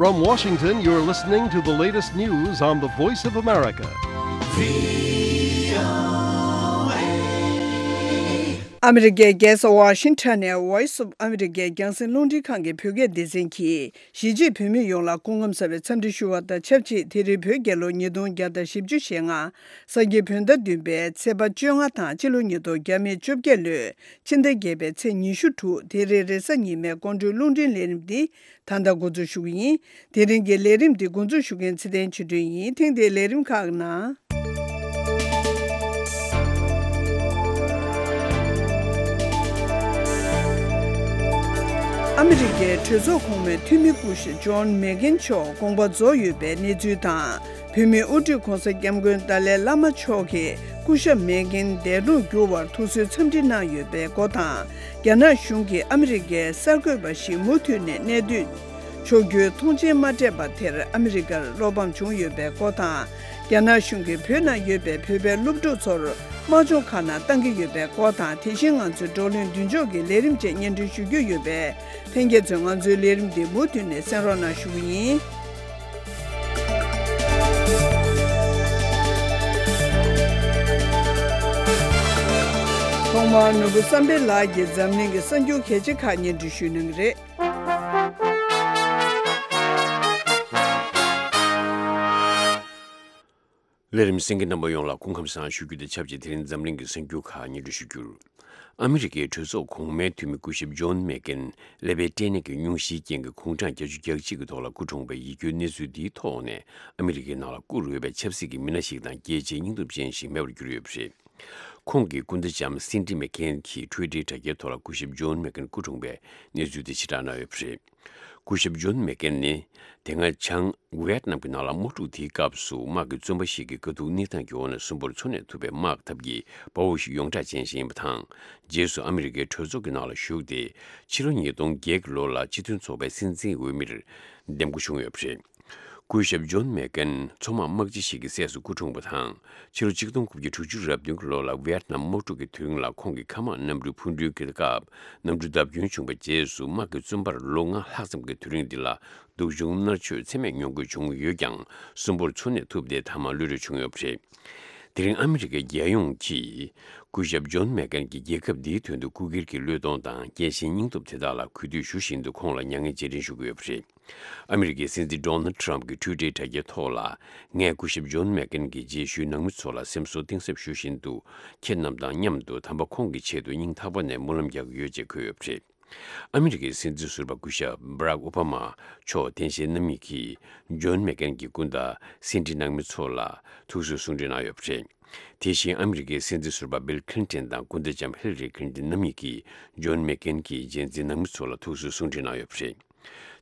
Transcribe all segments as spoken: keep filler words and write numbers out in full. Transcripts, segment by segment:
From Washington, you're listening to the latest news on the Voice of America. ཨ་མི་རི་ཀའི་རྒྱལ་ས་ཝ་ཤིང་ཊོན་ནས་Voice of America རྒྱང་སྲིང་རླུང་འཕྲིན་ཁང་གི་བོད་སྐད་སྡེ་ཚན་གྱིས། གཞིས་བྱེས་བོད་མི་ཡོངས་ལ་སྐུ་ཁམས་བཟང་བའི་འཚམས་འདྲི་ཞུ་བ་དང་ཆབས་ཅིག་དེ་རིང་བོད་རྒྱལ་ལོ་ཉིས་སྟོང་བརྒྱ་དང་བཞི་བཅུ་ཞེ་ལྔ། སངས་རྒྱས་བོད་ཟླ་བདུན་པའི་ཚེས་པ་བཅོ་ལྔ་དང་སྤྱི་ལོ་ཉིས་སྟོང་བརྒྱ་མེད་བཅོ་བརྒྱད་ལོའི་ཕྱི་ཟླ་བརྒྱད་པའི་ཚེས་ཉི་ཤུ་དྲུག་དེ་རིང་རེས་གཟའ་ཉི་མའི་དགོང་དྲོའི་རླུང་འཕྲིན་ལས་རིམ་འདི་ད་ལྟ་འགོ་འཛུགས་ཞུ་གི་ཡིན། དེ་རིང་གི་ལས་རིམ་འདི་འགོ་འཛུགས་ཞུ་མཁན་ཚེ་བརྟན་ཆོས་སྒྲོན་ཡིན། ཐེངས་འདིའི་ལས་རིམ་ཁག་ནང་། ཨ་མི་རི་ཀའི་གྲོས་ཚོགས་གོང་མའི་འཐུས་མི་སྐུ་ཞབས་ཇོན་མེག་གྷན་མཆོག་དགོངས་པ་རྫོགས་ཡོད་པའི་གནས་ཚུལ་དང་། བོད་མིའི་དབུ་ཁྲིད་༧གོང་ས་༧སྐྱབས་མགོན་ཏཱ་ལའི་བླ་མ་མཆོག་གིས་སྐུ་ཞབས་མེག་གྷན་འདས་གྲོངས་གྱུར་བར་ཐུགས་གསོའི་འཚམས་འདྲི་གནང་ཡོད་པའི་སྐོར་དང་། རྒྱ་ནག་གཞུང་གིས་ཨ་མི་རི་ཀའི་གསར་འགོད་པ་ཞིག་མུ་མཐུད་ནས་གནས་སྡོད་ཆོག་རྒྱུའི་ཐོངས་མཆན་མ་སྤྲད་པ་དེར་ཨ་མི་རི་ཀར་བློ་ཕམ་བྱུང་ཡོད་པའི་སྐོར་དང་། རྒྱ་ནག་གཞུང་གིས་བོད་ནང་ཡོད་པའི་བོད་པའི་སློབ་ཕྲུག་ཚོར་དམག་སྦྱོང་ཁག་ནང་བཏང་གི་ཡོད་པའི་སྐོར་དང་། དེ་བཞིན་ང་ཚོའི་བགྲོ་གླེང་མདུན་ལྕོག་གི་ལས་རིམ་བཅས་སྙན་སྒྲོན་ཞུ་རྒྱུ་ཡོད་པས། ལྷན་རྒྱས་ཚོས་ང་ཚོའི་ལས་རིམ་འདི་མུ་མཐུད་ནས་གསན་རོགས་གནང་ཞུ་གི་ཡིན། ཐོག་མར་ནོར་བུ་བསམ་འཕེལ་ལགས་ཀྱིས་འཛམ་གླིང་གི་གསར་འགྱུར་གལ་ཆེ་ཁག་སྙན་སྒྲོན་ཞུ་གནང་གི་རེད། ལས་རིམ་གསན་མཁན་རྣམ་པ་ཡོངས་ལ་སྐུ་ཁམས་བཟང་ཞུ་རྒྱུ་དང་ཆབས་ཅིག་དེ་རིང་འཛམ་གླིང་གི་གསར་འགྱུར་ཁག་སྙན་སྒྲོན་ཞུ་རྒྱུར། ཨ་མི་རི་ཀའི་གྲོས་ཚོགས་གོང་མའི་འཐུས་མི་སྐུ་ཞབས་ཇོན་མེག་གྷན་ཀླད་པའི་སྐྲན་ནད་ཀྱི་སྙུང་གཞིའི་རྐྱེན་གྱིས་དགུང་གྲངས་བརྒྱད་ཅུ་གྱ་གཅིག་གི་ཐོག་ལ་སྐུ་གྲོངས་པའི་ཡིད་སྐྱོའི་གནས་ཚུལ་འདིའི་ཐོག་ནས། ཨ་མི་རི་ཀའི་ནང་ལ་སྐུ་རུས་པའི་ཆབ་སྲིད་ཀྱི་མི་སྣ་ཞིག་དང་རྒྱལ་གཅེས་སྙིང་སྟོབས་ཅན་ཞིག་མེད་པར་གྱུར་ཡོད་པ་རེད། ཁོང་གི་སྐུ་ཟླ་ལྕམ་སིན་ཌི་མེག་གྷན་གྱིས་ཊུའི་ཊར་དྲ་རྒྱའི་ཐོག་ལ་སྐུ་ཞབས་ཇོན་མེག་གྷན་སྐུ་གྲོངས་པའི་གནས་ཚུལ་དེ་ཕྱིར་བསྒྲགས་གནང་ཡོད་པ་རེད། སྐུ་ཞབས་ཇོན་མེག་གྷན་ནི། དེ་སྔ་བྱང་ཝི་ཡེད་ནམ་གྱི་ནང་ལ་དམག་འཁྲུག་དེའི་སྐབས་སུ་དམག་གི་བཙོན་པ་ཞིག་གི་དཀའ་སྡུག་གནས་སྟངས་ཀྱི་འོག་ནས་གསོན་པོར་འཚོ་གནས་ཐུབ་པའི་དམག་འཐབ་ཀྱི་དཔའ་བོ་ཞིག་ཡོངས་གྲགས་ཅན་ཞིག་ཡིན་པ་དང་། རྗེས་སུ་ཨ་མི་རི་ཀའི་གྲོས་ཚོགས་ཀྱི་ནང་ལ་ཞུགས་ཏེ། ཕྱི་ལོ་ཉིས་སྟོང་བརྒྱད་ཀྱི་ལོ་ལ་སྤྱི་མཐུན་ཚོགས་པའི་སྲིད་འཛིན་འོས་མིར་འདེམས་བསྐོ་བྱུང་ཡོད་པ་རེད། སྐུ་ཞབས་ཇོན་མེག་གྷན་མཚོ་དམག་དམག་སྤྱི་ཞིག་གི་སྲས་སུ་སྐུ་འཁྲུངས་པ་དང་། ཕྱི་ལོ་ཆིག་སྟོང་དགུ་བརྒྱ་དྲུག་ཅུ་རེ་བདུན་གྱི་ལོ་ལ་ཝི་ཡེད་ནམ་དམག་འཁྲུག་གི་དུས་རིང་ལ་ཁོང་གི་མཁའ་དམག་གནམ་གྲུའི་འཕུར་མདེལ་གྱི་སྐབས་གནམ་གྲུ་བརྡབ་སྐྱོན་བྱུང་བའི་རྗེས་སུ། དམག་གི་བཙོན་པར་ལོ་ལྔ་ལྷག་ཙམ་གྱི་དུས་རིང་འདི་ལ་སྡུག་སྦྱོང་མནར་གཅོད་ཚད་མེད་མྱོང་དགོས་བྱུང་ཡོད་ཀྱང་། གསོན་པོར་འཚོ་གནས་ཐུབ་སྟེ་མཐའ་མ་གློད་གྲོལ་བྱུང་ཡོད་པ་རེད། དེ་རིང་ཨ་མི་རི་ཀའི་རྒྱལ་ཡོངས་ཀྱིས་སྐུ་ཞབས་ཇོན་མེག་གྷན་གྱི་རྒྱལ་ཁབ་འདིའི་དོན་དུ་སྐུ་སྒེར་གྱི་བློས་གཏོང་དང་རྒྱལ་ཞེན་སྙིང་སྟོབས་དེ་དག་ལ་གུས་འདུད་ཞུ་བཞིན་དུ་ཁོང་ལ་མྱ་ངན་རྗེས་དྲན་ཞུ་གི་ཡོད་པ་རེད། ཨ་མི་རི་ཀའི་སྲིད་འཛིན་ཌོ་ནལ་ཌི་ཊརམ་གྱིས་ཊུའི་ཊར་དྲ་རྒྱའི་ཐོག་ལ། ངས་སྐུ་ཞབས་ཇོན་མེག་གྷན་གྱི་རྗེས་ཤུལ་ནང་མི་ཚོ་ལ་སེམས་གསོ་གཏིང་ཟབ་ཞུ་བཞིན་དུ། ཁྱེད་རྣམས་དང་མཉམ་དུ་དམ་པ་ཁོང་གི་ཆེད་དུ་སྙིང་ཐག་པ་ནས་སྨོན་ལམ་རྒྱག་གི་ཡོད་ཅེས་འཁོད་ཡོད་པ་རེད། ཨ་མི་རི་ཀའི་སྲིད་འཛིན་ཟུར་པ་སྐུ་ཞབས་བྷ་རག་ཨོ་བྷ་མ་མཆོག་རྟེན་བཞེངས་རྣམ་གཉིས་ཀྱིས་ཇོན་མེག་གྷན་གྱི་སྐུ་ཟླ་སིན་ཌི་ནང་མི་ཚོ་ལ་ཐུགས་གསོའི་གསུང་འཕྲིན་གནང་ཡོད་པ་རེད། དེ་བཞིན་ཨ་མི་རི་ཀའི་སྲིད་འཛིན་ཟུར་པ་བྷིལ་ཁི་ལིན་ཏོན་དང་སྐུ་ཟླ་ལྕམ་ཧི་ལ་རི་ཁི་ལིན་ཏོན་རྣམ་གཉིས་ཀྱིས་ཇོན་མེག་གྷན་གྱི་རྗེས་འཛིན་ནང་མི་ཚོ་ལ་ཐུགས་གསོའི་གསུང་འཕྲིན་གནང་ཡོད་པ་རེད།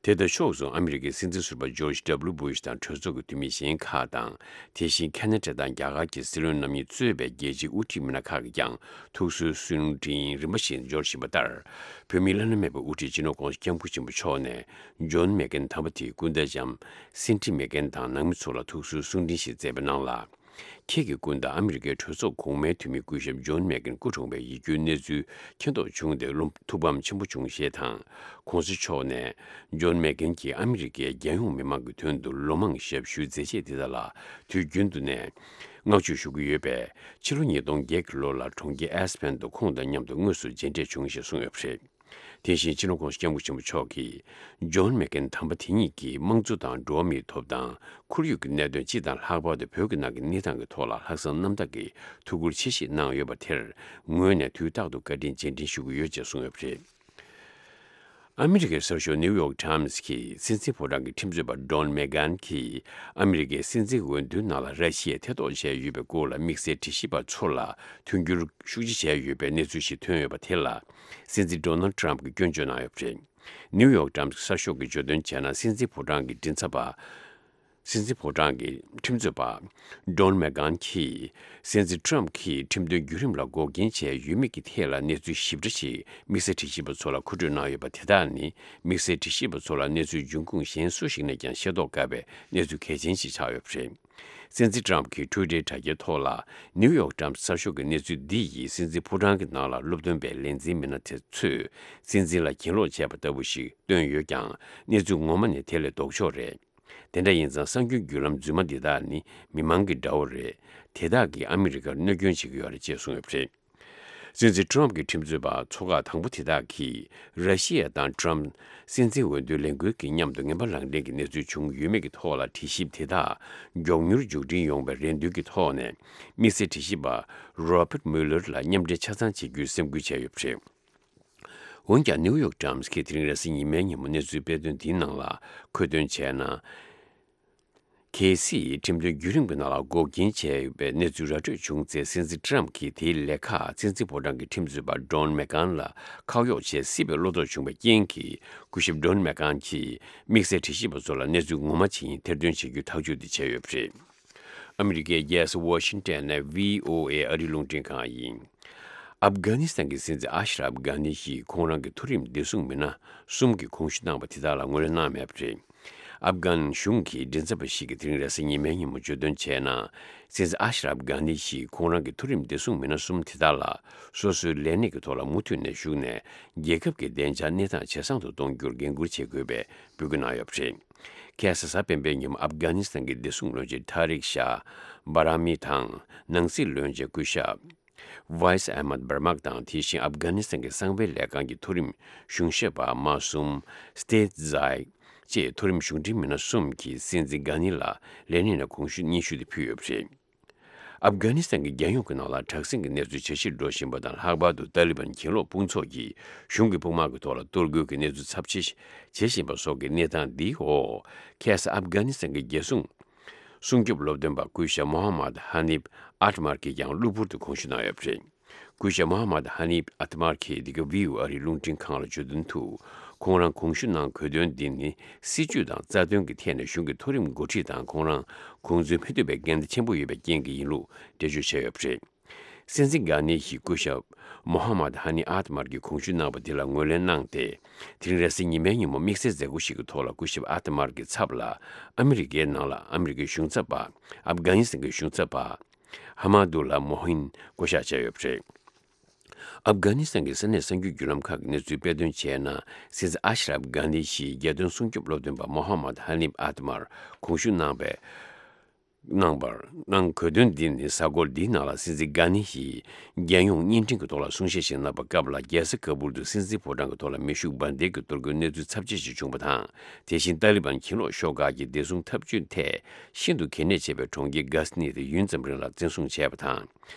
དེ་དང་ཕྱོགས་མཚུངས་ཨ་མི་རི་ཀའི་སྲིད་འཛིན་ཟུར་པ་ཇོརྗ་ཌབ་ལུ་བྷུ་ཤ་དང་གྲོས་ཚོགས་ཀྱི་འཐུས་མི་གཞན་ཁག་དང་། དེ་བཞིན་ཁ་ན་ཌ་དང་རྒྱ་གར་གྱི་སྲིད་བློན་རྣམ་གཉིས་གཙོས་པའི་རྒྱལ་སྤྱིའི་དབུ་ཁྲིད་མི་སྣ་ཁག་གིས་ཀྱང་ཐུགས་གསོའི་གསུང་འཕྲིན་རིམ་པ་བཞིན་འབྱོར་བཞིན་པ་ལྟར། བོད་མིའི་བླ་ན་མེད་པའི་དབུ་ཁྲིད་སྤྱི་ནོར་༧གོང་ས་༧སྐྱབས་མགོན་ཆེན་པོ་མཆོག་ནས་ཇོན་མེག་གྷན་དམ་པ་དེའི་སྐུ་ཟླ་ལྕམ་སིན་ཌི་མེག་གྷན་དང་ནང་མི་ཚོ་ལ་ཐུགས་གསོའི་གསུང་འཕྲིན་ཞིག་བསྩལ་བའི་ནང་ལ། ཁྱེད་ཀྱི་སྐུ་ཟླ་ཨ་མི་རི་ཀའི་གྲོས་ཚོགས་གོང་མའི་འཐུས་མི་སྐུ་ཞབས་ཇོན་མེག་གྷན་སྐུ་གྲོངས་པའི་ཡིད་སྐྱོའི་གནས་ཚུལ་མཁྱེན་རྟོགས་བྱུང་སྟེ་བློ་ཐུགས་ཕམ་ཆེན་པོ་བྱུང་ཞེས་དང་། ༸གོང་ས་མཆོག་ནས་ཇོན་མེག་གྷན་གྱིས་ཨ་མི་རི་ཀའི་རྒྱལ་ཡོངས་མི་མང་གི་དོན་དུ་ལོ་མང་ཞབས་ཞུའི་མཛད་རྗེས་དེ་དག་ལ་དུས་རྒྱུན་དུ་ནས་བསྔགས་བརྗོད་ཞུ་གི་ཡོད་པས། ཕྱི་ལོ་ཉིས་སྟོང་བརྒྱད་ཀྱི་ལོ་ལ་གྲོང་ཁྱེར་ཨེས་ཕན་དུ་ཁོང་དང་མཉམ་དུ་དངོས་སུ་མཇལ་འཕྲད་བྱུང་ཞེས་གསུངས་ཡོད་པ་རེད། དེ་བཞིན་སྤྱི་ནོར་༸གོང་ས་༸སྐྱབས་མགོན་ཆེན་པོ་མཆོག་གིས། ཇོན་མེག་གྷན་དམ་པ་དེ་ཉིད་ཀྱིས་དམངས་གཙོ་དང་འགྲོ་བ་མིའི་ཐོབ་ཐང་། ཁོར་ཡུག་གི་གནད་དོན་སྤྱི་དང་ལྷག་པར་དུ་བོད་ཀྱི་ནང་གི་གནས་སྟངས་ཀྱི་ཐོག་ལ་ལྷག་བསམ་རྣམ་དག་གིས་ཐུགས་ཁུར་ཆེ་བཞེས་གནང་ཡོད་པ་དེར་ངོས་ནས་དུས་རྟག་ཏུ་བཀའ་དྲིན་རྗེས་དྲན་ཞུ་གི་ཡོད་ཅེས་གསུངས་ཡོད་པ་རེད། ཨ་མི་རི་ཀའི་གསར་ཤོག་ནིའུ་ཡོག་ཊའིམ་སི་གིས་སྲིད་འཛིན་ཕོ་བྲང་གི་ཁྲིམས་རྩོད་པ་ཌོན་མེག་གྷན་གྱིས་ཨ་མི་རི་ཀའི་སྲིད་འཛིན་འོས་བསྡུའི་ནང་ལ་ར་ཤི་ཡས་ཐེ་གཏོགས་བྱས་ཡོད་པའི་སྐོར་ལ་དམིགས་བསལ་དྲི་ཞིབ་པ་ཚོ་ལ་མཐུན་འགྱུར་ཤུགས་ཆེ་བྱས་ཡོད་པའི་གནས་ཚུལ་ཞིག་ཐོན་ཡོད་པ་དེ་ལ། སྲིད་འཛིན་ཌོ་ནལ་ཊམ་གྱིས་སྐྱོན་བརྗོད་གནང་ཡོད་པ་རེད། ནིའུ་ཡོག་ཊའིམ་སི་གསར་ཤོག་གིས་བརྗོད་དོན་བྱས་ན། སྲིད་འཛིན་ཕོ་བྲང་གི་མགྲིན་ཚབ་པ། སྲིད་འཛིན་ཕོ་བྲང་གི་ཁྲིམས་རྩོད་པ། ཌོན་མེག་གྷན་གྱིས། སྲིད་འཛིན་ཊམ་གྱིས་ཁྲིམས་དོན་བརྒྱུད་རིམ་ལ་འགོག་རྐྱེན་བྱས་ཡོད་མེད་ཀྱི་ཐད་ལ་གནས་ཚུལ་ཞིབ་ཕྲ་ཞིག་དམིགས་བསལ་དྲི་ཞིབ་པ་ཚོ་ལ་མཁོ་སྤྲོད་གནང་ཡོད་པ་དེ་དག་ནི། དམིགས་བསལ་དྲི་ཞིབ་པ་ཚོ་ལ་གནས་ཚུལ་འབྱུང་ཁུངས་གཞན་སུ་ཞིག་ནས་ཀྱང་ཤེས་རྟོགས་དཀའ་བའི་གནས་ཚུལ་གལ་ཆེན་ཞིག་ཆགས་ཡོད་པ་རེད། སྲིད་འཛིན་ཊམ་གྱི་ཊུའི་ཊར་དྲ་རྒྱའི་ཐོག་ལ་ནིའུ་ཡོག་ཊམ་གསར་ཤོག་གི་གནས་ཚུལ་འདི་ཡིས་སྲིད་འཛིན་ཕོ་བྲང་གི་ནང་ལ་སློབ་སྟོན་པའི་ལས་འཛིན་མི་སྣ་དེ་ཚོས་སྲིད་འཛིན་ལ་གྱེན་ལོག་བྱས་པ་ལྟ་བུ་ཞིག་བཏོན་ཡོད་ཀྱང་གནས་ཚུལ་ངོ་མ་ནི་དེ་ལས་ལྡོག་ཕྱོགས་རེད། དེ་འདྲ་ཡིན་ཙང་གསར་འགྱུར་བརྒྱུད་ལམ་རྫུན་མ་འདི་དག་ནི་མི་མང་གི་དགྲ་བོ་རེད། དེ་དག་གིས་ཨ་མི་རི་ཀར་གནོད་སྐྱོན་བྱེད་ཀྱི་ཡོད་རེད་ཅེས་གསུངས་ཡོད་པ་རེད། སྲིད་འཛིན་ཊམ་གྱི་ཁྲིམས་རྩོད་པ་ཚོ་ཁག་དང་པོ་དེ་དག་གིས་ར་ཤི་ཡ་དང་ཊམ་སྲིད་འཛིན་འོས་བསྡུའི་ལས་འགུལ་གྱི་མཉམ་དུ་ངན་པ་ལངས་གྲབས་ཀྱི་གནས་ཚུལ་བྱུང་ཡོད་མེད་ཀྱི་ཐོག་ལ་དྲི་ཞིབ་དེ་དག་མགྱོགས་མྱུར་མཇུག་སྒྲིལ་ཡོང་བའི་རེ་འདུན་གྱི་ཐོག་ནས་དམིགས་བསལ་དྲི་ཞིབ་པ་རོ་པར་མུ་ལར་ལ་མཉམ་འབྲེལ་ཆ་ཚང་བྱེད་རྒྱུའི་སེམས་ཁུར་བྱས་ཡོད་པ་རེད། འོན་ཀྱང་ནིའུ་ཡོག་ཊམ་གྱིས་དེ་རིང་རེས་གཟའ་ཉི་མའི་ཉིན་མོ་གནས་ཚུལ་སྤེལ་དོན་འདིའི་ནང་ལ་འཁོད་དོན་བྱས་ན། གལ་སྲིད་ཁྲིམས་དོན་བརྒྱུད་རིམ་གྱི་ནང་ལ་འགོག་རྐྱེན་བྱས་ཡོད་པའི་གནས་ཚུལ་ར་སྤྲོད་བྱུང་ཚེ་སྲིད་འཛིན་ཊམ་གྱིས་དེའི་ལས་ཁག་སྲིད་འཛིན་ཕོ་བྲང་གི་ཁྲིམས་རྩོད་པ་ཌོན་མེག་གྷན་ལ་ཁག་གཡོགས་བྱེད་སྲིད་པའི་བློ་དོགས་བྱུང་བའི་རྐྱེན་གྱིས་སྐུ་ཞབས་ཌོན་མེག་གྷན་གྱིས་དམིགས་བསལ་དྲི་ཞིབ་པ་ཚོ་ལ་གནས་ཚུལ་ངོ་མ་ཇི་ཡིན་ཐེར་འདོན་བྱེད་རྒྱུའི་ཐག་གཅོད་དེ་བྱས་ཡོད་པ་རེད། ཨ་མི་རི་ཀའི་རྒྱལ་ས་ཝ་ཤིང་ཊོན་ནས་བྷི་ཨོ་ཨེ་ཨ་རིའི་རླུང་འཕྲིན་ཁང་ཡིན། ཨབ་གྷ་ནི་སི་ཐན་གྱི་སྲིད་འཛིན་ཨ་ཤ་རབ་གྷ་ནི་ཡིས་ཁོང་རང་གི་མཐོ་རིམ་བདེ་སྲུང་མི་སྣ་གསུམ་གྱི་གོང་ཞུ་གནང་བ་དེ་དག་ལ་ངོས་ལེན་གནང་མེད་པ་རེད། ཨབ་གྷན་གཞུང་གི་མགྲིན་ཚབ་པ་ཞིག་གིས་དེ་རིང་རེས་གཟའ་ཉི་མའི་ཉིན་མོ་བརྗོད་དོན་བྱས་ན། སྲིད་འཛིན་ཨ་ཤ་རབ་གྷ་ནི་ཡིས་ཁོང་རང་གི་མཐོ་རིམ་བདེ་སྲུང་མི་སྣ་གསུམ་དེ་དག་ལ་སོ་སོའི་ལས་གནས་ཀྱི་ཐོག་ལ་མུ་མཐུད་ནས་ཞུགས་ནས་རྒྱལ་ཁབ་ཀྱི་བདེ་འཇགས་གནས་སྟངས་ཇེ་བཟང་དུ་གཏོང་རྒྱུར་འགན་འཁུར་བྱེད་དགོས་པའི་འབོད་སྐུལ་གནང་ཡོད་པ་རེད། ཁ་སང་གཟའ་སྤེན་པའི་ཉིན་མོ་ཨབ་གྷ་ནི་སི་ཐན་གྱི་བདེ་སྲུང་བློན་ཆེན་ཐ་རིག་ཤཱ་བྷ་ར་མི་དང་ནང་སྲིད་བློན་ཆེན་སྐུ་ཞབས་ཝའི་སི་ཨ་མད་བྷར་མག་དང་དེ་བཞིན་ཨབ་གྷ་ནི་སི་ཐན་གྱི་གསང་བའི་ལས་ཁང་གི་མཐོ་རིམ་གཞུང་ཞབས་པ་མ་གསུམ་སྟེ་ཛའི་བཅས་མཐོ་རིམ་གཞུང་འབྲེལ་མི་སྣ་གསུམ་གྱིས་སྲིད་འཛིན་གྷ་ནི་ལ་ལས་གནས་ནས་གོང་ཞུ་སྙན་ཞུ་དེ་ཕུལ་ཡོད་པ་རེད། ཨབ་གྷ་ནི་སི་ཐན་གྱི་རྒྱལ་ཡོངས་ཀྱི་ནང་ལ་དྲག་ཟིང་གི་གནས་ཚུལ་ཇེ་ཆེར་འགྲོ་བཞིན་པ་དང་ལྷག་པར་དུ་ཏཱ་ལི་བན་གྱེན་ལོག་དཔུང་ཚོགས་ཀྱིས་གཞུང་གི་དཔུང་དམག་གི་ཐོག་ལ་གཏོར་རྒོལ་གྱི་གནས་ཚུལ་ཚབས་ཆེ་བྱེད་བཞིན་པ་སོགས་ཀྱི་གནས་སྟངས་འདིའི་འོག་ཁ་སང་ཨབ་གྷ་ནི་སི་ཐན་གྱི་རྒྱལ་སྲུང་སྲུང་སྐྱོབ་སློབ་སྟོན་པ་སྐུ་ཞབས་མོ་ཧ་མད་ཧ་ནིབ་ཨ་ཏི་མར་གྱིས་ཀྱང་གློ་བུར་དུ་གོང་ཞུ་གནང་ཡོད་པ་རེད། སྐུ་ཞབས་མོ་ཧ་མད་ཧ་ནིབ་ཨ་ཏི་མར་གྱིས་འདི་ག་བྷི་ཨོ་ཨེ་ཨ་རིའི་རླུང་འཕྲིན་ཁང་ལ་བརྗོད་དོན་དུ། ཁོང་རང་གོང་ཞུ་གནང་དགོས་དོན་འདི་ནི་སྲིད་ཇུས་དང་རྩ་དོན་གྱི་ཐད་ནས་གཞུང་གི་མཐོ་རིམ་འགོ་ཁྲིད་དང་ཁོང་རང་གོང་འཛོལ་མི་ཐུབ་པའི་འགལ་ཟླ་ཆེན་པོ་ཡོད་པའི་རྐྱེན་གྱིས་ཡིན་ལུགས་འགྲེལ་བརྗོད་བྱས་ཡོད་པ་རེད། སྲིད་འཛིན་གྷ་ནི་ཡིས་སྐུ་ཞབས་མོ་ཧ་མད་ཧ་ནི་ཨ་ཏི་མར་གྱི་གོང་ཞུ་གནང་བ་དེ་ལ་ངོས་ལེན་གནང་སྟེ། དེ་རིང་རེས་གཟའ་ཉི་མའི་ཉིན་མོ་དམིགས་བསལ་མཛད་སྒོ་ཞིག་གི་ཐོག་ལ་སྐུ་ཞབས་ཨ་ཏི་མར་གྱི་ཚབ་ལ་ཨ་མི་རི་ཀའི་ནང་ལ་ཨ་མི་རི་ཀའི་གཞུང་ཚབ་པ། ཨབ་གྷ་ནི་སི་ཐན་གྱི་གཞུང་ཚབ་པ། ཧ་མ་དུ་ལ་མོ་ཧིན་བསྐོ་གཞག་བྱས་ཡོད་པ་རེད། ཨབ་གྷ་ནི་སི་ཐན་གྱི་ས་གནས་གསར་འགྱུར་བརྒྱུད་ལམ་ཁག་གིས་གནས་ཚུལ་སྤེལ་དོན་བྱས་ན། སྲིད་འཛིན་ཨ་ཤ་རབ་གྷ་ནི་ཡིས་རྒྱལ་དོན་སྲུང་སྐྱོབ་སློབ་སྟོན་པ་མོ་ཧ་མད་ཧ་ནིབ་ཨ་ཏི་མར་གོང་ཞུ་གནང་བའི་གནང་བར་གནང་དགོས་དོན་འདི་ནི་གཟའ་འཁོར་འདིའི་ནང་ལ་སྲིད་འཛིན་གྷ་ནི་ཡིས་རྒྱལ་ཡོངས་བརྙན་འཕྲིན་གྱི་ཐོག་ལ་གསུང་བཤད་ཞིག་གནང་བའི་སྐབས་ལ། རྒྱལ་ས་ཀ་བུལ་དུ་སྲིད་འཛིན་ཕོ་བྲང་གི་ཐོག་ལ་མེ་ཤུགས་འབར་མདེལ་གྱི་གཏོར་རྒོལ་གནས་ཚུལ་ཚབས་ཆེ་ཞིག་བྱུང་བ་དང་། དེ་བཞིན་ཏཱ་ལི་བན་གྱེན་ལོག་ཤོག་ཁག་གིས་བདེ་སྲུང་འཐབ་ཇུས་ཐད་ཤིན་ཏུ་གལ་གནད་ཆེ་བའི་གྲོང་ཁྱེར་གྷ་ཟི་ནི་དེ་ཡུན་ཙམ་རིང་ལ་བཙན་བཟུང་བྱས་པ་དང་།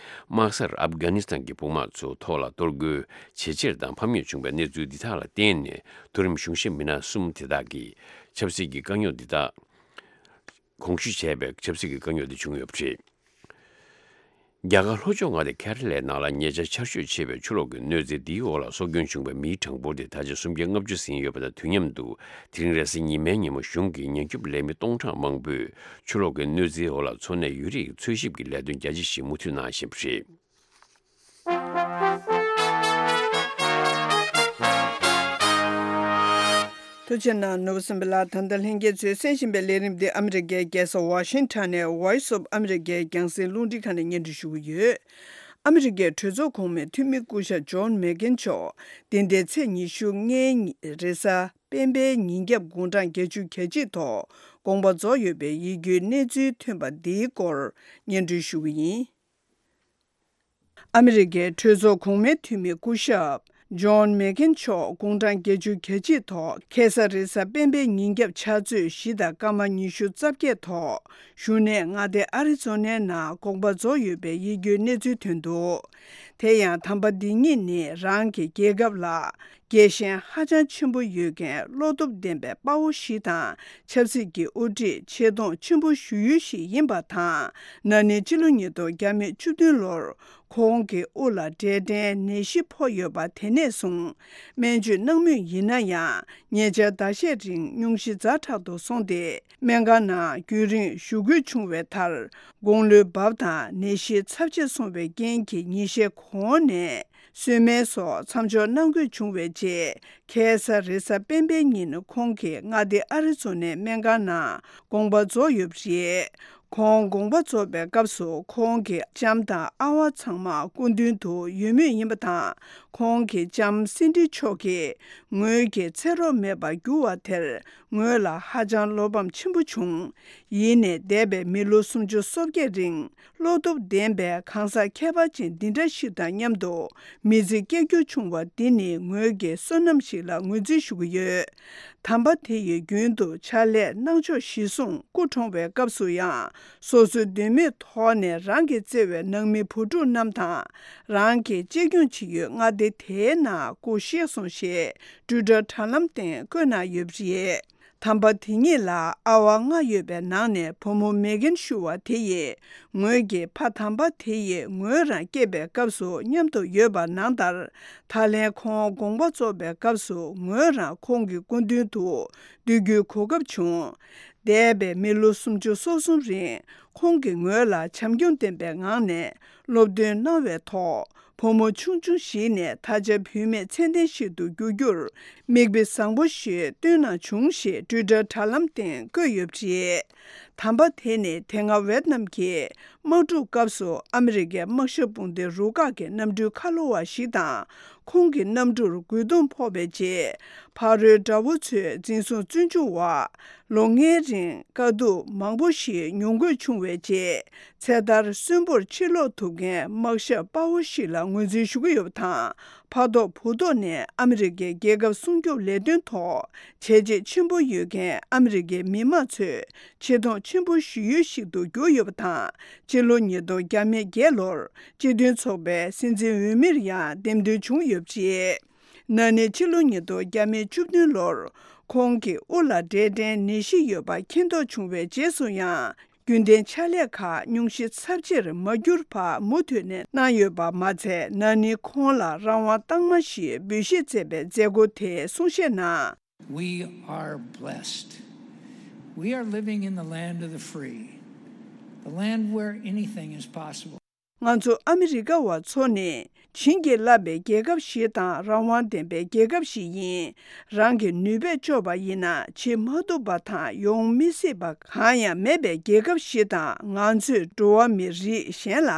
དམག་སར་ཨབ་གྷ་ནི་སི་ཐན་གྱི་དཔུང་དམག་ཚོའི་ཐོག་ལ་གཏོར་རྒོལ་ཇེ་ཆེར་དང་ཕམ་ཉེས་བྱུང་བའི་གནས་ཚུལ་འདི་དག་ལ་བརྟེན་ནས། མཐོ་རིམ་གཞུང་ཞབས་མི་སྣ་གསུམ་དེ་དག་གིས་ཆབ་སྲིད་ཀྱི་དཀའ་རྙོག་འདི་དག་གོང་ཞུ་བྱས་པའི་ཆབ་སྲིད་ཀྱི་དཀའ་རྙོག་དེ་བྱུང་ཡོད་པ་རེད། རྒྱ་གར་ལྷོ་ཕྱོགས་མངའ་སྡེ་ཁེ་ར་ལའི་ནང་ལ་ཉེ་ཆར་ཆར་ཞོད་ཆེ་བའི་ཆུ་ལོག་གི་གནོད་འཚེ་འདིའི་འོག་ལ་སྲོག་སྐྱོན་བྱུང་བའི་མིའི་གྲངས་འབོར་དེ་ད་ཆ་སུམ་བརྒྱ་ལྔ་བཅུ་ཟིན་ཡོད་པ་དང་། དུས་མཉམ་དུ་དེ་རིང་རེས་གཟའ་ཉི་མའི་ཉིན་མོ་གཞུང་གིས་ཉེན་སྐྱོབ་ལས་མི་སྟོང་ཕྲག་མང་པོས་ཆུ་ལོག་གི་གནོད་འཚེའི་འོག་ལ་འཚོ་གནས་ཡུན་རིང་འཚོལ་ཞིབ་ཀྱི་ལས་དོན་རྒྱ་ཆེ་ཞིག་མུ་མཐུད་གནང་བཞིན་པ་རེད། ཐུགས་རྗེ་གནང་། ནོར་བུ་སེམས་པ་ལགས། ད་ལྟ་ལྷན་རྒྱས་ཚོས་གསན་བཞིན་པའི་ལས་རིམ་འདི་ཨ་མི་རི་ཀའི་རྒྱལ་ས་ཝ་ཤིང་ཊོན་ནས་Voice of America རྒྱང་སྲིང་རླུང་འཕྲིན་ཁང་ནས་སྙན་སྒྲོན་ཞུ་གི་ཡོད། ཨ་མི་རི་ཀའི་གྲོས་ཚོགས་གོང་མའི་འཐུས་མི་སྐུ་ཞབས་ཇོན་མེག་གྷན་མཆོག་འདི་ཟླའི་ཚེས་ཉི་ཤུ་ལྔའི་ཉིན་རེས་གཟའ་སྤེན་པའི་ཉིན་རྒྱབ་དགུང་གྲངས་བརྒྱད་ཅུ་གྱ་གཅིག་ཐོག་དགོངས་པ་རྫོགས་ཡོད་པའི་ཡིད་སྐྱོའི་གནས་ཚུལ་ཐོན་པ་འདིའི་སྐོར་སྙན་སྒྲོན་ཞུ་གི་ཡིན། ཨ་མི་རི་ཀའི་གྲོས་ཚོགས་གོང་མའི་འཐུས་མི་སྐུ་ཞབས་ཇོན་མེག་གྷན་མཆོག་དགུང་གྲངས་བརྒྱད་ཅུ་གྱ་གཅིག་ཐོག་ཁ་སང་རེས་གཟའ་སྤེན་པའི་ཉིན་རྒྱབ་ཕྱག་ཚོད་བཞི་དང་སྐར་མ་ཉི་ཤུ་རྩ་བརྒྱད་ཐོག་གཞུང་གནས་མངའ་སྡེ་ཨ་རི་ཛོ་ནའི་ནང་དགོངས་པ་རྫོགས་ཡོད་པའི་ཡིད་སྐྱོའི་གནས་ཚུལ་ཐོན་འདུག་དེ་ཡང་དམ་པ་འདི་ཉིད་ནི་རང་གི་རྒྱལ་ཁབ་ལ་རྒྱལ་ཞེན་ཧ་ཅང་ཆེན་པོ་ཡོད་མཁན་བློ་སྟོབས་ལྡན་པའི་དཔའ་བོ་ཞིག་དང་། ཆབ་སྲིད་ཀྱི་དབུ་ཁྲིད་ཆེ་མཐོང་ཆེན་པོ་ཞུ་ཡུལ་ཞིག་ཡིན་པ་དང་། ན་ནིང་ཕྱི་ལོ་ཉིས་སྟོང་བཅུ་བདུན་ལོར་ཁོང་གི་དབུ་ལ་འབྲས་སྐྲན་ནད་གཞི་ཕོག་ཡོད་པ། དེ་ནས་བཟུང་སྨན་བཅོས་གནང་མུས་ཡིན་ན་ཡང་། ཉེ་ཆར་ཟླ་ཤས་རིང་སྙུང་གཞི་ཛ་དྲག་ཏུ་སོང་སྟེ། སྨན་ཁང་ནང་རྒྱུན་རིང་བཞུགས་དགོས་བྱུང་བའི་མཐར། དགུང་ལོའི་རྦབ་དང་ནད་གཞི་ཚབས་ཆེ་སོང་བའི་རྐྱེན་གྱིས་ཉིན་ཤས་གོང་ནས་གསོལ་སྨན་སོགས་མཚམས་འཇོག་གནང་དགོས་བྱུང་བའི་རྗེས། ཁ་སང་རེས་གཟའ་སྤེན་པའི་ཉིན་ཁོང་གིས་མངའ་སྡེ་ཨ་རི་ཛོ་ནའི་སྨན་ཁང་ནང་དགོངས་པ་རྫོགས་ཡོད་པ་རེད། ཁོང་དགོངས་པ་རྫོགས་པའི་སྐབས་སུ་ཁོང་གི་ལྕམ་དང་ཨ་བ་ཚང་མ་སྐུ་མདུན་དུ་ཡོད་མུས་ཡིན་པ་དང་། ཁོང་གི་ལྕམ་སིན་ཌི་མཆོག་གིས་ངོས་ཀྱི་ཚེ་རོགས་མེད་པར་གྱུར་བ་དེར་ངོས་ལ་ཧ་ཅང་བློ་ཕམ་ཆེན་པོ་བྱུང་། ཡིན་ནའི་འདས་པའི་མི་ལོ་སུམ་ཅུ་སོ་བརྒྱད་རིང་བློ་སྟོབས་ལྡན་པའི་གང་ཟག་ཁྱད་པར་ཅན་འདི་འདྲ་ཞིག་དང་མཉམ་དུ་མི་ཚེ་སྐྱེལ་རྒྱུ་བྱུང་བ་འདི་ནི་ངོས་ཀྱི་བསོད་ནམས་ཤིག་ལ་ངོས་འཛིན་ཞུ་གི་ཡོད། དམ་པ་དེ་ཡིས་རྒྱུན་དུ་ཕྱག་ལས་གནང་ཕྱོགས་གཞིར་བཟུང་སྐུ་གྲོངས་པའི་སྐབས་སུ་ཡང་སོ་སོའི་འདོད་མོས་ཐོག་ནས་རང་གིས་བརྩེ་བའི་ནང་མི་བུ་ཕྲུག་རྣམས་དང་རང་གིས་གཅེས་སྐྱོང་བྱེད་ཡུལ་མངའ་སྡེ་དེའི་ནང་སྐུ་གཤེགས་སོང་ཞེས་ཊུའི་ཊར་དྲ་ལམ་སྟེང་བཀོད་གནང་ཡོད་པ་རེད། དམ་པ་དེ་ཉིད་ལ་ཨ་བ་ལྔ་ཡོད་པའི་ནང་ནས་བུ་མོ་མེ་གྷན་ཞུ་བ་དེ་ཡིས་ངོས་ཀྱི་ཕ་དམ་པ་དེ་ཡིས་ངོས་རང་སྐྱེས་པའི་སྐབས་སུ་མཉམ་དུ་ཡོད་པ་ནང་ལྟར། ད་ལན་ཁོང་དགོངས་པ་རྫོགས་པའི་སྐབས་སུ་ངོས་རང་ཁོང་གི་སྐུ་མདུན་དུ་སྡོད་རྒྱུའི་གོ་སྐབས་བྱུང་། འདས་པའི་མི་ལོ་སུམ་ཅུ་སོ་གསུམ་རིང་ཁོང་གིས་ངོས་ལ་བྱམས་སྐྱོང་ལྡན་པའི་ངང་ནས་སློབ་སྟོན་གནང་བའི་ཐོག་བུ་མོ་ཆུང་ཆུང་ཞིག་ནས་ད་ཆ་བུད་མེད་ཚད་ལྡན་ཞིག་ཏུ་འགྱུར་རྒྱུར་མིག་དཔེ་བཟང་པོ་ཞིག་སྟོན་གནང་བྱུང་ཞེས་ཊུའི་ཊར་དྲ་ལམ་སྟེང་བཀོད་ཡོད་པ་རེད། དམ་པ་དེ་ནི་དེ་སྔ་ཝེད་ནམ་གྱི་དམག་འཁྲུག་སྐབས་སུ་ཨ་མི་རི་ཀའི་དམག་ཞབས་དཔུང་སྡེ་རུ་ཁག་གི་གནམ་གྲུའི་ཁ་ལོ་བ་ཞིག་དང་། ཁོང་གི་གནམ་གྲུར་རྒོལ་རྡུང་ཕོག་པའི་རྗེས། ཕ་རོལ་དགྲ་བོ་ཚོས་འཛིན་བཟུང་བཙོན་འཇུག་འོག་ལོ་ལྔའི་རིང་དཀའ་སྡུག་མང་པོ་ཞིག་མྱོང་དགོས་བྱུང་བའི་རྗེས། ཚེ་ཐར་གསོན་པོར་ཕྱིར་ལོག་ཐུབ་མཁན་དམག་ཞབས་དཔའ་བོ་ཞིག་ལ་ངོས་འཛིན་ཞུ་གི་ཡོད་པ་དང་། ཕ་ཐོག་བུ་ཐོག་ནས་ཨ་མི་རི་ཀའི་རྒྱལ་ཁབ་སྲུང་སྐྱོབ་ལས་དོན་ཐོག་བྱས་རྗེས་ཆེན་པོ་ཡོད་མཁན་ཨ་མི་རི་ཀའི་མི་དམངས་ཚོས་ཆེ་མཐོང་ཆེན་པོ་ཞུ་ཡུལ་ཞིག་ཏུ་གྱུར་ཡོད་པ་དང་། སྤྱི་ལོ་ཉིས་སྟོང་བརྒྱ་མེད་བརྒྱད་ལོར་སྤྱི་མཐུན་ཚོགས་པའི་སྲིད་འཛིན་འོས་མིར་ཡང་འདེམས་ཐོན་བྱུང་ཡོད་པ་རེད། ན་ནིང་ཕྱི་ལོ་ཉིས་སྟོང་བརྒྱ་མེད་བཅུ་བདུན་ལོར་ཁོང་གི་དབུ་ལ་འབྲས་སྐྲན་ནད་གཞི་ཡོད་པ་མཁྱེན་རྟོགས་བྱུང་བའི་རྗེས་སུ་ཡང་། རྒྱུན་ལྡན་ཕྱག་ལས་ཁག་སྙུང་གཞི་ཚབས་ཆེར་མ་གྱུར་བར་མུ་མཐུད་ནས་གནང་ཡོད་པ་མ་ཚད། ན་ནིང་ཁོང་ལ་རང་དབང་རྟགས་མ་ཞེས་འབོད་བཞེས་མཛད་པའི་མཛད་སྒོ་དེའི་གསུང་བཤད་ནང་། We are blessed. We are living in the land of the free, the land where anything is possible. ང་ཚོ་ཨ་མི་རི་ཀ་བ་ཚོ་ནི་བྱིན་གྱིས་བརླབས་པའི་རྒྱལ་ཁབ་ཞིག་དང་རང་དབང་ལྡན་པའི་རྒྱལ་ཁབ་ཞིག་ཡིན། རང་གི་ནུས་པས་ལྕོགས་པ་ཡིན་ན་བྱེད་མ་ཐུབ་པ་དང་ཡོང་མི་སྲིད་པ་གང་ཡང་མེད་པའི་རྒྱལ་ཁབ་ཞིག་དང་། ང་ཚོས་འགྲོ་བ་མི་རིགས་གཞན་ལ་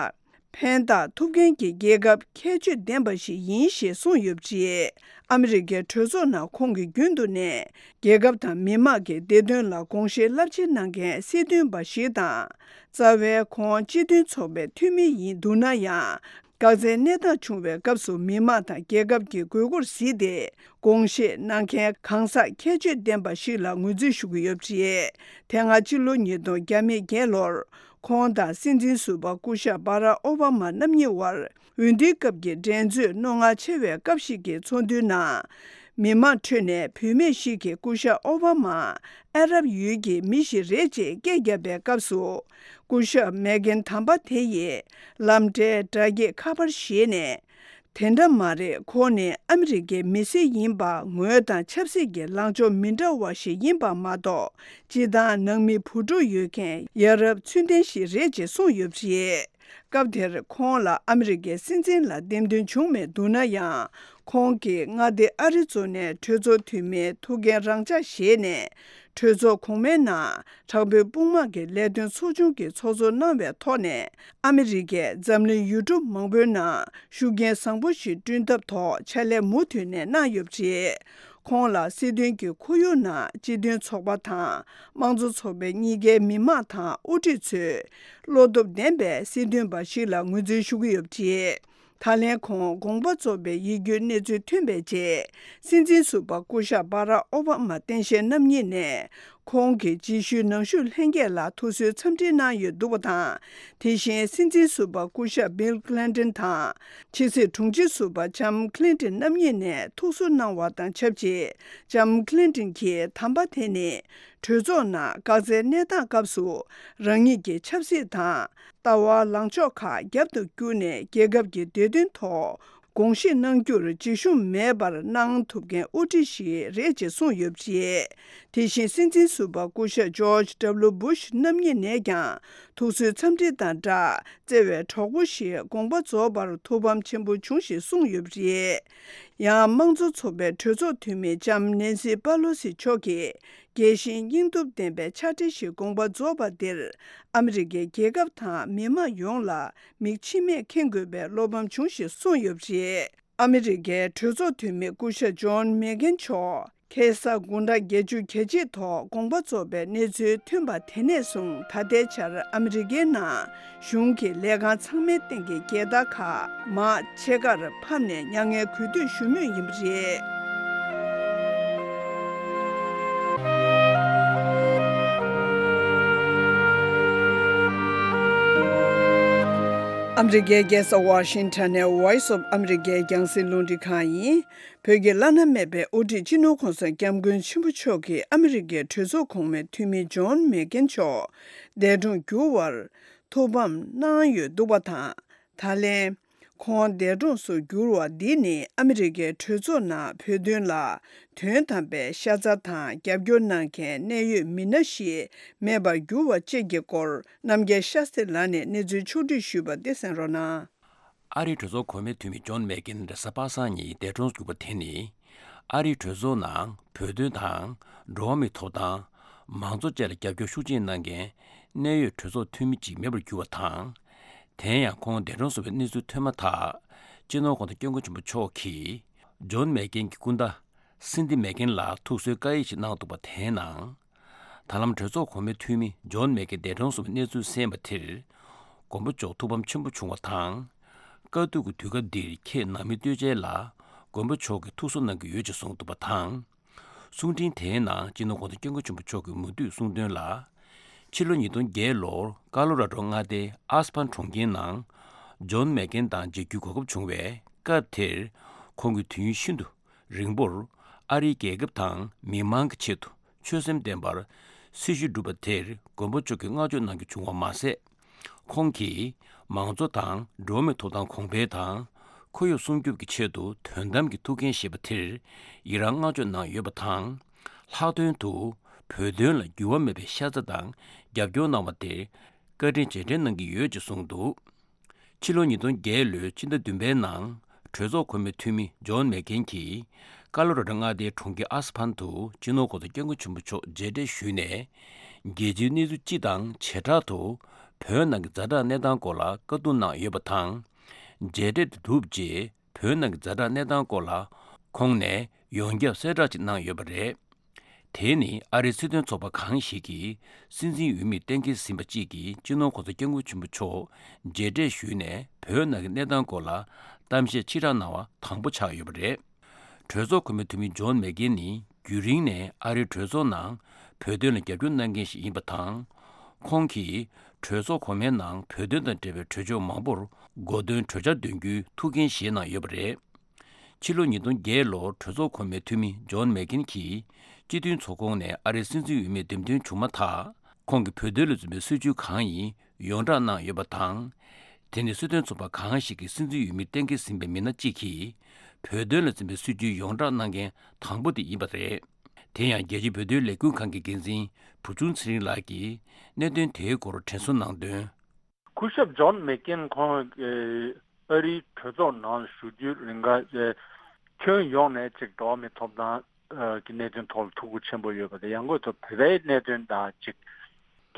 ཕན་བཏགས་ཐུབ་མཁན་གྱི་རྒྱལ་ཁབ་ཁྱད་ཆོས་ལྡན་པ་ཞིག་ཡིན་ཞེས་གསུངས་ཡོད་པ་རེད། ཨ་མི་རི་ཀའི་གྲོས་ཚོགས་ནང་ཁོང་གིས་རྒྱུན་དུ་ནས་རྒྱལ་ཁབ་དང་མི་དམངས་ཀྱི་བདེ་དོན་ལ་དགོངས་བཞེས་རླབས་ཆེན་གནང་མཁན་སྲིད་དོན་པ་ཞིག་དང་། རྩ་བའི་ཁོང་སྤྱི་མཐུན་ཚོགས་པའི་འཐུས་མི་ཡིན་འདུག་ན་ཡང་། འགག་རྩའི་གནས་སྟངས་བྱུང་བའི་སྐབས་སུ་མི་དམངས་དང་རྒྱལ་ཁབ་ཀྱི་དགོས་མཁོར་གཟིགས་ཏེ། དགོངས་བཞེས་གནང་མཁན་གང་ཟག་ཁྱད་ཆོས་ལྡན་པ་ཞིག་ལ་ངོས་འཛིན་ཞུ་གི་ཡོད་པ་རེད། དེ་སྔ་ཕྱི་ལོ་ཉིས་སྟོང་བརྒྱ་མེད་བརྒྱད་ལོར། ཁོང་དང་སྲིད་འཛིན་ཟུར་པ་སྐུ་ཞབས་བྷ་རག་ཨོ་བྷ་མ་རྣམ་གཉིས་དབར་འོས་བསྡུའི་སྐབས་ཀྱི་འགྲན་རྩོད་རྣོ་ངར་ཆེ་བའི་སྐབས་ཤིག་གི་ཚོགས་འདུའི་ནང་། མི་མང་ཁྲོད་ནས་བུད་མེད་ཞིག་གིས་སྐུ་ཞབས་ཨོ་བྷ་མ་ཨ་རབ་ཡུལ་གྱི་མི་ཞིག་རེད་ཅེས་སྐད་བརྒྱབ་པའི་སྐབས་སུ། སྐུ་ཞབས་མེ་གྷན་དམ་པ་དེ་ཡིས་ལམ་འབྲས་སྒྲ་སྐྱེད་ཁ་པར་བཞེས་ནས། དེ་འདྲ་མ་རེད། ཁོང་ནི་ཨ་མི་རི་ཀའི་མི་སེར་ཡིན་པ། ངོས་དང་ཆབ་སྲིད་ཀྱི་ལངས་ཕྱོགས་མི་འདྲ་བ་ཞིག་ཡིན་པ་མ་གཏོགས། སྤྱིར་བཏང་ནང་མི་བུ་ཕྲུག་ཡོད་མཁན་ཡ་རབས་ཚུལ་ལྡན་ཞིག་རེད་ཅེས་གསུངས་ཡོད་པ་རེད། སྐབས་དེར་ཁོང་ལ་ཨ་མི་རི་ཀའི་སྲིད་འཛིན་ལ་འདེམས་ཐོན་བྱུང་མེད་འདུག་ན་ཡང་། ཁོང་གིས་མངའ་སྡེ་ཨ་རི་ཛོ་ནའི་གྲོས་ཚོགས་འཐུས་མིའི་ཐུགས་འགན་རང་འཇགས་བཞེས་ནས། གྲོས་ཚོགས་གོང་མའི་ནང་དྲག་པོའི་དཔུང་དམག་གི་ལས་དོན་ཚོགས་ཆུང་གི་ཚོགས་གཙོ་གནང་བའི་ཐོག་ནས། ཨ་མི་རི་ཀས་འཛམ་གླིང་ཡུལ་གྲུ་མང་པོའི་ནང་ཤུགས་རྐྱེན་བཟང་པོ་ཞིག་བསྐྲུན་ཐབས་ཐོག་ཕྱག་ལས་མུ་མཐུད་ནས་གནང་ཡོད་པ་རེད། ཁོང་ལ་སྲིད་དོན་གྱི་ཁོར་ཡུག་ནང་སྤྱི་མཐུན་ཚོགས་པ་དང་དམངས་གཙོ་ཚོགས་པའི་གཉིས་ཀའི་མི་དམངས་དང་དབུ་ཁྲིད་ཚོས་བློ་སྟོབས་ལྡན་པའི་སྲིད་དོན་པ་ཞིག་ལ་ངོས་འཛིན་ཞུ་གི་ཡོད་པ་རེད། ད་ལན་ཁོང་དགོངས་པ་རྫོགས་པའི་ཡིད་སྐྱོའི་གནས་ཚུལ་ཐོན་པའི་རྗེས། སྲིད་འཛིན་ཟུར་པ་སྐུ་ཞབས་བྷ་རག་ཨོ་བྷ་མ་སྟངས་དཔྱལ་རྣམ་གཉིས་ནས། ཁོང་གི་རྗེས་ཤུལ་ནང་བཞུགས་ལྷན་རྒྱས་ལ་ཐུགས་གསོའི་འཚམས་འདྲི་གནང་ཡོད་འདུག་པ་དང་། དེ་བཞིན་སྲིད་འཛིན་ཟུར་པ་སྐུ་ཞབས་བྷིལ་ཁི་ལིན་ཏོན་དང་། ཕྱི་སྲིད་དྲུང་ཆེ་ཟུར་པ་ལྕམ་ཁི་ལིན་ཏོན་རྣམ་གཉིས་ནས་ཐུགས་གསོ་གནང་བ་དང་ཆབས་ཅིག་ལྕམ་ཁི་ལིན་ཏོན་གྱིས་དམ་པ་དེ་ནི་གྲོས་ཚོགས་ནང་འགག་རྩའི་གནས་སྟངས་སྐབས་སུ་རང་ཉིད་ཀྱི་ཆབ་སྲིད་དང་། ལྟ་བ་ལངས་ཕྱོགས་ཁག་རྒྱབ་ཏུ་བསྐྱུར་ནས་རྒྱལ་ཁབ་ཀྱི་བདེ་དོན་ཐོག་དགོངས་བཞེས་གནང་རྒྱུར་འཇིགས་ཞུམ་མེད་པར་གནང་ཐུབ་མཁན་དབུ་ཁྲིད་ཞིག་རེད་ཅེས་གསུངས་ཡོད་པ་རེད། དེ་བཞིན་སྲིད་འཛིན་ཟུར་པ་སྐུ་ཞབས་ཇོརྗ་ཌབ་ལུ་བུ་ཤ་རྣམ་གཉིས་ནས་ཀྱང་ ཐུགས་གསོའི་འཚམས་འདྲི་དང་སྦྲགས་བརྩེ་བའི་གྲོགས་པོ་ཞེས་དགོངས་པ་རྫོགས་པར་ཐུགས་ཕམ་ཆེན་པོ་བྱུང་ཞེས་གསུངས་ཡོད་པ་རེད། ཡང་དམངས་གཙོ་ཚོགས་པའི་གྲོས་ཚོགས་འཐུས་མི་ལྕམ་ནེན་སི་པ་ལོ་སི་མཆོག་གིས་རྒྱས་ཤིང་སྙིང་སྟོབས་ལྡན་པའི་ཕྱག་བྲིས་ཤིག་དགོངས་པ་རྫོགས་པ་འདིར་ཨ་མི་རི་ཀའི་རྒྱལ་ཁབ་དང་མི་དམངས་ཡོངས་ལ་མིག་མཆི་མས་ཁེངས་དགོས་པའི་བློ་ཕམ་བྱུང་ཞེས་གསུངས་ཡོད་པ་རེད། ཨ་མི་རི་ཀའི་གྲོས་ཚོགས་འཐུས་མི་སྐུ་ཞབས་ཇོན་མེག་གྷན་མཆོག་ཁ་སང་དགུང་གྲངས་བརྒྱད་ཅུ་གྱ་གཅིག་ཐོག་དགོངས་པ་རྫོགས་པའི་གནས་ཚུལ་ཐོན་པ་དེ་ནས་བཟུང་ད་ལྟའི་ཆར་ཨ་མི་རི་ཀའི་ནང་གཞུང་གི་ལས་ཁང་ཚང་མའི་སྟེང་གི་རྒྱལ་དར་ཁག་མར་ཕྱེད་ཀར་ཕབ་ནས་མྱ་ངན་གུས་འདུད་ཞུ་མུས་ཡིན་པ་རེད། ཨ་མི་རི་ཀའི་རྒྱལ་ས་ཝ་ཤིང་ཊོན་ནས་Voice of America རྒྱང་སྲིང་རླུང་འཕྲིན་ཁང་ཡིན། བོད་ཀྱི་བླ་ན་མེད་པའི་དབུ་ཁྲིད་སྤྱི་ནོར་༸གོང་ས་༸སྐྱབས་མགོན་ཆེན་པོ་མཆོག་གིས་ཨ་མི་རི་ཀའི་གྲོས་ཚོགས་གོང་མའི་འཐུས་མི་ཇོན་མེག་གྷན་མཆོག་འདས་གྲོངས་གྱུར་བར་ཐུགས་ཕམ་གནང་ཡོད་འདུག་པ་དང་། ད་ལན། ཁོང་འདས་གྲོངས་སུ་གྱུར་བ་འདི་ནི་ཨ་མི་རི་ཀའི་གྲོས་ཚོགས་ནང་བོད་དོན་ལ་དོན་དམ་པའི་ཤ་ཚ་དང་རྒྱབ་སྐྱོར་གནང་མཁན་གནད་ཡོད་མི་སྣ་ཞིག་མེད་པར་གྱུར་བ་བཅས་ཀྱི་སྐོར་རྣམ་རྒྱལ་ཤཱ་སྟྲི་ལགས་ནས་གནས་ཚུལ་ཕྱོགས་བསྒྲིགས་ཞུས་པ་འདི་གསན་རོགས་གནང་། ཨ་རིའི་གྲོས་ཚོགས་གོང་མའི་འཐུས་མི་ཇོན་མེག་གྷན་རེས་གཟའ་པ་སངས་ཉིན་འདས་གྲོངས་གྱུར་པ་དེ་ནི། ཨ་རིའི་གྲོས་ཚོགས་ནང་བོད་དོན་དང་། འགྲོ་བ་མིའི་ཐོབ་ཐང་། མང་གཙོ་བཅས་ལ་རྒྱབ་སྐྱོར་ཤུགས་ཆེ་གནང་མཁན་གནད་ཡོད་གྲོས་ཚོགས་འཐུས་མི་ཅིག་མེད་པར་གྱུར་བ་དང་། དེ་ཡང་ཁོང་འདས་གྲོངས་སོང་བའི་གནས་ཚུལ་ཐོན་མ་ཐག་སྤྱི་ནོར་༸གོང་ས་༸སྐྱབས་མགོན་ཆེན་པོ་མཆོག་གིས་ཇོན་མེག་གྷན་གྱི་སྐུ་ཟླ་སིན་དི་མེག་གྷན་ལ་ཐུགས་གསོའི་བཀའ་ཡིག་ཅིག་གནང་འདུག་པ་དེའི་ནང་། ད་ལམ་གྲོས་ཚོགས་གོང་མའི་འཐུས་མི་ཇོན་མེག་གྷན་འདས་གྲོངས་སོང་བའི་གནས་ཚུལ་གསན་པ་དེར། མགོན་པོ་མཆོག་ཐུགས་ཕམ་ཆེན་པོ་བྱུང་བ་དང་། དཀའ་སྡུག་གི་དུས་སྐབས་འདིར་ཁྱེད་ནང་མི་བསྟོད་ཅན་ལ་མགོན་པོ་མཆོག་གིས་ཐུགས་གསོ་གནང་གི་ཡོད་ཅེས་གསུངས་འདུག་པ་དང་། གསུང་འཕྲིན་དེའི་ནང་སྤྱི་ནོར་༸གོང་ས་༸སྐྱབས་མགོན་ཆེན་པོ་མཆོག་གིས་མུ་མཐུད་གསུངས་དོན་ལ། ཕྱི་ལོ་ཉིས་སྟོང་བརྒྱད་ལོར་ཀ་ལོ་ར་ཌོ་མངའ་སྡེའི་ཨ་སི་ཕན་གྲོང་ཁྱེར་ནང་། ཇོན་མེག་གྷན་དང་མཇལ་རྒྱུའི་གོ་སྐབས་བྱུང་བའི་སྐབས་དེར། ཁོང་གིས་དུས་ཡུན་ཤིན་ཏུ་རིང་པོར་ཨ་རིའི་རྒྱལ་ཁབ་དང་མི་མང་གི་ཆེད་དུ་ཆོད་སེམས་ལྡན་པར་སྲི་ཞུ་བསྒྲུབས་པ་དེར་མགོན་པོ་མཆོག་གིས་བསྔགས་བརྗོད་གནང་རྒྱུ་བྱུང་བ་མ་ཟད། ཁོང་གིས་མང་གཙོ་དང་འགྲོ་བ་མིའི་ཐོབ་ཐང་གོང་འཕེལ་དང་ཁོར་ཡུག་སྲུང་སྐྱོབ་ཀྱི་ཆེད་དུ་དོན་དམ་གྱི་ཐུགས་འགན་བཞེས་པ་དེར་ཡི་རང་བསྔགས་བརྗོད་གནང་ཡོད་པ་དང་། ལྷག་དོན་དུ་བོད་དོན་ལ་འགྱུར་བ་མེད་པའི་ཤ་ཚ་དང་རྒྱབ་སྐྱོར་གནང་བ་དེར་བཀའ་དྲིན་རྗེས་དྲན་གནང་གི་ཡོད་ཅེས་གསུངས་འདུག་ཕྱི་ལོ་ཉིས་སྟོང་བརྒྱད་ལོའི་ཕྱི་ཟླ་བདུན་པའི་ནང་གྲོས་ཚོགས་གོང་མའི་འཐུས་མི་ཇོན་མེག་གྷན་གྱིས་ཀ་ལོ་ར་ཌོ་མངའ་སྡེའི་གྲོང་ཁྱེར་ཨ་སི་ཕན་དུ་སྤྱི་ནོར་༸གོང་ས་༸སྐྱབས་མགོན་ཆེན་པོ་མཆོག་མཇལ་འཕྲད་ཞུས་ནས། རྒྱལ་སྤྱིའི་གནས་ཚུལ་སྤྱི་དང་བྱེ་བྲག་ཏུ་བོད་ནང་གི་ཛ་དྲག་གནས་སྟངས་སྐོར་ལ་བཀའ་བསྡུར་གནང་ཡོད་པ་དང་། མཇལ་འཕྲད་དེ་གྲུབ་རྗེས་བོད་ནང་གི་ཛ་དྲག་གནས་སྟངས་སྐོར་ལ་ཁོང་ནས་ཡོངས་ཁྱབ་གསལ་བསྒྲགས་ཅིག་གནང་ཡོད་པ་རེད། དེ་ནི་ཨ་རིའི་སྲིད་དོན་ཚོགས་པ་གང་ཞིག་གིས་སྲིད་འཛིན་འོས་མིར་གཏན་འཁེལ་ཟིན་པ་གཅིག་གིས་སྤྱི་ནོར་༸གོང་ས་༸སྐྱབས་མགོན་ཆེན་པོ་མཆོག་མཇལ་འཕྲད་ཞུས་ནས་བོད་ནང་གི་གནས་སྟངས་སྐོར་ལ་གཏམ་བཤད་ཕྱི་བསྒྲགས་གནང་བ་དང་པོ་ཆགས་ཡོད་པ་རེད། གྲོས་ཚོགས་གོང་མའི་འཐུས་མི་ཇོན་མེག་གྷན་ནི་རྒྱུན་རིང་ནས་ཨ་རིའི་གྲོས་ཚོགས་ནང་བོད་དོན་ལ་རྒྱབ་སྐྱོར་གནང་མཁན་ཞིག་ཡིན་པ་དང་། ཁོང་གིས་གྲོས་ཚོགས་གོང་མའི་ནང་བོད་དོན་དང་འབྲེལ་བའི་གྲོས་ཆོད་མང་པོར་གོ་སྟོན་གྲོས་འཆར་འདོན་རྒྱུའི་ཐུགས་འགན་བཞེས་གནང་ཡོད་པ་རེད། ཕྱི་ལོ་ཉིས་སྟོང་བརྒྱད་ལོར་གྲོས་ཚོགས་གོང་མའི་འཐུས་མི་ཇོན་མེག་གྷན་གྱིས་སྤྱི་མཐུན་ཚོགས་ཁོངས་ནས་ཨ་རིའི་སྲིད་འཛིན་འོས་མིར་འདེམས་ཐོན་བྱུང་མ་ཐག་ཁོང་གིས་བོད་དོན་ལ་འཛིན་པའི་སྲིད་བྱུས་གང་ཡིན་ཡོངས་བསྒྲགས་གནང་ཡོད་པ་དང་། དེ་ནི་སྲིད་དོན་ཚོགས་པ་གང་ཞིག་གིས་སྲིད་འཛིན་འོས་མིར་གཏན་འཁེལ་ཟིན་པའི་མི་སྣ་གཅིག་གིས་བོད་དོན་ལ་འཛིན་པའི་སྲིད་བྱུས་ཡོངས་བསྒྲགས་གནང་མཁན་དང་པོ་དེ་ཡིན་པ་རེད། དེ་ཡང་རྒྱལ་སྤྱིའི་བོད་དོན་ལས་འགུལ་ཁང་གི་འགན་འཛིན་བུ་ཆུང་ཚེ་རིང་ལགས་ཀྱིས་གནད་དོན་དེའི་སྐོར་དྲན་གསོ་གནང་དོན། སྐུ་ཞབས་ཇོན་མེག་གྷན་ཁོང་ཨ་རིའི་གྲོས་ཚོགས་ནང་ཞུགས་རྒྱུའི་རིང་ག་ཁྱོན་ཡོངས་ནས་ཅིག་འགྲོ་བ་མིའི་ཐོབ་ཐང་གི་གནད་དོན་ཐོག་ལ་ཐུགས་ཁུར་ཆེན་པོ་ཡོད་པ་དང་། ཡང་སྒོས་སུ་བོད་པའི་གནད་དོན་དང་ཅིག་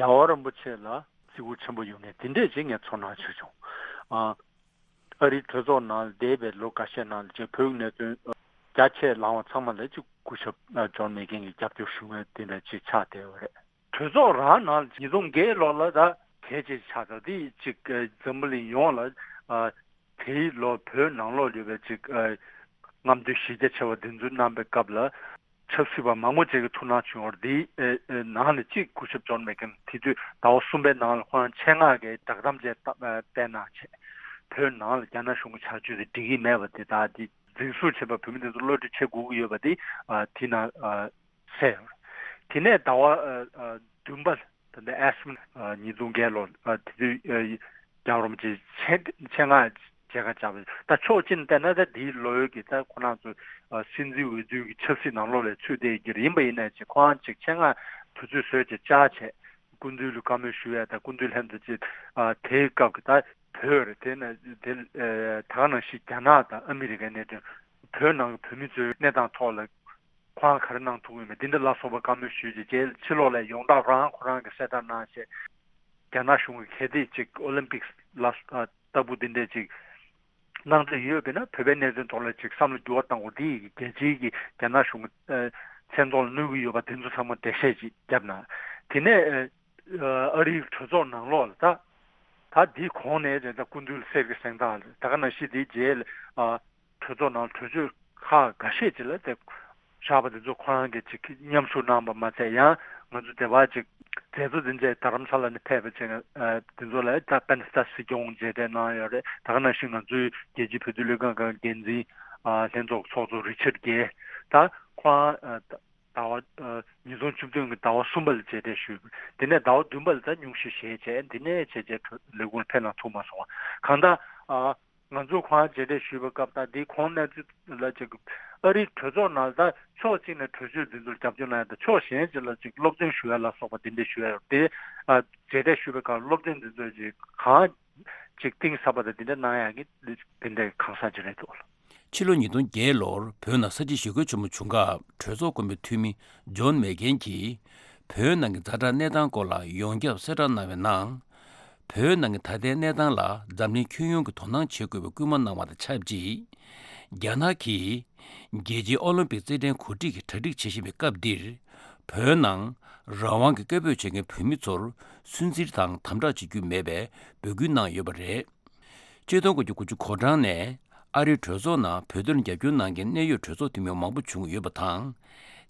རྒྱལ་བ་རིན་པོ་ཆེ་ལ་བརྩི་བཀུར་ཆེན་པོ་ཡོད་མཁན་དེ་འདྲས་ཅིག་ངས་ཚོར་སྣང་བྱུང་། ཨ་རིའི་གྲོས་ཚོགས་ནང་འདས་པའི་ལོ་འགའ་ཤས་ནང་ལ་ཅིག་བོད་ཀྱི་གནད་དོན་རྒྱ་ཆེ་ལངས་པ་ཚང་མ་ལ་ཅིག་སྐུ་ཞབས་ཇོན་མེག་གྷན་གྱིས་རྒྱབ་སྐྱོར་ཞུ་མཁན་དེ་འདྲ་ཅིག་ཆགས་བསྡད་ཡོད་རེད། གྲོས་ཚོགས་རང་ནང་ལ་ཉིས་སྟོང་བརྒྱད་ལོ་ལ་ད་གལ་ཆེ་ཆགས་ད་དེ་ཅིག་འཛམ་བུ་གླིང་ཡོངས་ལ་ཨ་དེའི་ལོ་བོད་ནང་ལོགས་ཡོད་པའི་ཅིག་ཨ་རྔམ་སྟོན་གཞི་རྒྱ་ཆེ་བ་འདི་ཚོ་གནང་པའི་སྐབས་ལ་ཆབ་སྲིད་པ་མང་པོ་ཅིག་གི་ཐུགས་སྣང་བྱུང་བར། དེའི་ཨ་ཨ་ནང་ནས་གཅིག་སྐུ་ཞབས་ཇོན་མེག་གྷན་དེ་དུས་ཟླ་བ་གསུམ་པའི་ནང་ལ་ཁོ་རང་ཆེད་མངགས་ཀྱི་བསྒྲགས་གཏམ་ཅིག་བཏབ་ཨ་བཏོན་གནང་བྱས། བོད་ནང་ལ་རྒྱ་ནག་གཞུང་གི་བྱ་སྤྱོད་དེ་འགྲིག་གི་མེད་པ་དེ་དག་དེ་འཛིན་བཟུང་བྱས་པ་བོད་མི་དེ་ཚོ་གློད་གྲོལ་བྱེད་དགོས་ཀྱི་ཡོད་པ་དེ་ཨ་དེ་ནང་ཨ་གསལ་ཡོད་རེད། དེ་ནས་ཟླ་བ་ཨ་ཨ་བདུན་པ་ད་ལྟ་ཨེ་སི་ཨ་ཉིས་སྟོང་བརྒྱད་ལོ་ཨ་དེ་དུས་ཨ་རྒྱལ་བ་རིན་པོ་ཆེ་ཆེད་ཆེད་མངགས་མཇལ་ཁ་བཅར་བ། ད་ཕྱོགས་གཅིག་ནས་བལྟས་ན་ད་དེའི་ལོ་ཡོད་ཀྱི་ད་ཁོ་རང་ཚོ་ཨ་སྲིད་འཛིན་འོས་བསྡུ་གི་ཆབ་སྲིད་ནང་ལོགས་ལ་ཚུད་བསྡད་ཀྱི་རེད། ཡིན་པ་ཡིན་ན་ཅིག་ཁོ་རང་ཅིག་ཆེད་མངགས་དུས་ཚོད་བཟོས་བྱས་བཅར་བྱས། སྐུ་མདུན་ལ་བཀའ་མོལ་ཞུ་ཡ་དང་སྐུ་མདུན་ལྷན་དུ་ཅིག་ཨ་དེའི་སྐབས་ཀྱི་ད་བོད་རེད། དེ་ན་དེ་ཨ་ད་ག་ནང་བཞིན་རྒྱ་ནག་དང་ཨ་མི་རི་ཀའི་གནད་དོན། བོད་ནང་གི་བོད་མི་ཚོའི་གནས་སྟངས་ཐོག་ལ་ཁོ་རང་ག་རེ་གནང་ཐུབ་ཀྱི་ཡོད་མེད་འདི་འདྲ་ལ་སོགས་པ་བཀའ་མོལ་ཞུས་རྗེས་རྗེས་ཕྱི་ལོགས་ལ་ཡོང་སྟངས་རང་ཁོ་རང་གིས་གསལ་བསྒྲགས་གནང་བྱས། རྒྱ་ནག་གཞུང་གིས་གལ་ཏེ་ཅིག་ཨོ་ལིམ་པིག་ལ་ཨ་ལྟ་བུ་འདི་འདྲས་ཅིག་གནང་འདོད་ཡོད་པས་ན་བོད་པའི་གནད་དོན་ཐོག་ལ་ཅིག་བསམ་བློ་འགྱུར་བ་གཏང་དགོས། འདི་ཡིས་རྒྱལ་སྤྱིའི་གི་རྒྱ་ནག་གཞུང་གི་ཨ་མཚན་ཐོག་ལ་གནོད་ཀྱི་ཡོད་པ་དེ་ཚོ་ཚང་མ་འགྲེལ་བཤད་ཅིག་བརྒྱབ་གནང་། དེ་ནས་ཨ་ཨ་རིའི་གྲོས་ཚོགས་ནང་ལོགས་ལ་ད་ད་འདིའི་གོང་ནས་རེད། ད་སྐུ་མདུན་ལ་གསེར་གྱི་གཟེངས་རྟགས་རེད། ད་ག་ནང་བཞིན་དེའི་རྗེས་ལ་ཨ་གྲོས་ཚོགས་ནང་གྲོས་ཆོད་ཁག་འགའ་ཤས་ཅིག་ལ་དེ་བཞག་པ་དེ་ཚོ་ཁོ་རང་གིས་ཅིག་མཉམ་ཞུགས་གནང་བ་མ་ཚད་ཡང་ང་ཚོ་དེ་བར་ཅིག་མཛད་གཙོ་དེ་འདྲས་རྡ་རམ་ས་ལ་ནས་ཕེབས་པ་ཅིག་ཨ་དེ་ཚོ་ལ་ད་པན་སྟ་སྲིད་སྐྱོང་མཇལ་འཕྲད་གནང་ཡོད་རེད། ད་ག་ནང་བཞིན་ང་ཚོའི་རྒྱལ་སྤྱིའི་བོད་དོན་ལྷན་ཁང་གི་འགན་འཛིན་ཨ་ལྷན་ཚོགས་ཚོགས་གཙོ་རི་ཆར་གྷེ་ད་ཁོ་རང་ཨ་ད་ཟླ་བ་ཨ་ཉིས་སྟོང་བཅུ་བདུན་གྱི་ཟླ་བ་གསུམ་པ་ལ་མཇལ་འཕྲད་ཞུས། དེ་ནས་ཟླ་བ་བདུན་པ་ལ་ད་སྙུང་གཞི་བཞེས་བྱས་དེ་ནས་བྱས་རྗེས་ལས་ཁུངས་ལ་ཕེབས་གནང་ཐུབ་མ་སོང་བ། གང་ལྟར་ཨ་ང་ཚོ་ཁོང་མཇལ་འཕྲད་ཞུས་པའི་སྐབས་དང་དེའི་གོང་གནས་ཚུལ་ལ་ཅིག་ཨ་རིའི་གྲོས་ཚོགས་ནང་ད་ཕྱོགས་གཅིག་ནས་གྲོས་ཆོད་འདི་ཚོར་རྒྱབ་སྐྱོར་གནང་ཡ་དང་ཕྱོགས་གཞན་ཅིག་ལ་ཅིག་སློབ་སྟོན་ཞུ་ཡ་ལ་སོགས་པ་དེ་འདྲ་ཞུ་ཡ་ཡོད་དེ། ཨ་མཇལ་འཕྲད་ཞུས་པའི་སྐབས་སློབ་སྟོན་འདི་ཚོར་ཅིག་གང་ཅིག་གཏིང་ཟབ་པ་དང་དེ་འདྲ་གནང་ཡ་གི་དེ་འདྲའི་གང་ཟག་ཅིག་རེད་འདུག་ཕྱི་ལོ་ཉིས་སྟོང་བརྒྱད་ལོར་བོད་ནང་ས་བྱི་ཞི་རྒོལ་ཆེན་མོ་བྱུང་སྐབས་གྲོས་ཚོགས་ཀོན་པའི་འཐུས་མི་ཇོན་མེ་ཀེན་གྱིས་བོད་ནང་གི་ཛ་དྲག་གནས་སྟངས་སྐོར་ལ་ཡོངས་ཁྱབ་གསལ་བསྒྲགས་གནང་བའི་ནང་། བོད་ནང་གི་ད་ལྟའི་གནས་སྟངས་ལ་འཛམ་གླིང་ཁྱོན་ཡོངས་ཀྱིས་དོ་སྣང་བྱེད་དགོས་པའི་སྐུལ་མ་གནང་བ་དང་ཆབས་ཅིག་རྒྱ་ནག་གིས་རྒྱལ་སྤྱིའི་ཨོ་ལིམ་པིག་རྩེད་འགྲན་གོ་སྒྲིག་གི་གྲ་སྒྲིག་བྱེད་བཞིན་པའི་སྐབས་འདིར། བོད་ནང་རང་དབང་གི་སྐད་འབོད་བྱེད་མཁན་བོད་མི་ཚོར་སུན་གཙེར་དང་དམ་དྲག་བྱེད་རྒྱུ་མེད་པའི་འབོད་སྐུལ་གནང་ཡོད་པ་རེད། ཆིག་སྟོང་དགུ་བརྒྱ་དགུ་བཅུ་གོ་གྲངས་ནས་ཨ་རིའི་གྲོས་ཚོགས་ནང་བོད་དོན་ལ་རྒྱབ་སྐྱོར་གནང་མཁན་གནད་ཡོད་གྲོས་ཚོགས་འཐུས་མི་མང་པོ་བྱུང་ཡོད་པ་དང་།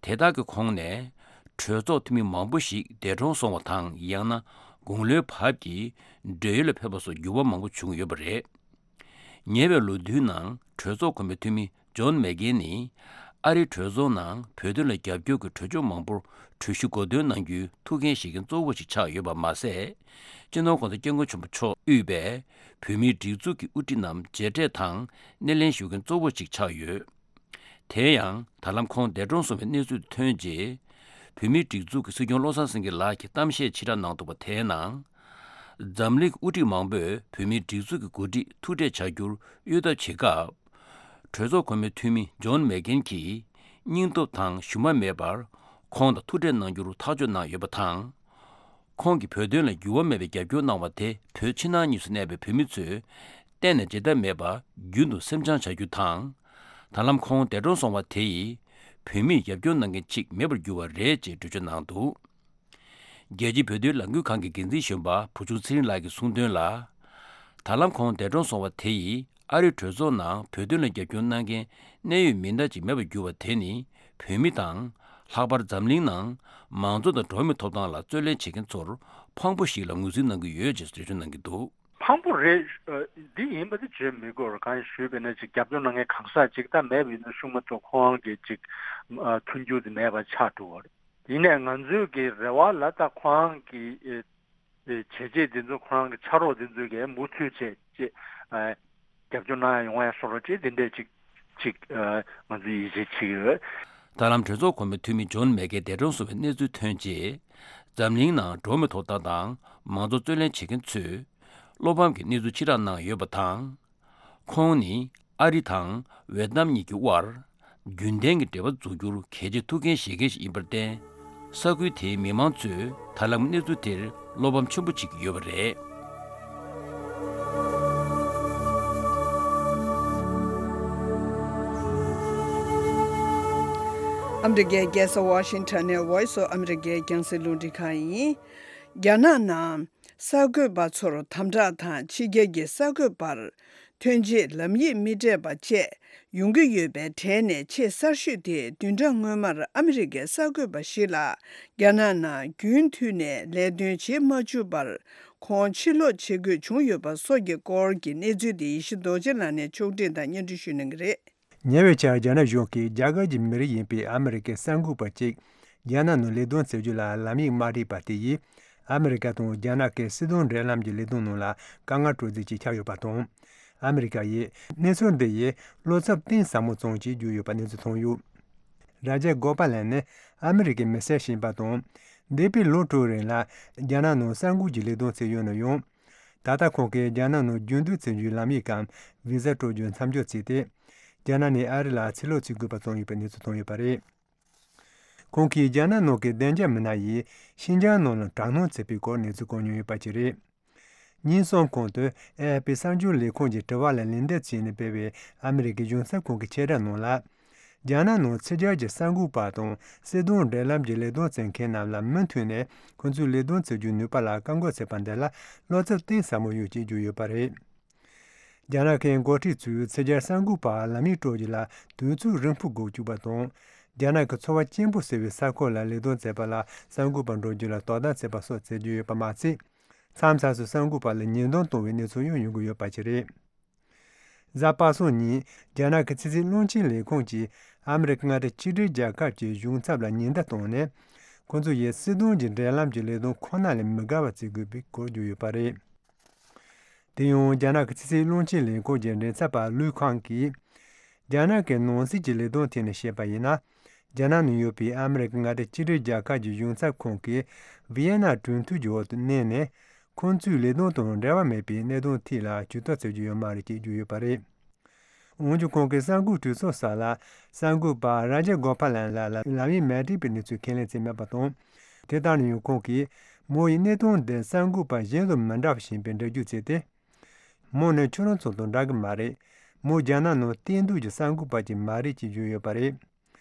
དེ་དག་གི་ཁོངས་ནས་གྲོས་ཚོགས་འཐུས་མི་མང་པོ་ཞིག་འདས་གྲོངས་སོང་བ་དང་ཡང་ན་དགུང་ལོའི་བབ་ཀྱིས་བགྲེས་ཡོལ་ལ་ཕེབས་པ་སོགས་འགྱུར་བ་མང་པོ་བྱུང་ཡོད་པ་རེད། ཉེ་བའི་ལོ་བསྟུད་ནང་གྲོས་ཚོགས་གོང་མའི་འཐུས་མི་ཇོན་མེ་ཀེན་ནི་ཨ་རིའི་གྲོས་ཚོགས་ནང་བོད་དོན་ལ་རྒྱབ་སྐྱོར་གྱི་གྲོས་ཆོད་མང་པོར་གྲོས་གཞི་གོ་སྟོན་གནང་རྒྱུའི་ཐུགས་འགན་བཞེས་མཁན་གཙོ་བོ་ཞིག་ཆགས་ཡོད་པ་མ་ཟད། སྤྱི་ནོར་༸གོང་ས་༸སྐྱབས་མགོན་ཆེན་པོ་མཆོག་དབུས་པའི་བོད་མིའི་སྒྲིག་འཛུགས་ཀྱི་དབུ་ཁྲིད་རྣམས་མཇལ་འཕྲད་དང་སྣེ་ལེན་ཞུ་མཁན་གཙོ་བོ་ཞིག་ཆགས་ཡོད། དེ་ཡང་ད་ལམ་ཁོང་འདས་གྲོངས་སོང་བའི་གནས་ཚུལ་ཐོན་རྗེས། བོད་མིའི་སྒྲིག་འཛུགས་ཀྱི་སྲིད་སྐྱོང་བློ་བཟང་སེང་གེ་ལགས་ཀྱིས་གཏམ་བཤད་ཕྱི་བསྒྲགས་གནང་འདུག་པ་དེའི་ནང་། འཛམ་གླིང་གི་དབུ་ཁྲིད་མང་པོས་བོད་མིའི་སྒྲིག་འཛུགས་ཀྱི་འགོ་ཁྲིད་ཐུག་འཕྲད་བྱ་རྒྱུར་གཡོལ་ཐབས་བྱེད་སྐབས། གྲོས་ཚོགས་གོང་མའི་འཐུས་མི་ཇོན་མེ་ཀེན་གྱིས་སྙིང་སྟོབས་དང་ཞུམ་པ་མེད་པར་ཁོང་དང་ཐུག་འཕྲད་གནང་རྒྱུར་ཐག་གཅོད་གནང་ཡོད་པ་དང་། ཁོང་གིས་བོད་དོན་ལ་འགྱུར་བ་མེད་པའི་རྒྱབ་སྐྱོར་གནང་བ་དེ་བོད་ཕྱི་ནང་གཉིས་སུ་གནས་པའི་བོད་མི་ཚོས་གཏན་ནས་བརྗེད་ཐབས་མེད་པར་རྒྱུན་དུ་སེམས་བྱང་བྱ་རྒྱུ་དང་། ད་ལམ་ཁོང་འདས་གྲོངས་སོང་བ་དེ་ཡིས་བོད་མིས་རྒྱབ་སྐྱོར་གནང་མཁན་གཅིག་མེད་པར་གྱུར་བ་རེད་ཅེས་འགྲེལ་བརྗོད་གནང་འདུག་རྒྱལ་སྤྱིའི་བོད་དོན་ལས་འགུལ་ཁང་གི་འགན་འཛིན་གཞོན་པ་བུ་ཆུང་ཚེ་རིང་ལགས་ཀྱིས་གསུངས་དོན་ལ། ད་ལམ་ཁོང་འདས་གྲོངས་སོང་བ་དེ་ཡིས་ཨ་རིའི་གྲོས་ཚོགས་ནང་བོད་དོན་ལ་རྒྱབ་སྐྱོར་གནང་མཁན་གནད་ཡོད་མི་སྣ་ཅིག་མེད་པར་གྱུར་བ་དེ་ནི་བོད་མི་དང་། ལྷག་པར་འཛམ་གླིང་ནང་མང་གཙོ་དང་འགྲོ་བ་མིའི་ཐོབ་ཐང་ལ་རྩོད་ལེན་བྱེད་མཁན་ཚོར་ཕངས་པོ་ཞིག་ལ་ངོས་འཛིན་གནང་གི་ཡོད་ཅེས་འགྲེལ་བརྗོད་གནང་གི་འདུག་ཕངས་པོ་རེད། ཨ་འདི་ཡིན་པ་དེ་བརྗོད་མི་དགོས་རེད། གང་ཞུས་པས་ན་ཅིག་རྒྱབ་སྐྱོར་གནང་མཁན་གང་ཟག་ཅིག་ད་མེད་པ་ཡིན་ན་ཤུགས་མ་ཐུབ་ཁོང་གི་ཅིག་ཨ་མཐུན་འགྱུར་དེ་མེད་པ་ཆགས་འགྲོ་བ་རེད། ཡིན་ནའི་ང་ཚོའི་གི་རེ་བ་ལ་ད་ཁོང་གི་ཨེ་ཨེ་བྱས་རྗེས་དེ་ཚོ་ཁོང་གི་ཕྱག་རོགས་དེ་ཚོས་གི་མུ་མཐུད་བྱས་ཅེས་ཨ་རྒྱབ་སྐྱོར་གནང་ཡ་ཡོང་ཡ་སོགས་རོགས་ཅེས་དེ་འདྲས་ཅིག་ཅིག་ཨ་ང་ཚོས་ཡིད་ཆེས་བྱེད་ཀྱི་ཡོད། ད་ལམ་གྲོས་ཚོགས་གོང་མའི་འཐུས་མི་ཇོན་མེ་ཀེན་འདས་གྲོངས་སོང་བའི་གནས་ཚུལ་ཐོན་རྗེས། འཛམ་གླིང་ནང་འགྲོ་བ་མིའི་ཐོབ་ཐང་དང་མང་གཙོ་རྩོད་ལེན་བྱེད་མཁན་ཚོས་བློ་ཕམ་གྱི་གནས་ཚུལ་ཕྱིར་བསྒྲགས་གནང་ཡོད་པ་དང་། ཁོང་ནི་ཨ་རི་དང་ཝེ་ཏི་ནམ་གཉིས་ཀྱི་དབར་རྒྱུན་ལྡན་གྱི་འབྲེལ་བ་འཛུགས་རྒྱུར་གལ་ཆེའི་ཐུགས་འགན་བཞེས་མཁན་ཞིག་ཡིན་པར་བརྟེན། ས་ཁུལ་དེའི་མི་མང་ཚོས་ད་ལམ་གནས་ཚུལ་དེར་བློ་ཕམ་ཆེན་པོ་བྱེད་ཀྱི་ཡོད་པ་རེད། ཨ་མི་རི་ཀའི་རྒྱལ་ས་ཝ་ཤིང་ཊོན་ནས་Voice of America་རྒྱང་སྲིང་རླུང་འཕྲིན་ཁང་ཡིན། རྒྱ་ནག་ནང་གསར་འགོད་པ་ཚོར་དམ་དྲག་དང་ཕྱི་རྒྱལ་གྱི་གསར་འགོད་པར་ཐོན་ཆེད་ལམ་ཡིག་མི་སྤྲད་པ་བཅས་ཡོང་གི་ཡོད་པའི་གྲས་ནས་ཆེས་གསར་ཤོས་དེ་བདུན་ཕྲག་སྔོན་མར་ཨ་མི་རི་ཀའི་གསར་འགོད་པ་ཞིག་ལ་རྒྱ་ནག་ནང་རྒྱུན་མཐུད་ནས་ལས་དོན་བྱེད་མ་བཅུག་པར་ཁོང་ཕྱིར་ལོག་བྱེད་དགོས་བྱུང་ཡོད་པ་སོགས་ཀྱི་སྐོར་གྱི་གནས་ཚུལ་དེ་ཡེ་ཤེས་རྡོ་རྗེ་ལགས་ནས་ཕྱོགས་སྒྲིག་དང་སྙན་སྒྲོན་ཞུ་གནང་གི་རེད། ཉེ་བའི་ཆར་རྒྱ་ནག་གཞུང་གིས་རྒྱ་གར་གྱི་མི་རིགས་ཡིན་པའི་ཨ་མི་རི་ཀའི་གསར་འགོད་པ་གཅིག་རྒྱ་ནག་ནང་ལས་དོན་བྱེད་རྒྱུ་ལ་ལམ་ཡིག་མ་སྤྲད་པ་དེ་ཡིས་ཨ་མི་རི་ཀ་དང་རྒྱ་ནག་གི་སྲིད་དོན་འབྲེལ་ལམ་གྱི་ལས་དོན་ནང་ལ་དཀའ་ངལ་སྤྲོད་རྩིས་ཀྱིས་ཁྱབ་ཡོད་པ་དང་། ཨ་མི་རི་ཀ་ཡིས་གནས་ཚུལ་འདི་ཡི་བློ་འཚབ་གཏིང་ཟབ་མོ་ཙམ་ཞིག་བརྗོད་ཡོད་པ་གནས་ཚུལ་ཐོན་ཡོད། ར་ཇེ་གོ་པ་ལན་ནི་ཨ་མི་རི་ཀའི་མི་སེར་ཞིག་ཡིན་པ་དང་། འདས་པའི་ལོ་དྲུག་རིང་ལ་རྒྱ་ནག་ནང་གསར་འགོད་ཀྱི་ལས་དོན་བྱས་ཡོད་ན་ཡང་། ད་ལྟ་ཁོང་གིས་རྒྱ་ནག་ནང་རྒྱུན་སྡོད་བྱེད་རྒྱུའི་ལམ་ཡིག་གམ་བི་ཟ་སྤྲོད་རྒྱུ་མཚམས་འཇོག་བྱས་ཏེ། རྒྱ་ནག་ནས་ཨ་རི་ལ་ཕྱིར་ལོག་བྱེད་དགོས་པ་བྱུང་ཡོད་པའི་གནས་ཚུལ་ཐོན་ཡོད་པ་རེད། ཁོང་གིས་རྒྱ་ནག་ནང་གི་བདེ་འཇགས་མི་སྣ་ཡིས་ཤིན་ཅང་ནང་ལ་དྲག་གནོན་བྱས་པའི་སྐོར་གནས་ཚུལ་བཀོད་མྱོང་ཡོད་པ་ཞིག་རེད། ཉིན་གསུམ་གོང་དུ་ཨེ་ཨེཕ་པི་གསར་འགྱུར་ལས་ཁང་གི་དྲི་བ་ལ་ལན་འདེབས་བྱས་ནས་སྤེལ་བའི་ཨ་མི་རི་ཀའི་གཞུང་ཚབ་ཁང་གི་ཕྱིར་བསྒྲགས་ནང་ལ། རྒྱ་ནག་ནང་ཕྱི་རྒྱལ་གྱི་གསར་འགོད་པ་དང་སྲིད་དོན་འབྲེལ་ལམ་གྱི་ལས་དོན་བྱེད་མཁན་རྣམས་ལ་མུ་མཐུད་ནས་ཁོ་ཚོའི་ལས་དོན་བྱེད་རྒྱུའི་ནུས་པ་ལ་བཀག་འགོག་བྱས་པ་འདི་ལ་བློ་འཚབ་གཏིང་ཟབ་མོ་ཡོད་ཅེས་བརྗོད་ཡོད་པ་རེད། རྒྱ་ནག་གི་འགོ་ཁྲིད་ཚོས་ཕྱི་རྒྱལ་གསར་འགོད་པར་ལམ་ཡིག་སྤྲོད་རྒྱུ་ལ་དུས་ཚོད་རིང་པོ་འགོར་བཅུག་པ་དང་། རྒྱ་ནག་གི་ཚོར་བ་སྐྱེན་པོ་ཟེར་བའི་ས་ཁུལ་ལ་ལས་དོན་བྱེད་པ་ལ་གསར་འགོད་པ་འགྲོ་རྒྱུ་ལ་དོ་དམ་བྱེད་པ་སོགས་བྱེད་རྒྱུ་ཡོད་པ་མ་ཚད། མཚམས་མཚམས་སུ་གསར་འགོད་པ་ལ་ཉེས་རྡུང་གཏོང་བའི་གནས་ཚུལ་ཡང་ཡོང་གི་ཡོད་པ་ཞིག་རེད། གཟའ་པ་སངས་ཉིན་རྒྱ་ནག་གི་ཕྱི་སྲིད་བློན་ཆེན་ལས་ཁུངས་ཀྱིས་ཨ་མི་རི་ཀ་མངའ་སྡེ་གཅིག་སྒྲིལ་རྒྱལ་ཁབ་ཀྱི་གཞུང་ཚབ་ལ་ཉེན་བརྡ་བཏང་ནས། ཁོ་ཚོ་ཡིས་སྲིད་དོན་གྱི་འབྲེལ་ལམ་གྱི་ལས་དོན་ཁོ་ན་ལས་མི་དགའ་བ་བྱེད་དགོས་པའི་སྐོར་བརྗོད་ཡོད་པ་རེད། དེ་ཡང་རྒྱ་ནག་གི་ཕྱི་སྲིད་བློན་ཆེན་ལས་ཁུངས་ཀྱི་མགྲིན་ཚབ་པ་ལུའུ་ཁང་གིས། རྒྱ་ནག་གི་ནང་སྲིད་ཀྱི་ལས་དོན་ཐད་ནས་བཤད་པ་ཡིན་ན། རྒྱ་ནག་ནང་ཡོད་པའི་ཨ་མི་རི་ཀ་མངའ་སྡེ་གཅིག་སྒྲིལ་རྒྱལ་ཁབ་ཀྱི་གཞུང་ཚབ་ཁང་གིས་ཝི་ཡེ་ན་གྲོས་མཐུན་གྱི་འོག་ཏུ་གནས་ནས། ཁོང་ཚོའི་ལས་དོན་དང་འབྲེལ་བ་མེད་པའི་གནད་དོན་ཐད་ལ་ཇུས་གཏོགས་བྱེད་རྒྱུ་ཡོད་མ་རེད་ཅེས་བརྗོད་ཡོད་པ་རེད། འོན་ཀྱང་ཁོང་གིས་གསར་འགོད་གྲོས་ཚོགས་ཤིག་ལ་གསར་འགོད་པ་རཱ་ཇ་གོ་པ་ལན་ལགས་ལ་ལམ་ཡིག་མ་སྤྲད་པའི་གནས་ཚུལ་ཁས་ལེན་བྱས་མེད་པ་དང་། དེ་ལྟར་ན་ཡང་ཁོང་གིས་མོ་ཡིས་གནད་དོན་འདི་གསར་འགོད་པ་གཞན་དང་མི་འདྲ་བ་ཞིག་ཡིན་པའི་འགྲེལ་བརྗོད་བྱས་ཏེ། མོ་ནི་ཁྱོད་རང་ཚོ་དང་འདྲ་གི་མ་རེད། མོ་རྒྱ་ནག་ནང་གཏན་སྡོད་ཀྱི་གསར་འགོད་པ་ཅིག་མ་རེད་ཅེས་བརྗོད་ཡོད་པ་རེད།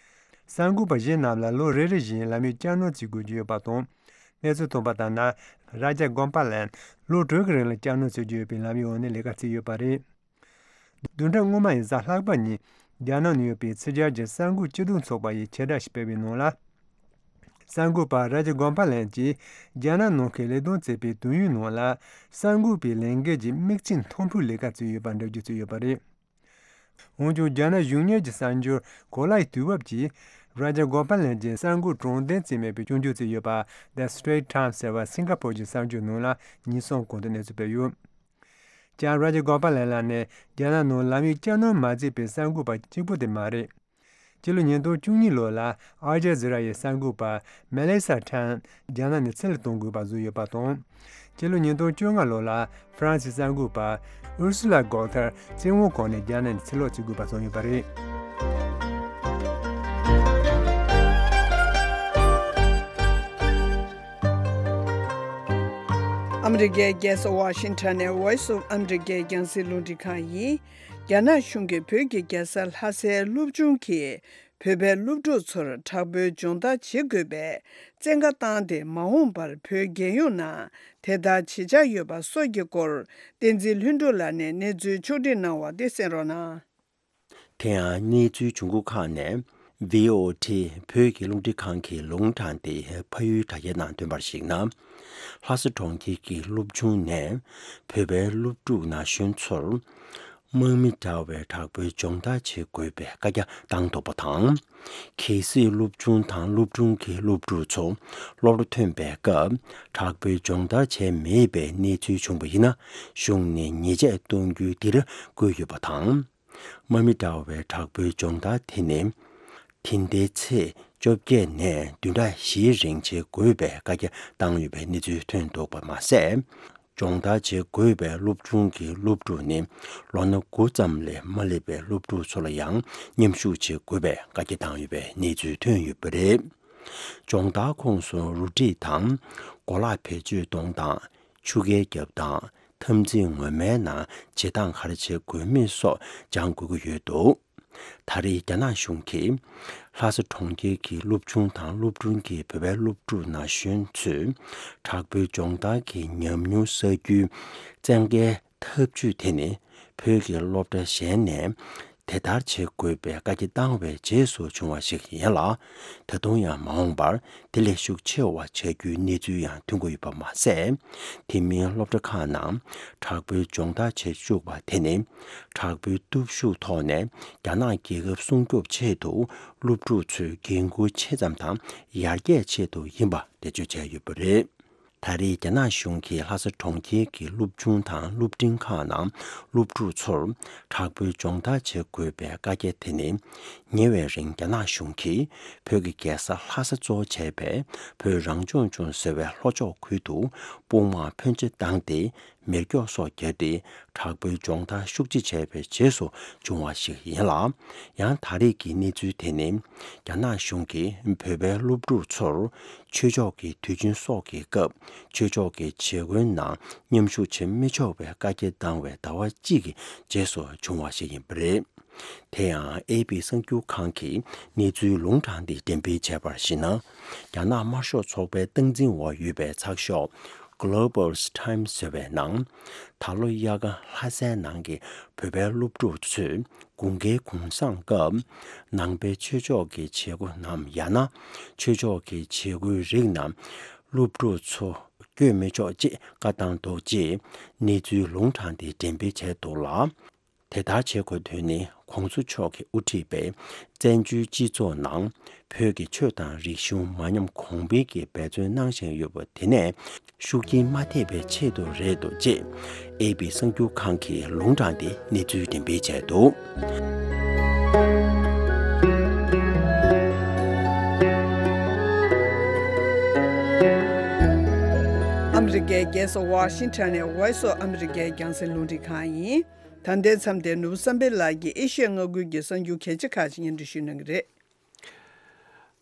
གསར་འགོད་པ་གཞན་རྣམས་ལ་ལོ་རེ་རེ་བཞིན་ལམ་ཡིག་བསྐྱར་གནོན་བྱེད་དགོས་ཀྱི་ཡོད་པ་དང་། གནས་ཚུལ་ཐོན་པ་ལྟར་ན། རཱ་ཇ་གོ་པ་ལན་ལོ་དྲུག་གི་རིང་ལ་བསྐྱར་གནོན་བྱེད་ཀྱི་ཡོད་པའི་ལམ་ཡིག་འོག་ནས་ལས་ཀ་བྱས་ཡོད་པ་རེད། བདུན་ཕྲག་སྔོན་མ་ཡི་གཟའ་ལྷག་པ་ཉིན་རྒྱ་ནག་ནང་ཡོད་པའི་ཕྱི་རྒྱལ་གྱི་གསར་འགོད་སྤྱི་མཐུན་ཚོགས་པ་ཡིས་ཕྱིར་བསྒྲགས་ཤིག་སྤེལ་བའི་ནང་ལ། གསར་འགོད་པ་རཱ་ཇ་གོ་པ་ལན་གྱིས་རྒྱ་ནག་ནང་གི་ལས་དོན་བྱེད་པའི་དུས་ཡུན་ནང་ལ་གསར་འགོད་པའི་ལས་འགན་གྱི་དམིགས་ཚད་མཐོན་པོའི་ལས་ཀ་བྱས་ཡོད་པར་འགྲེལ་བརྗོད་བྱས་ཡོད་པ་རེད། འོན་ཀྱང་རྒྱ་ནག་གཞུང་གཉེར་གྱི་གསར་འགྱུར་གོ་ལའི་དུས་བབ་ཀྱིས་རཱ་ཇ་གོ་པ་ལན་གྱི་གསར་འགོད་དྲང་བདེན་བྱས་མེད་པའི་སྐྱོན་བརྗོད་བྱས་ཡོད་པ། The Straits Times ཟེར་བ་སིང་ག་ཕོར་གྱི་གསར་འགྱུར་ནང་ལ་ཉིན་གསུམ་གོང་དུ་གནས་ཚུལ་སྤེལ་ཡོད། ཀྱང་རཱ་ཇ་གོ་པ་ལན་ལགས་ནི་རྒྱ་ནག་ནང་ལམ་ཡིག་བསྐྱར་གནོན་མ་བྱས་པའི་གསར་འགོད་པ་གཅིག་པུ་དེ་མ་རེད། སྤྱི་ལོ་ཉིས་སྟོང་བཅུ་གཉིས་ལོ་ལ་ཨལ་ཇ་ཛི་ར་ཡི་གསར་འགོད་པ་མེ་ལི་ས་ཁྲན་རྒྱ་ནག་ནས་ཕྱིར་ལོག་གཏོང་དགོས་པ་བཟོས་ཡོད་པ་དང་། སྤྱི་ལོ་ཉིས་སྟོང་བཅོ་ལྔ་ལོ་ལ་ཧྥ་རན་སིའི་གསར་འགོད་པ་ཨུར་སུ་ལ་གོ་ཐར་བཙོན་འོག་ཁོངས་ནས་རྒྱ་ནག་ནས་ཕྱིར་ལོག་བྱེད་དགོས་པ་བཟོས་ཡོད་པ་རེད། ཨ་མི་རི་ཀའི་རྒྱལ་ས་ཝ་ཤིང་ཊོན་ནས་Voice of America རྒྱང་སྲིང་རླུང་འཕྲིན་ཁང་ཡིན། རྒྱ་ནག་གཞུང་གིས་བོད་ཀྱི་རྒྱལ་ས་ལྷ་སའི་སློབ་ཆུང་གིས་བོད་པའི་སློབ་ཕྲུག་ཚོར་དྲག་པོའི་སྦྱོང་བརྡར་བྱེད་དགོས་པའི་བཙན་བཀའ་བཏང་སྟེ་མ་འོངས་པར་བོད་རྒྱལ་ཡོངས་ནང་དེ་ལྟར་བྱེད་འཆར་ཡོད་པ་སོགས་ཀྱི་སྐོར་བསྟན་འཛིན་ལྷུན་གྲུབ་ལགས་ནས་གནས་ཚུལ་ཕྱོགས་སྒྲིག་གནང་བ་དེ་གསན་རོགས་གནང་། དེ་ཡང་གནས་ཚུལ་བྱུང་ཁུངས་ཁག་ནས། ཝི་ཨོ་ཨེ་བོད་ཀྱི་རླུང་འཕྲིན་ཁང་གིས་ལུང་དྲངས་ཏེ་ཕ་ཡུལ་དྲ་རྒྱའི་ནང་བཏོན་པར་གཞིགས་ན། ལྷ་ས་གྲོང་ཁྱེར་གྱི་སློབ་ཆུང་ནས་བོད་པའི་སློབ་ཕྲུག་ན་གཞོན་ཚོར་དམག་མི་འདྲ་བའི་དྲག་པོའི་སྦྱོང་བརྡར་བྱེད་དགོས་པའི་བཀའ་རྒྱ་བཏང་འདུག་པ་དང་། གལ་སྲིད་སློབ་ཆུང་དང་སློབ་ཕྲུག་གི་སློབ་ཕྲུག་ཚོ་སློབ་གྲྭ་ཐོན་པའི་སྐབས་དྲག་པོའི་སྦྱོང་བརྡར་བྱས་མེད་པའི་གནས་ཚུལ་བྱུང་བ་ཡིན་ན། གཞུང་ནས་ཉེས་ཆད་གཏོང་རྒྱུའི་འདིར་བཀོད་ཡོད་པ་དང་། དམག་མི་འདྲ་བའི་དྲག་པོའི་སྦྱོང་བརྡར་དེ་ནི། དེ་ཟླའི་ཚེས་བཅོ་བརྒྱད་ནས་བདུན་ཕྲག་བཞིའི་རིང་བྱེད་དགོས་པའི་བཀའ་རྒྱ་བཏང་ཡོད་པའི་གནས་ཚུལ་ཐོན་འདུག་པ་མ་ཟད། སྦྱོང་བརྡར་བྱེད་དགོས་པའི་སློབ་ཆུང་གི་སློབ་ཕྲུག་ནི་ལོ་ན་དགུ་ཙམ་ལས་མ་སླེབས་པའི་སློབ་ཕྲུག་ཚོ་ལ་ཡང་མཉམ་ཞུགས་བྱེད་དགོས་པའི་བཀའ་རྒྱ་བཏང་ཡོད་པའི་གནས་ཚུལ་ཐོན་ཡོད་པ་རེད། སྦྱོང་བརྡར་ཁོངས་སུ་རུ་སྒྲིག་དང་། གོ་ལག་བེད་སྤྱོད་གཏོང་སྟངས། ཆུ་རྐྱལ་རྒྱབ་སྟངས། འཐབ་འཛིང་ངོ་མའི་ནང་བྱེད་སྟངས་ག་རེ་བྱེད་དགོས་མིན་སོགས་སྦྱང་དགོས་ཀྱི་ཡོད་འདུག་ད་རེས་རྒྱ་ནག་གཞུང་གིས་ལྷ་ས་གྲོང་ཁྱེར་གྱི་སློབ་ཆུང་དང་སློབ་ཕྲུག་གི་བོད་པའི་སློབ་ཕྲུག་ན་གཞོན་ཚོས་དྲག་པོའི་སྦྱོང་བརྡར་གྱི་ཉམས་མྱོང་བསགས་རྒྱུའི་བཙན་བཀའི་ཐབས་ཇུས་དེ་ནི་བོད་ཀྱི་སློབ་གྲྭ་གཞན་ནས་དེ་ལྟར་བྱེད་དགོས་པའི་བཀའ་རྒྱ་བཏང་བའི་རྗེས་སུ་བྱུང་བ་ཞིག་ཡིན་ལ། ད་དུང་ཡང་མ་འོངས་པར་དེ་ལས་ཤུགས་ཆེ་བ་བྱ་རྒྱུའི་གནས་ཚུལ་ཡང་ཐོན་གྱི་ཡོད་པ་མ་ཟད། དེ་མིན་སློབ་གྲྭ་ཁག་ནང་དྲག་པོའི་སྦྱོང་བརྡར་བྱེད་བཅུག་པ་དེ་ནི་དྲག་པོའི་སྟོབས་ཤུགས་ཐོག་ནས་རྒྱ་ནག་རྒྱལ་ཁབ་སྲུང་སྐྱོབ་ཆེད་དུ་སློབ་ཕྲུག་ཚོའི་འགན་ཁུར་ཆེ་ཙམ་དང་ཡར་རྒྱས་ཆེད་དུ་ཡིན་པ་འགྲེལ་བརྗོད་བྱས་ཡོད་པ་རེད། ད་ ད་རེས་རྒྱ་ནག་གཞུང་གིས་ལྷ་ས་གྲོང་ཁྱེར་གྱི་སློབ་ཆུང་དང་སློབ་འབྲིང་ཁག་ནང་སློབ་ཕྲུག་ཚོར་དྲག་པོའི་སྦྱོང་བརྡར་བྱེད་དགོས་པའི་བཀའ་རྒྱ་དེ་ནི། ཉེ་བའི་རིང་རྒྱ་ནག་གཞུང་གིས་བོད་ཀྱི་རྒྱལ་ས་ལྷ་ས་གཙོ་བྱས་པའི་བོད་རང་སྐྱོང་ལྗོངས་ཟེར་བའི་ལྷོ་ཕྱོགས་ཁུལ་དུ་དཔུང་དམག་ཕོན་ཆེ་བཏང་སྟེ། མེ་སྒྱོགས་སོགས་བརྒྱབ་སྟེ། དྲག་པོའི་སྦྱོང་བརྡར་ཤུགས་ཆེ་བྱས་པའི་རྗེས་སུ་བྱུང་བ་ཞིག་ཡིན་ལ། ཡང་ད་རེས་ཀྱི་གནས་ཚུལ་དེ་ནི། རྒྱ་ནག་གཞུང་གིས་བོད་པའི་སློབ་ཕྲུག་ཚོར་ཆོས་ཕྱོགས་ཀྱི་དུས་ཆེན་སོགས་ཀྱི་སྐབས། ཆོས་ཕྱོགས་ཀྱི་བྱེད་སྒོའི་ནང་མཉམ་ཞུགས་བྱེད་མི་ཆོག་པའི་བཀའ་རྒྱ་བཏང་བའི་ཟླ་བ་གཅིག་གི་རྗེས་སུ་བྱུང་བ་ཞིག་ཡིན་པ་རེད། དེ་ཡང་ཨེ་པི་གསར་འགྱུར་ཁང་གིས་གནས་ཚུལ་ལུང་དྲངས་ཏེ་འགྲེམས་སྤེལ་བྱས་པར་གཞིགས་ན། རྒྱ་ནག་དམར་ཤོག་ཚོགས་པའི་སྟངས་འཛིན་འོག་ཡོད་པའི་ཚགས་ཤོག་Global Times ཟེར་བའི་ནང་། ད་ལོ་དབྱར་ཁ་ལྷ་སའི་ནང་གི་བོད་པའི་སློབ་ཕྲུག་ཚོས་དགུན་ཁའི་གུང་སེང་སྐབས། ནང་པའི་ཆོས་ཕྱོགས་ཀྱི་བྱེད་སྒོ་ནམ་ཡང་ན། ཆོས་ཕྱོགས་ཀྱི་བྱེད་སྒོའི་རིགས་ནམ། སློབ་ཕྲུག་ཚོ་བསྐྱོད་མི་ཆོག་ཅེས་བཀའ་བཏང་འདུག་ཅེས་གནས་ཚུལ་ལུང་དྲངས་ཏེ་འགྲེམས་སྤེལ་བྱས་འདུག་ལ། དེ་ལྟར་བྱེད་དགོས་དོན་ནི། ྋགོང་ས་མཆོག་གིས་དབུ་ཁྲིད་པའི་བཙན་བྱོལ་སྤྱི་ཚོགས་ནང་བོད་ཀྱི་ཆོས་དང་རིག་གཞུང་མ་ཉམས་གོང་འཕེལ་གྱི་འབད་བརྩོན་གནང་བཞིན་ཡོད་པ་དེ་ནས་ཤུགས་རྐྱེན་མ་ཐེབས་པའི་ཆེད་དུ་རེད་འདུག་ཅེས་ཨེ་པི་གསར་འགྱུར་ཁང་གིས་ལུང་དྲངས་ཏེ་གནས་ཚུལ་འགྲེམས་སྤེལ་བྱས་འདུག། ཨ་མི་རི་ཀའི་རྒྱལ་ས་ཝ་ཤིང་ཊོན་ནས་Voice of America རྒྱང་སྲིང་རླུང་འཕྲིན་ཁང་ཡིན། ད་ལྟའི་མཚམས་དེར་ནོར་བུ་བསམ་འཕེལ་ལགས་ཀྱིས་ཨེ་ཤི་ཡ་མངའ་ཁུལ་གྱི་གསར་འགྱུར་གལ་ཆེ་ཁག་ཅིག་སྙན་སྒྲོན་ཞུ་གནང་གི་རེད།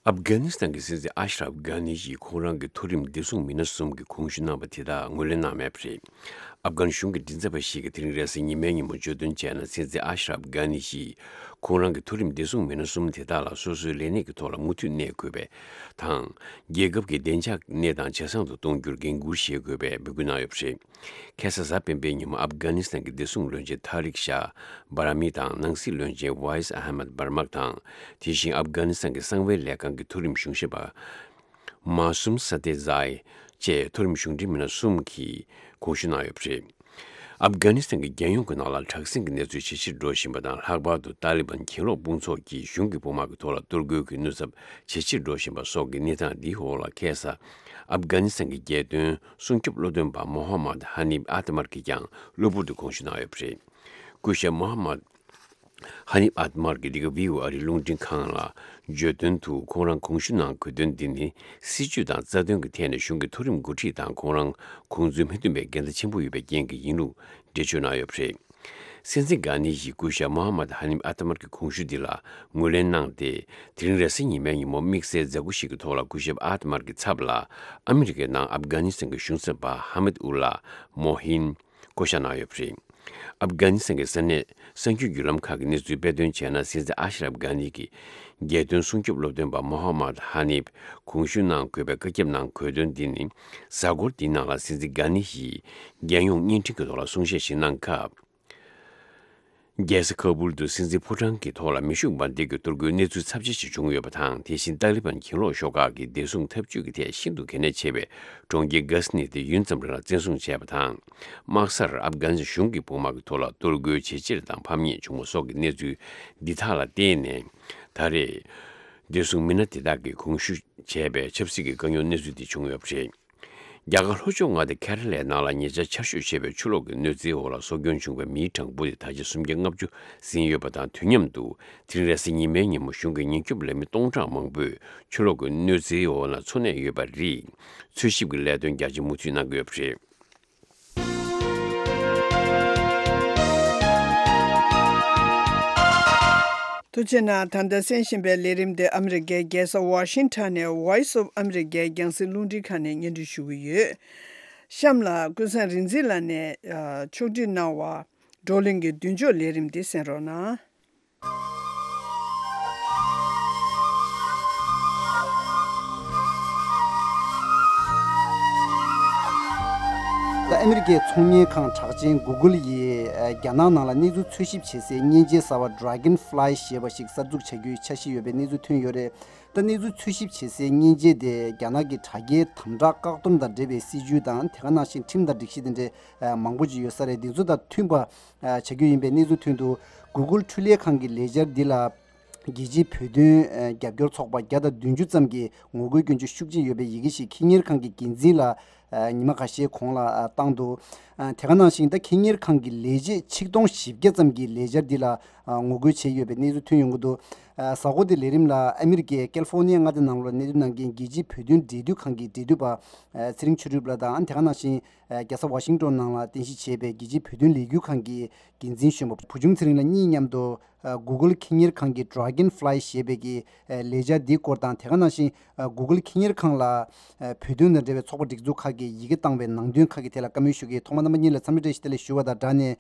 ཨབ་གྷ་ནི་སི་ཐན་གྱི་སྲིད་འཛིན་ཨ་ཤ་རབ་གྷ་ནི་ཡིས་ཁོང་རང་གི་མཐོ་རིམ་བདེ་སྲུང་མི་སྣ་གསུམ་གྱི་གོང་ཞུ་གནང་བ་དེ་དག་ངོས་ལེན་གནང་མེད་པ་རེད། ཨབ་གྷན་གཞུང་གི་མགྲིན་ཚབ་པ་ཞིག་གིས་དེ་རིང་རེས་གཟའ་ཉི་མའི་ཉིན་མོ་བརྗོད་དོན་བྱས་ན། སྲིད་འཛིན་ཨ་ཤ་རབ་གྷ་ནི་ཡིས་ཁོང་རང་གི་མཐོ་རིམ་བདེ་སྲུང་མི་སྣ་གསུམ་དེ་དག་ལ་སོ་སོའི་ལས་གནས་ཀྱི་ཐོག་ལ་མུ་མཐུད་གནས་དགོས་པ་དང་། རྒྱལ་ཁབ་ཀྱི་བདེ་འཇགས་གནས་སྟངས་ཇེ་བཟང་དུ་གཏོང་རྒྱུར་འགན་འཁུར་བཞེས་དགོས་པའི་འབོད་སྐུལ་གནང་ཡོད་པ་རེད། ཁ་སང་གཟའ་སྤེན་པའི་ཉིན་མོ་ཨབ་གྷ་ནི་སི་ཐན་གྱི་བདེ་སྲུང་བློན་ཆེན་ཐ་རིག་ཤཱ་བྷ་ར་མི་དང་ནང་སྲིད་བློན་ཆེན་ཝཱ་ཡིས་ཨ་ཧ་མད་བྷར་མག་དང་། དེ་བཞིན་ཨབ་གྷ་ནི་སི་ཐན་གྱི་གསང་བའི་ལས་ཁང་གི་མཐོ་རིམ་གཞུང་ཞབས་པ་མཱ་སུམ་ས་ཏེ་ཛའི་བཅས་མཐོ་རིམ་གཞུང་འབྲེལ་མི་སྣ་གསུམ་གྱིས་གོང་ཞུ་གནང་ཡོད་པ་རེད། ཨབ་གྷ་ནི་སི་ཐན་གྱི་རྒྱལ་ཡོངས་ཀྱི་ནང་ལ་དྲག་ཟིང་གི་གནས་ཚུལ་ཇེ་ཆེར་འགྲོ་བཞིན་པ་དང་། ལྷག་པར་དུ་ཏཱ་ལི་བན་གྱེན་ལོག་དཔུང་ཚོགས་ཀྱིས་གཞུང་གི་དཔུང་དམག་གི་ཐོག་ལ་གཏོར་རྒོལ་གྱི་ནུས་ཚབས་ཇེ་ཆེར་འགྲོ་བཞིན་པ་སོགས་ཀྱི་གནས་སྟངས་འདིའི་འོག་ལ། ཁ་སང་ཨབ་གྷ་ནི་སི་ཐན་གྱི་རྒྱལ་དོན་སྲུང་སྐྱོབ་བློ་འདོན་པ་མོ་ཧ་མད་ཧ་ནིབ་ཨ་ཏ་མར་གྱིས་ཀྱང་གློ་བུར་དུ་གོང་ཞུ་གནང་ཡོད་པ་རེད། སྐུ་ཞབས་མོ་ཧ་མད་ཧ་ནིབ་ཨ་ཏ་མར་གྱིས་འདི་ག་བྷི་ཨོ་ཨེ་ཨ་རིའི་རླུང་འཕྲིན་ཁང་ལ་བརྗོད་དོན་དུ། ཁོང་རང་གོང་ཞུ་གནང་དགོས་དོན་འདི་ནི། སྲིད་ཇུས་དང་རྩ་དོན་གྱི་ཐད་ནས་གཞུང་གི་མཐོ་རིམ་འགོ་ཁྲིད་དང་ཁོང་རང་ཁོང་ཚོའི་མི་མཐུན་པའི་འགལ་ཟླ་ཆེན་པོ་ཡོད་པའི་རྐྱེན་གྱིས་ཡིན་ལུགས་འགྲེལ་བརྗོད་གནང་ཡོད་པ་རེད། སྲིད་འཛིན་གྷ་ནི་ཡིས་སྐུ་ཞབས་མོ་ཧ་མད་ཧ་ནིབ་ཨ་ཏ་མར་གྱི་གོང་ཞུ་འདི་ལ་ངོས་ལེན་གནང་སྟེ། དེ་རིང་རེས་གཟའ་ཉི་མའི་ཉིན་མོ་དམིགས་བསལ་མཛད་སྒོ་ཞིག་གི་ཐོག་ལ། སྐུ་ཞབས་ཨ་ཏ་མར་གྱི་ཚབ་ལ་ཨ་མི་རི་ཀའི་ནང་ཨབ་གྷ་ནི་སི་ཐན་གྱི་གཞུང་ཚབ་པ་ཧ་མད་ཨུ་ལ་མོ་ཧིན་བསྐོ་བཞག་གནང་ཡོད་པ་རེད། ཨབ་གྷ་ནི་སི་ཐན་གྱི་ས་གནས་གསར་འགྱུར་བརྒྱུད་ལམ་ཁག་གིས་གནས་ཚུལ་སྤེལ་དོན་བྱས་ན། སྲིད་འཛིན་ཨ་ཤ་རབ་གྷ་ནི་གིས་རྒྱལ་དོན་སྲུང་སྐྱོབ་སློབ་སྟོན་པ་མོ་ཧ་མད་ཧ་ནིབ་གོང་ཞུ་གནང་དགོས་པའི་བཀའ་ཁྱབ་གནང་དགོས་དོན་འདི་ནི། གཟའ་འཁོར་འདིའི་ནང་ལ་སྲིད་འཛིན་གྷ་ནི་ཡིས་རྒྱལ་ཡོངས་བརྙན་འཕྲིན་གྱི་ཐོག་ལ་གསུང་བཤད་ཞིག་གནང་སྐབས། རྒྱལ་ས་ཁ་བུལ་དུ་སྲིད་འཛིན་ཕོ་བྲང་གི་ཐོག་ལ་མེ་ཤུགས་འབར་མདེལ་གྱི་གཏོར་རྒོལ་གནས་ཚུལ་ཚབས་ཆེ་ཞིག་བྱུང་ཡོད་པ་དང་། དེ་བཞིན་ཏཱ་ལི་བན་གྱེན་ལོག་ཤོག་ཁག་གིས་བདེ་སྲུང་འཐབ་ཇུས་ཀྱི་ཐད་ཤིན་ཏུ་གལ་གནད་ཆེ་བའི་གྲོང་ཁྱེར་གྷ་སི་ནི་དེ་ཡུན་ཙམ་རིང་ལ་བཙན་བཟུང་བྱས་པ་དང་། དམག་སར་ཨབ་གྷ་ནི་སི་ཐན་གཞུང་གི་དཔུང་དམག་གི་ཐོག་ལ་གཏོར་རྒོལ་ཇེ་ཆེར་དང་ཕམ་ཉེས་བྱུང་བ་སོགས་ཀྱི་གནས་ཚུལ་འདི་དག་ལ་བརྟེན་ནས། ད་རེས་བདེ་སྲུང་མི་སྣ་དེ་དག་གིས་གོང་ཞུ་བྱས་པའི་ཆབ་སྲིད་ཀྱི་དཀའ་རྙོག་གནས་ཚུལ་འདི་བྱུང་ཡོད་པ་རེད། རྒྱ་གར་ལྷོ་ཕྱོགས་མངའ་སྡེ་ཁེ་ར་ལའི་ནང་ལ་ཉེ་ཆར་ཆར་ཞོད་ཆེ་བའི་ཆུ་ལོག་གི་གནོད་འཚེའི་འོག་ལ་སྲོག་སྐྱོན་བྱུང་བའི་མིའི་གྲངས་འབོར་དེ་ད་ཆ་སུམ་བརྒྱ་ལྔ་བཅུ་ཟིན་ཡོད་པ་དང་། དུས་མཉམ་དུ་དེ་རིང་རེས་གཟའ་ཉི་མའི་ཉིན་མོ་གཞུང་གི་ཉེན་སྐྱོབ་ལས་མི་སྟོང་ཕྲག་མང་པོས་ཆུ་ལོག་གི་གནོད་འཚེའི་འོག་ན་འཚོ་གནས་ཡོད་པ་རེད། འཚོལ་ཞིབ་ཀྱི་ལས་དོན་རྒྱ་ཆེ་མུ་མཐུད་གནང་གི་ཡོད་པ་རེད། ཐུགས་རྗེ་གནང་། ད་ལྟ་གསན་བཞིན་པའི་ལས་རིམ་དེ་ཨ་མི་རི་ཀའི་རྒྱལ་ས་ཝ་ཤིང་ཊོན་ནས་Voice of America རྒྱང་སྲིང་རླུང་འཕྲིན་ཁང་ནས་སྙན་སྒྲོན་ཞུ་གི་ཡོད། གཤམ་ལ་ཀུན་བཟང་རིག་འཛིན་ལགས་ནས་ཕྱོགས་སྒྲིག་གནང་བ། བགྲོ་གླེང་གི་མདུན་ལྕོག་ལས་རིམ་འདི་གསན་རོགས་གནང་། ད་ཨ་མི་རི་ཀའི་ཚོང་གཉེར་ཁང་གྲགས་ཅན་Google ཡིས་རྒྱ་ནག་ནང་ལ་གནས་ཚུལ་འཚོལ་ཞིབ་བྱེད་སའི་མཉེན་ཆས་གསར་བ་Dragonfly ཞེས་པ་ཞིག་གསར་འཛུགས་བྱ་རྒྱུའི་འཆར་གཞི་ཡོད་པའི་གནས་ཚུལ་ཐོན་ཡོད་རེད། ད་གནས་ཚུལ་འཚོལ་ཞིབ་བྱེད་སའི་མཉེན་ཆས་དེ་རྒྱ་ནག་གི་དྲ་རྒྱའི་དམ་དྲག་བཀག་སྡོམ་དང་འབྲེལ་བའི་སྲིད་ཇུས་དང་། དེ་ག་ནང་བཞིན་ཁྲིམས་དང་སྒྲིག་གཞི་དེ་འདྲའི་མང་པོ་ཅིག་ཡོད་ས་རེད། དེ་ཚོ་དང་མཐུན་པ་བྱ་རྒྱུ་ཡིན་པའི་གནས་ཚུལ་ཐོན་འདུག Google འཕྲུལ་ལས་ཁང་གི་ལས་འཆར་འདི་ལ་རྒྱལ་སྤྱིའི་བོད་དོན་རྒྱབ་སྐྱོར་ཚོགས་པ་བརྒྱ་དང་བདུན་ཅུ་ཙམ་གྱིས་ངོ་རྒོལ་སྐྱོན་བརྗོད་ཤུགས་ཆེ་ཡོད་པའི་ཡི་གེ་ཞིག་ཁེ་གཉེར་ཁང་གི་འགན་འཛིན་ལ་ ཉི་མ་ཁ་ཤས་གོང་ལ་བཏང་འདུག་དེ་ག་ནང་བཞིན་ད་ཁེ་གཉེར་ཁང་གི་ལས་བྱེད་ཆིག་སྟོང་བཞི་བརྒྱ་ཙམ་གྱིས་ལས་འཆར་འདི་ལ་ངོ་རྒོལ་བྱས་ཡོད་པའི་གནས་ཚུལ་ཐོན་ཡོང་གི་འདུག་གཟའ་འཁོར་འདིའི་ལས་རིམ་ལ་ཨ་མི་རི་ཀའི་ཀལ་ཧྥོ་ནི་ཡ་མངའ་སྡེ་ནང་ལོགས་གནས་སྡོད་གནང་མཁན་རྒྱལ་སྤྱིའི་བོད་དོན་འབྲེལ་མཐུད་ཁང་གི་འབྲེལ་མཐུད་པ་ཚེ་རིང་ཆོས་གྲུབ་ལགས་དང་། དེ་ག་ནང་བཞིན་རྒྱལ་ས་ཝ་ཤིང་ཏོན་ནང་ལ་རྟེན་གཞི་བྱས་པའི་རྒྱལ་སྤྱིའི་བོད་དོན་ལས་འགུལ་ཁང་གི་འགན་འཛིན་གཞོན་པ་བུ་ཆུང་ཚེ་རིང་ལགས་གཉིས་མཉམ་དུ། Google ཁེ་གཉེར་ཁང་གི་Dragonfly ཞེས་པའི་གི་ལས་འཆར་འདིའི་སྐོར་དང་། དེ་ག་ནང་བཞིན་Google ཁེ་གཉེར་ཁང་ལ་བོད་དོན་དང་འབྲེལ་བའི་ཚོགས་པ་སྒྲིག་འཛུགས་ཁག་གིས་ཡི་གེ་བཏང་བའི་ནང་དོན་ཁག་གི་ཐད་ལ་བཀའ་མོལ་ཞུ་གི། ཐོག་མར་རྣམ་པ་གཉིས་ལ་འཚམས་འདྲི་བཀྲ་ཤིས་བདེ་ལེགས་ཞུ་བ་དང་སྦྲགས་ནས།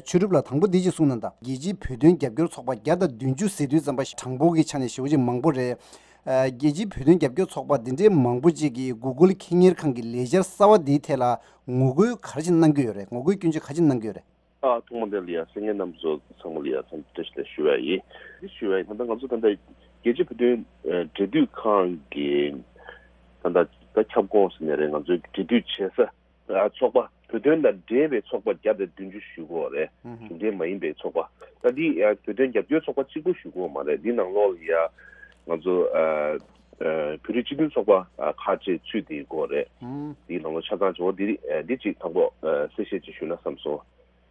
ཆོས་གྲུབ་ལགས་དང་པོ་འདི་ཅིག་གསུངས་གནང་དང་། རྒྱལ་སྤྱིའི་བོད་དོན་རྒྱབ་སྐྱོར་ཚོགས་པ་བརྒྱ་དང་བདུན་ཅུ་ཟེར་དུས་ཙམ་པ་གྲངས་འབོར་གྱི་ཆ་ནས་ཞེ་པོ་ཅིག་མང་པོ་རེད། རྒྱལ་སྤྱིའི་བོད་དོན་རྒྱབ་སྐྱོར་ཚོགས་པ་འདི་འདྲའི་མང་པོ་ཅིག་གིས་Google ཁེ་གཉེར་ཁང་གི་ལས་འཆར་གསར་བ་འདིའི་ཐད་ལ་ངོ་རྒོལ་ག་རེ་ཅིག་གནང་གི་ཡོད་རེད། ངོ་རྒོལ་སྐྱོན་བརྗོད་ག་རེ་ཅིག་གནང་གི་ཡོད་རེད། ཨ། ཐོག་མ་དེ་ལ་ཡ་གསན་མཁན་རྣམ་པ་ཚོ་ཚང་མ་ལ་ཡ་འཚམས་འདྲི་བཀྲ་ཤིས་བདེ་ལེགས་ཞུ་བ་ཡིན། འདི་ཞུ་བ་ཡིན། ད་ལྟ་ང་ཚོ་ད་ལྟ་རྒྱལ་སྤྱིའི་བོད་དོན་ཨ་འབྲེལ་མཐུད་ཁང་གི་ད་ལྟ་ད་ཁྱབ་ཁོངས་ཟེར་ནའི་རེད། ང་ཚོའི་འབྲེལ་མཐུད་བྱེད་ས་ཨ་ཚོགས་པ། བོད་དོན་དང་འབྲེལ་བའི་ཚོགས་པ་བརྒྱ་དང་བདུན་ཅུ་ཞུ་གི་ཡོད་རེད། ཨུ་ཧུ། གཞུང་འབྲེལ་མ་ཡིན་པའི་ཚོགས་པ། ད་འདི་ཡ་བོད་དོན་རྒྱབ་སྐྱོར་ཚོགས་པ་གཅིག་པོ་ཞུ་གི་ཡོད་མ་རེད། འདི་ནང་ལོགས་ལ་ཡ་ང་ཚོ་ཨ་ཨ་བོད་རིགས་སྤྱི་མཐུན་ཚོགས་པ་ཨ་ཁག་ཅིག་ཚུད་དེ་ཡོད་རེད། ཨུ། འདིའི་ནང་ལོགས་ཆ་ཚང་བྱེད་པ་འདི་ཨ་འདི་གཅིག་དང་པོ་ཨ་གསལ་བཤད་ཅིག་ཞུས་ན་བསམ་སོང་།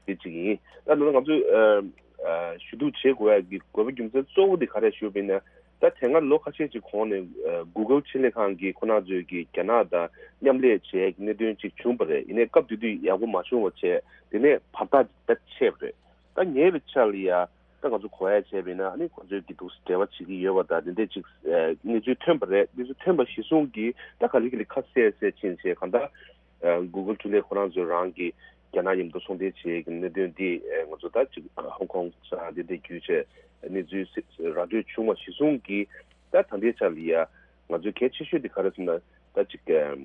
དེ་གཅིག་ཡིན། ད་ནང་ང་ཚོས་ཨ་ཨ་ཞུ་གཏུག་བྱེད་དགོས་ཡ་གི་དགོས་པ་རྒྱུ་མཚན་གཙོ་བོ་དེ་ག་རེ་ཞུ་བ་ཡིན་ན། ད་དེ་སྔ་ལོ་ཁ་ཤས་ཅིག་གོང་ནས་ཨ་Google ཕྱི་ལས་ཁང་གིས་ཁོ་རང་ཚོས་ཀྱི་རྒྱ་ནག་དང་མཉམ་ལས་བྱེད་ཡ་གི་གནད་དོན་ཅིག་བྱུང་བ་རེད། ཡིན་ནའི་སྐབས་དེ་དུས་ཡག་པོ་མ་བྱུང་བ་བྱས། དེ་ནས་བར་ཐག་ཅིག་ད་ཆད་པ་རེད། ད་ཉེ་བའི་ཆར་ལ་ཡ་ད་ང་ཚོ་གོ་ཡ་བྱས་པ་ཡིན་ན། ཨ་ནི་ཁོ་ཚོས་ཀྱི་འདུག་སེ་འབྲེལ་བ་བྱེད་ཀྱི་ཡོད་པ་དང་དེ་འདྲས་ཅིག་ཨ་གནས་ཚུལ་ཐོན་པ་རེད། གནས་ཚུལ་ཐོན་པ་གཞིར་བཟུང་གིས་ད་ག་ལེ་ག་ལེ་ཁ་གསལ་གསལ་ཕྱིན་བྱས། གང་ལྟར་ཨ་Google འཕྲུལ་ལས་ཁོ་རང་ཚོས་རང་གི་རྒྱ་ནག་མཉམ་དུ་ཚོང་འབྲེལ་བྱེད་ཀྱི་གནད་དོན་འདི་ཨ་ང་ཚོ་ད་ཅིག་ཧོང་ཀོང་ས་འདི་འདྲ་བརྒྱུད་བྱས་གནས་ཚུལ་ར་སྤྲོད་བྱུང་བ་གཞིར་བཟུང་གིས། ད་ད་ལྟའི་ཆ་ལ་ཡ་ང་ཚོའི་གལ་ཆེ་ཤོས་འདི་ག་རེ་ཟེར་ན། ད་ཅིག་ཨ་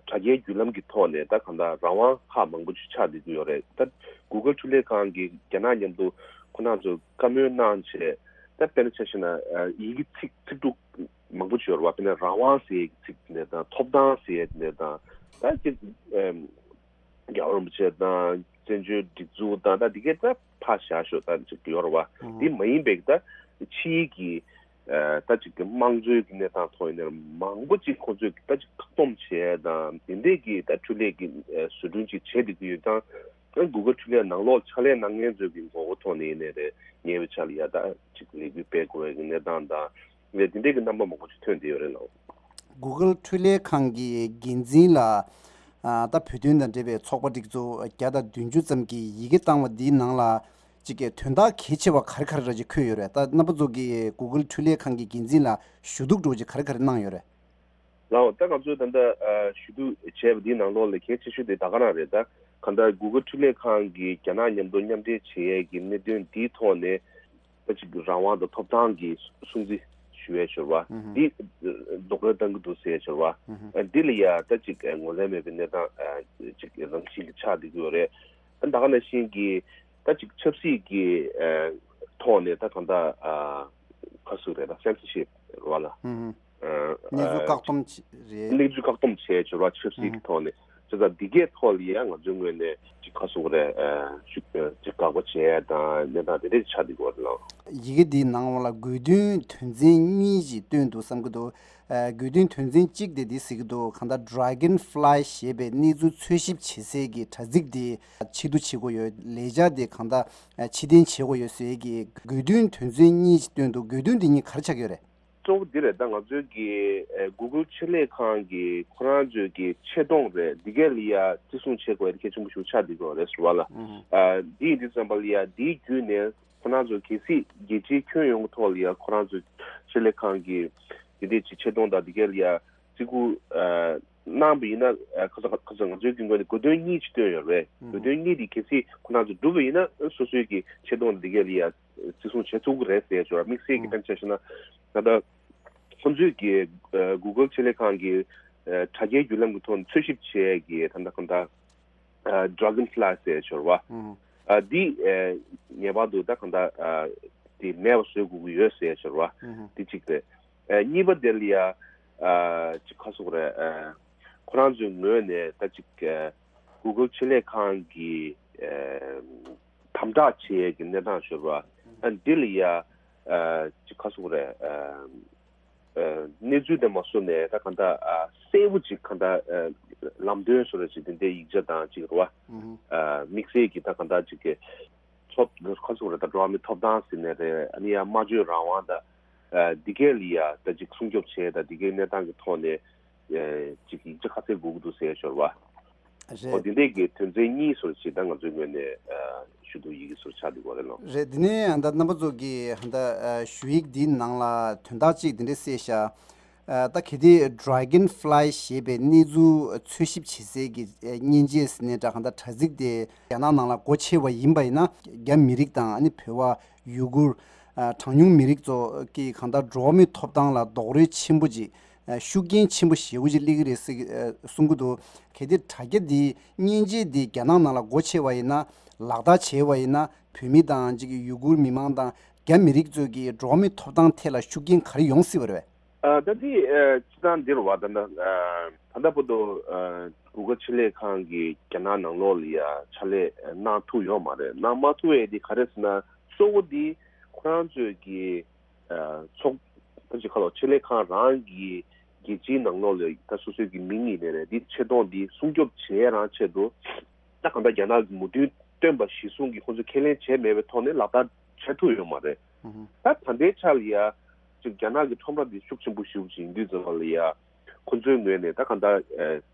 དྲ་རྒྱའི་བརྒྱུད་ལམ་གྱི་ཐོག་ནས་ད་གང་ལྟར་རང་དབང་ཁག་མང་པོ་ཅིག་ཆགས་བསྡད་ཀྱི་ཡོད་རེད། ད་Google འཕྲུལ་ལས་ཁང་གིས་རྒྱ་ནག་མཉམ་དུ་ཁོ་རང་ཚོ་བཀའ་མོལ་གནང་བྱས། ད་དཔེར་ན་ཆ་བཞག་ན་ཨ་ཡི་གེ་ཚིག་ཚིག་འབྲུ་མང་པོ་ཅིག་ཡོད་རེད་བ། དཔེར་ན་རང་དབང་ཟེར་ཡས་ཀྱི་ཚིག་དེ་འདྲ་དང་། ཐོབ་ཐང་ཟེར་ཡས་དེ་འདྲ་དང་། ད་ཅིག་ཨ་རྒྱལ་བ་རིན་པོ་ཆེ་དང་བཙན་བྱོལ་སྒྲིག་འཛུགས་དང་། ད་འདི་གས་ད་ཕར་བཞག་ཤོག། ད་ཅིག་ཡོད་རེད་བ། ཨང་། འདི་མ་ཡིན་པའི་ད་ཕྱིའི་གི་ཨ་ད་ཅིག་གི་དམངས་གཙོའི་གི་གནས་སྟངས་ཐོག་ཡིན་ནའི་མང་པོ་ཅིག་ཁོ་ཚོས་ད་ཅིག་བཀག་སྡོམ་བྱས་དང་། འདི་འདྲས་ཀྱི་ད་འཕྲུལ་ལས་ཀྱི་ཨ་བཟོ་སྐྲུན་ཅིག་བྱས་བསྡད་ཀྱི་ཡོད་ཙང་། ཨ་Google འཕྲུལ་ལས་ནང་ལོགས་ཕྱག་ལས་གནང་མཁན་ཚོའི་གི་ངོ་རྒོལ་ཐོག་ནས་ཡིན་ནའི་རེད། ཉེ་བའི་ཆར་ལ་ཡ་ད་ཅིག་ལས་འགུལ་སྤེལ་དགོས་པའི་གི་གནས་སྟངས་དང་། ངས་འདི་འདྲའི་གི་རྣམ་པ་མང་པོ་ཅིག་ཐོན་བསྡད་ཡོད་རེད་ལགས། Google འཕྲུལ་ལས་ཁང་གི་འགན་འཛིན་ལ་ཨ་ད་བོད་དོན་དང་འབྲེལ་བའི་ཚོགས་པ་སྒྲིག་འཛུགས་བརྒྱ་དང་བདུན་ཅུ་ཙམ་གྱིས་ཡི་གེ་བཏང་བ་འདིའི་ནང་ལ་ཅིག་གི་དོན་དག་གལ་ཆེ་བ་ག་རེ་ག་རེ་ར་ཅིག་འཁོད་ཡོད་རེད། ད་རྣམ་པ་ཚོ་གིས་Google འཕྲུལ་ལས་ཁང་གི་འགན་འཛིན་ལ་ཞུ་གཏུག་འདྲ་བོ་ཅིག་ག་རེ་ག་རེ་གནང་ཡོད་རེད། ལགས། ད་ང་ཚོས་ད་ལྟ་ཨ་ཞུ་གཏུག་བྱས་པ་འདིའི་ནང་ལོགས་ལ་གལ་ཆེ་ཤོས་དེ་ད་ག་རང་རེད། ད་གང་ལྟར་Google འཕྲུལ་ལས་ཁང་གིས་རྒྱ་ནག་མཉམ་དུ་མཉམ་འབྲེལ་བྱེད་ཡས་ཀྱི་གནད་དོན་འདིའི་ཐོག་ནས། ད་ཅིག་རང་དབང་དང་ཐོབ་ཐང་གི་སྲུང་བརྩི་ཞུ་ཡས་ཡོད་རེད་བ། ཨུ་ཧུ། འདི་རྡོག་རོལ་བཏང་གི་འདུག་ཟེར་ཡས་ཡོད་རེད་བ། ཨུ་ཧུ། ཨ་འདི་ལ་ཡ་ད་ཅིག་ངོས་ལེན་མེད་པའི་གནས་སྟངས་ཨ་ཅིག་རང་བཞིན་གྱི་ཆགས་བསྡད་ཀྱི་ཡོད་རེད། ཨ་ད་ག་ནང་བཞིན་གྱི་ད་ཅིག་ཆབ་སྲིད་ཀྱི་ཨ་ཐོག་ནས་ད་གང་ལྟར་ཨ་ག་ཟེར་རེད། ད་censorship རེད་བ་ལ། ཨུ་ཧུ། ཨ་གནས་ཚུལ་ཨ་བཀག་སྡོམ་བྱེད་རེད། གནས་ཚུལ་བཀག་སྡོམ་བྱས་ཡོད་རེད་བ། ཆབ་སྲིད་ཀྱི་ཐོག་ནས། བྱས་ཙང་འདི་གའི་ཐོག་ལ་ཡང་ང་ཚོའི་ངོས་ནས་ཅིག་ག་ཟེར་དགོས་རེད། ཨ་ཅིག་ཨ་ཅིག་དགག་པ་བྱས་དང་གནས་སྟངས་དེ་འདྲས་ཆགས་བསྡད་ཡོད་རེད་ལགས། ཡི་གེ་འདིའི་ནང་ལ་དགོས་འདུན་དོན་ཚན་གཉིས་ཅིག་བཏོན་འདུག་བསམ་གྱི་འདུག་ཨ་དགོས་འདུན་དོན་ཚན་གཅིག་དེ་འདི་ཟེར་གྱི་འདུག་གང་ལྟར་Dragonfly ཞེས་པའི་གནས་ཚུལ་འཚོལ་ཞིབ་བྱེད་སའི་གི་དྲ་ཚིགས་དེ་ཕྱིར་བསྡུ་བྱེད་དགོས་ཡོད། ལས་འཆར་དེ་གང་ལྟར་ཨ་ཕྱིར་འཐེན་བྱེད་དགོས་ཡོད་ཟེར་གྱི་དགོས་འདུན་དོན་ཚན་གཉིས་ཅིག་བཏོན་འདུག་དགོས་འདུན་དེ་གཉིས་ག་རེ་ཆགས་ཀྱི་ཡོད་རེད། གཙོ་བོ་འདི་རེད། ད་ང་ཚོའི་གི་ཨེ་Google ཕྱི་ལས་ཁང་གི་ཁོ་རང་ཚོའི་གི་ཆེ་མཐོང་རེད། འདི་གས་ལ་ཡ་བརྩི་སྲུང་བྱེད་དགོས་ཡ་གལ་ཆེན་པོ་ཞིག་ཆགས་བསྡད་ཀྱི་ཡོད་རེད་ཟེར་བ་ལ། ཨུ་ཧུ། ཨ་འདི་ཡིན་དུས་ཙམ་པ་ལ་ཡ་འདིའི་བརྒྱུད་ནས་ཁོ་རང་ཚོ་གལ་སྲིད་རྒྱལ་སྤྱིའི་ཁྱོན་ཡོངས་ཀྱི་ཐོག་ལ་ཡ་ཁོ་རང་ཚོའི་ཕྱི་ལས་ཁང་གི་འདི་འདྲས་ཀྱི་ཆེ་མཐོང་དང་འདི་གས་ལ་ཡ་བརྩི་བཀུར་ཨ་གནང་བ་ཡིན་ན། ཨ་ཁ་ཚ་ཁ་ཚ་ང་ཚོའི་གི་ངོས་ནས་དགོས་འདུན་གཉིས་ཅིག་བཏོན་ཡོད་རེད། ཨུ་ཧུ། དགོས་འདུན་གཉིས་འདི་གལ་སྲིད་ཁོ་རང་ཚོ་འགྲུབ་པ་ཡིན་ན་སོ་སོའི་གི་ཆེ་མཐོང་འདི་གས་ལ་ཡ་བརྩི་སྲུང་བྱེད་ཐུབ་ཀྱི་རེད་ཟེར་ཞོར། དམིགས་བསལ་གྱི་ཨང་། དཔེར་ན་ཆ་བཞག་ན་ད་ལྟ་ཁོང་ཚོས་ཀྱི་ཨ་Google ཕྱི་ལས་ཁང་གི་ཨ་དྲ་རྒྱའི་བརྒྱུད་ལམ་གྱི་ཐོག་ནས་འཚོལ་ཞིབ་བྱས་ཀྱི་ད་ལྟ་གང་ལྟར་ཨ་Dragonfly ཟེར་ཞོར་བ། ཨང་། ཨ་འདི་ཨ་ངེས་པར་དུ་ད་གང་ལྟར་ཨ་དེ་མེད་པ་བཟོ་དགོས་ཀྱི་ཡོད་ཟེར་ཞོར་བ། ཨང་། འདི་གཅིག་རེད། ཨ་གཉིས་པ་དེ་ལ་ཡ་ཨ་ཅིག་ག་ཟེར་དགོས་རེད། ཨ་ཁོ་རང་ཚོའི་ངོས་ནས་ད་ཅིག་ཨ་Google ཕྱི་ལས་ཁང་གི་ཨ་དམ་དྲག་བྱེད་ཡས་ཀྱི་གནས་སྟངས་ཞོར་བ། ཨ་འདི་ལ་ཡ་ཨ་ཅིག་ག་ཟེར་དགོས་རེད། ཨ་ གནས་ཚུལ་དེ་མ་སོ་ནས་ད་གང་ལྟར་གསལ་པོ་ཅིག་གང་ལྟར་ལམ་སྟོན་སོ་ར་ཅིག་དེ་འདྲའི་ཡིག་ཆ་དང་ཅིག་རེད་བ། དམིགས་བསལ་གྱི་ད་གང་ལྟར་ཅིག་གི་ཐོབ་ཁ་སོ་ར་ད་འགྲོ་བ་མིའི་ཐོབ་ཐང་ཟེར་ནས་རེད། ཨ་ནི་ཡང་སྨྲ་བརྗོད་རང་དབང་དང་འདི་གས་ལ་ཡ་ད་ཅིག་སྲུང་སྐྱོབ་བྱས་ད་འདི་གས་གནས་སྟངས་ཀྱི་ཐོག་ནས་ཅིག་ཡིག་ཆ་ཁ་གསལ་དགོས་ཀྱི་འདུག་ཟེར་ཞོར་བ། རེད། འོ་དེ་འདྲས་ཀྱི་དོན་ཚན་གཉིས་སོར་ཆེད་ད་ང་ཚོའི་ངོས་ནས་ཞུ་གཏུག་ཡི་གེ་སོར་ཆགས་འདུག་གོ་རེད་ལོ། རེད། དེ་ནས་ད་རྣམ་པ་ཚོ་གིས་ད་ཞུ་ཡིག་འདིའི་ནང་ལ་དོན་དག་ཅིག་དེ་འདྲས་གསལ་ཤག་ད་གལ་ཏེ་Dragonfly ཞེས་པའི་གནས་ཚུལ་འཚོལ་ཞིབ་བྱེད་སའི་གི་མཉེན་ཆས་ཟེར་ནས་ད་གང་ལྟར་དྲ་ཚིགས་དེ་རྒྱ་ནག་ནང་ལ་སྒོ་ཕྱེ་བ་ཡིན་པ་ཡིན་ན། རྒྱ་མི་རིགས་དང་ཨ་ནི་བོད་པ་ཡུ་གུར་གྲངས་ཉུང་མི་རིགས་ཚོ་གི་གང་ལྟར་འགྲོ་བ་མིའི་ཐོབ་ཐང་ལ་རྡོག་རོལ་ཆེན་པོ་ཅིག་ཤུགས་རྐྱེན་ཆེན་པོ་ཞེ་པོ་ཅིག་སླེབས་ཀྱི་རེད་ཟེར་གསུང་གི་འདུག་གལ་ཏེ་དྲ་རྒྱ་འདི་མཉེན་ཆས་འདི་རྒྱ་ནག་ནང་ལ་སྒོ་ཕྱེ་བ་ཡིན་ན། ལག་བསྟར་བྱས་པ་ཡིན་ན། བོད་མི་དང་ཅིག་ཡུ་གུར་མི་མང་དང་རྒྱ་མི་རིགས་ཚོས་ཀྱི་འགྲོ་བ་མིའི་ཐོབ་ཐང་ཐད་ལ་ཤུགས་རྐྱེན་ག་རེ་ཡོང་སྲིད་པ་རེད་པས། ཨ་ད་འདི་ཨ་སྤྱི་བཏང་འདིར་བ་ད་ད་ཨ་ད་ལྟ་བར་དུ་ཨ་གུ་གལ་ཆེད་ལས་ཁང་གིས་རྒྱ་ནག་ནང་ལོགས་ལ་ཡ་ཕྱག་ལས་གནང་ཐུབ་ཡོད་མ་རེད། གནང་མ་ཐུབ་ཡས་འདི་ག་རེ་ཟེར་ན། གཙོ་བོ་འདི་ཁོ་རང་ཚོས་ཀྱི་ཚོགས་ད་ཅི་ཁ་ལོ་ཆེད་ལས་ཁང་རང་གི་རྒྱལ་སྤྱིའི་ནང་ལོགས་ལ་ད་སོ་སོའི་གི་མིང་ཡིན་ནའི་རེད། འདི་ཆེ་མཐོང་འདི་སྲུང་སྐྱོབ་བྱེད་རང་ཆེད་དུ་ད་གང་ལྟར་རྒྱ་ནག་གི་མོས་མཐུན་བཏོན་པ་གཞིར་བཟུང་གི་ཁོང་ཚོས་ཁས་ལེན་བྱས་མེད་པའི་ཐོག་ནས་ལག་བསྟར་བྱེད་ཐུབ་ཡོད་མ་རེད། ད་ད་ལྟའི་ཆ་ལ་ཡ་ཅིག་རྒྱ་ནག་གི་ཁྲོམ་ར་འདི་ཤུགས་ཆེན་པོ་ཞེ་པོ་ཅིག་ཡིན་དུས་ཙམ་པ་ལ་ཡ་ཁོང་ཚོའི་ངོས་ནས་ད་གང་ལྟར་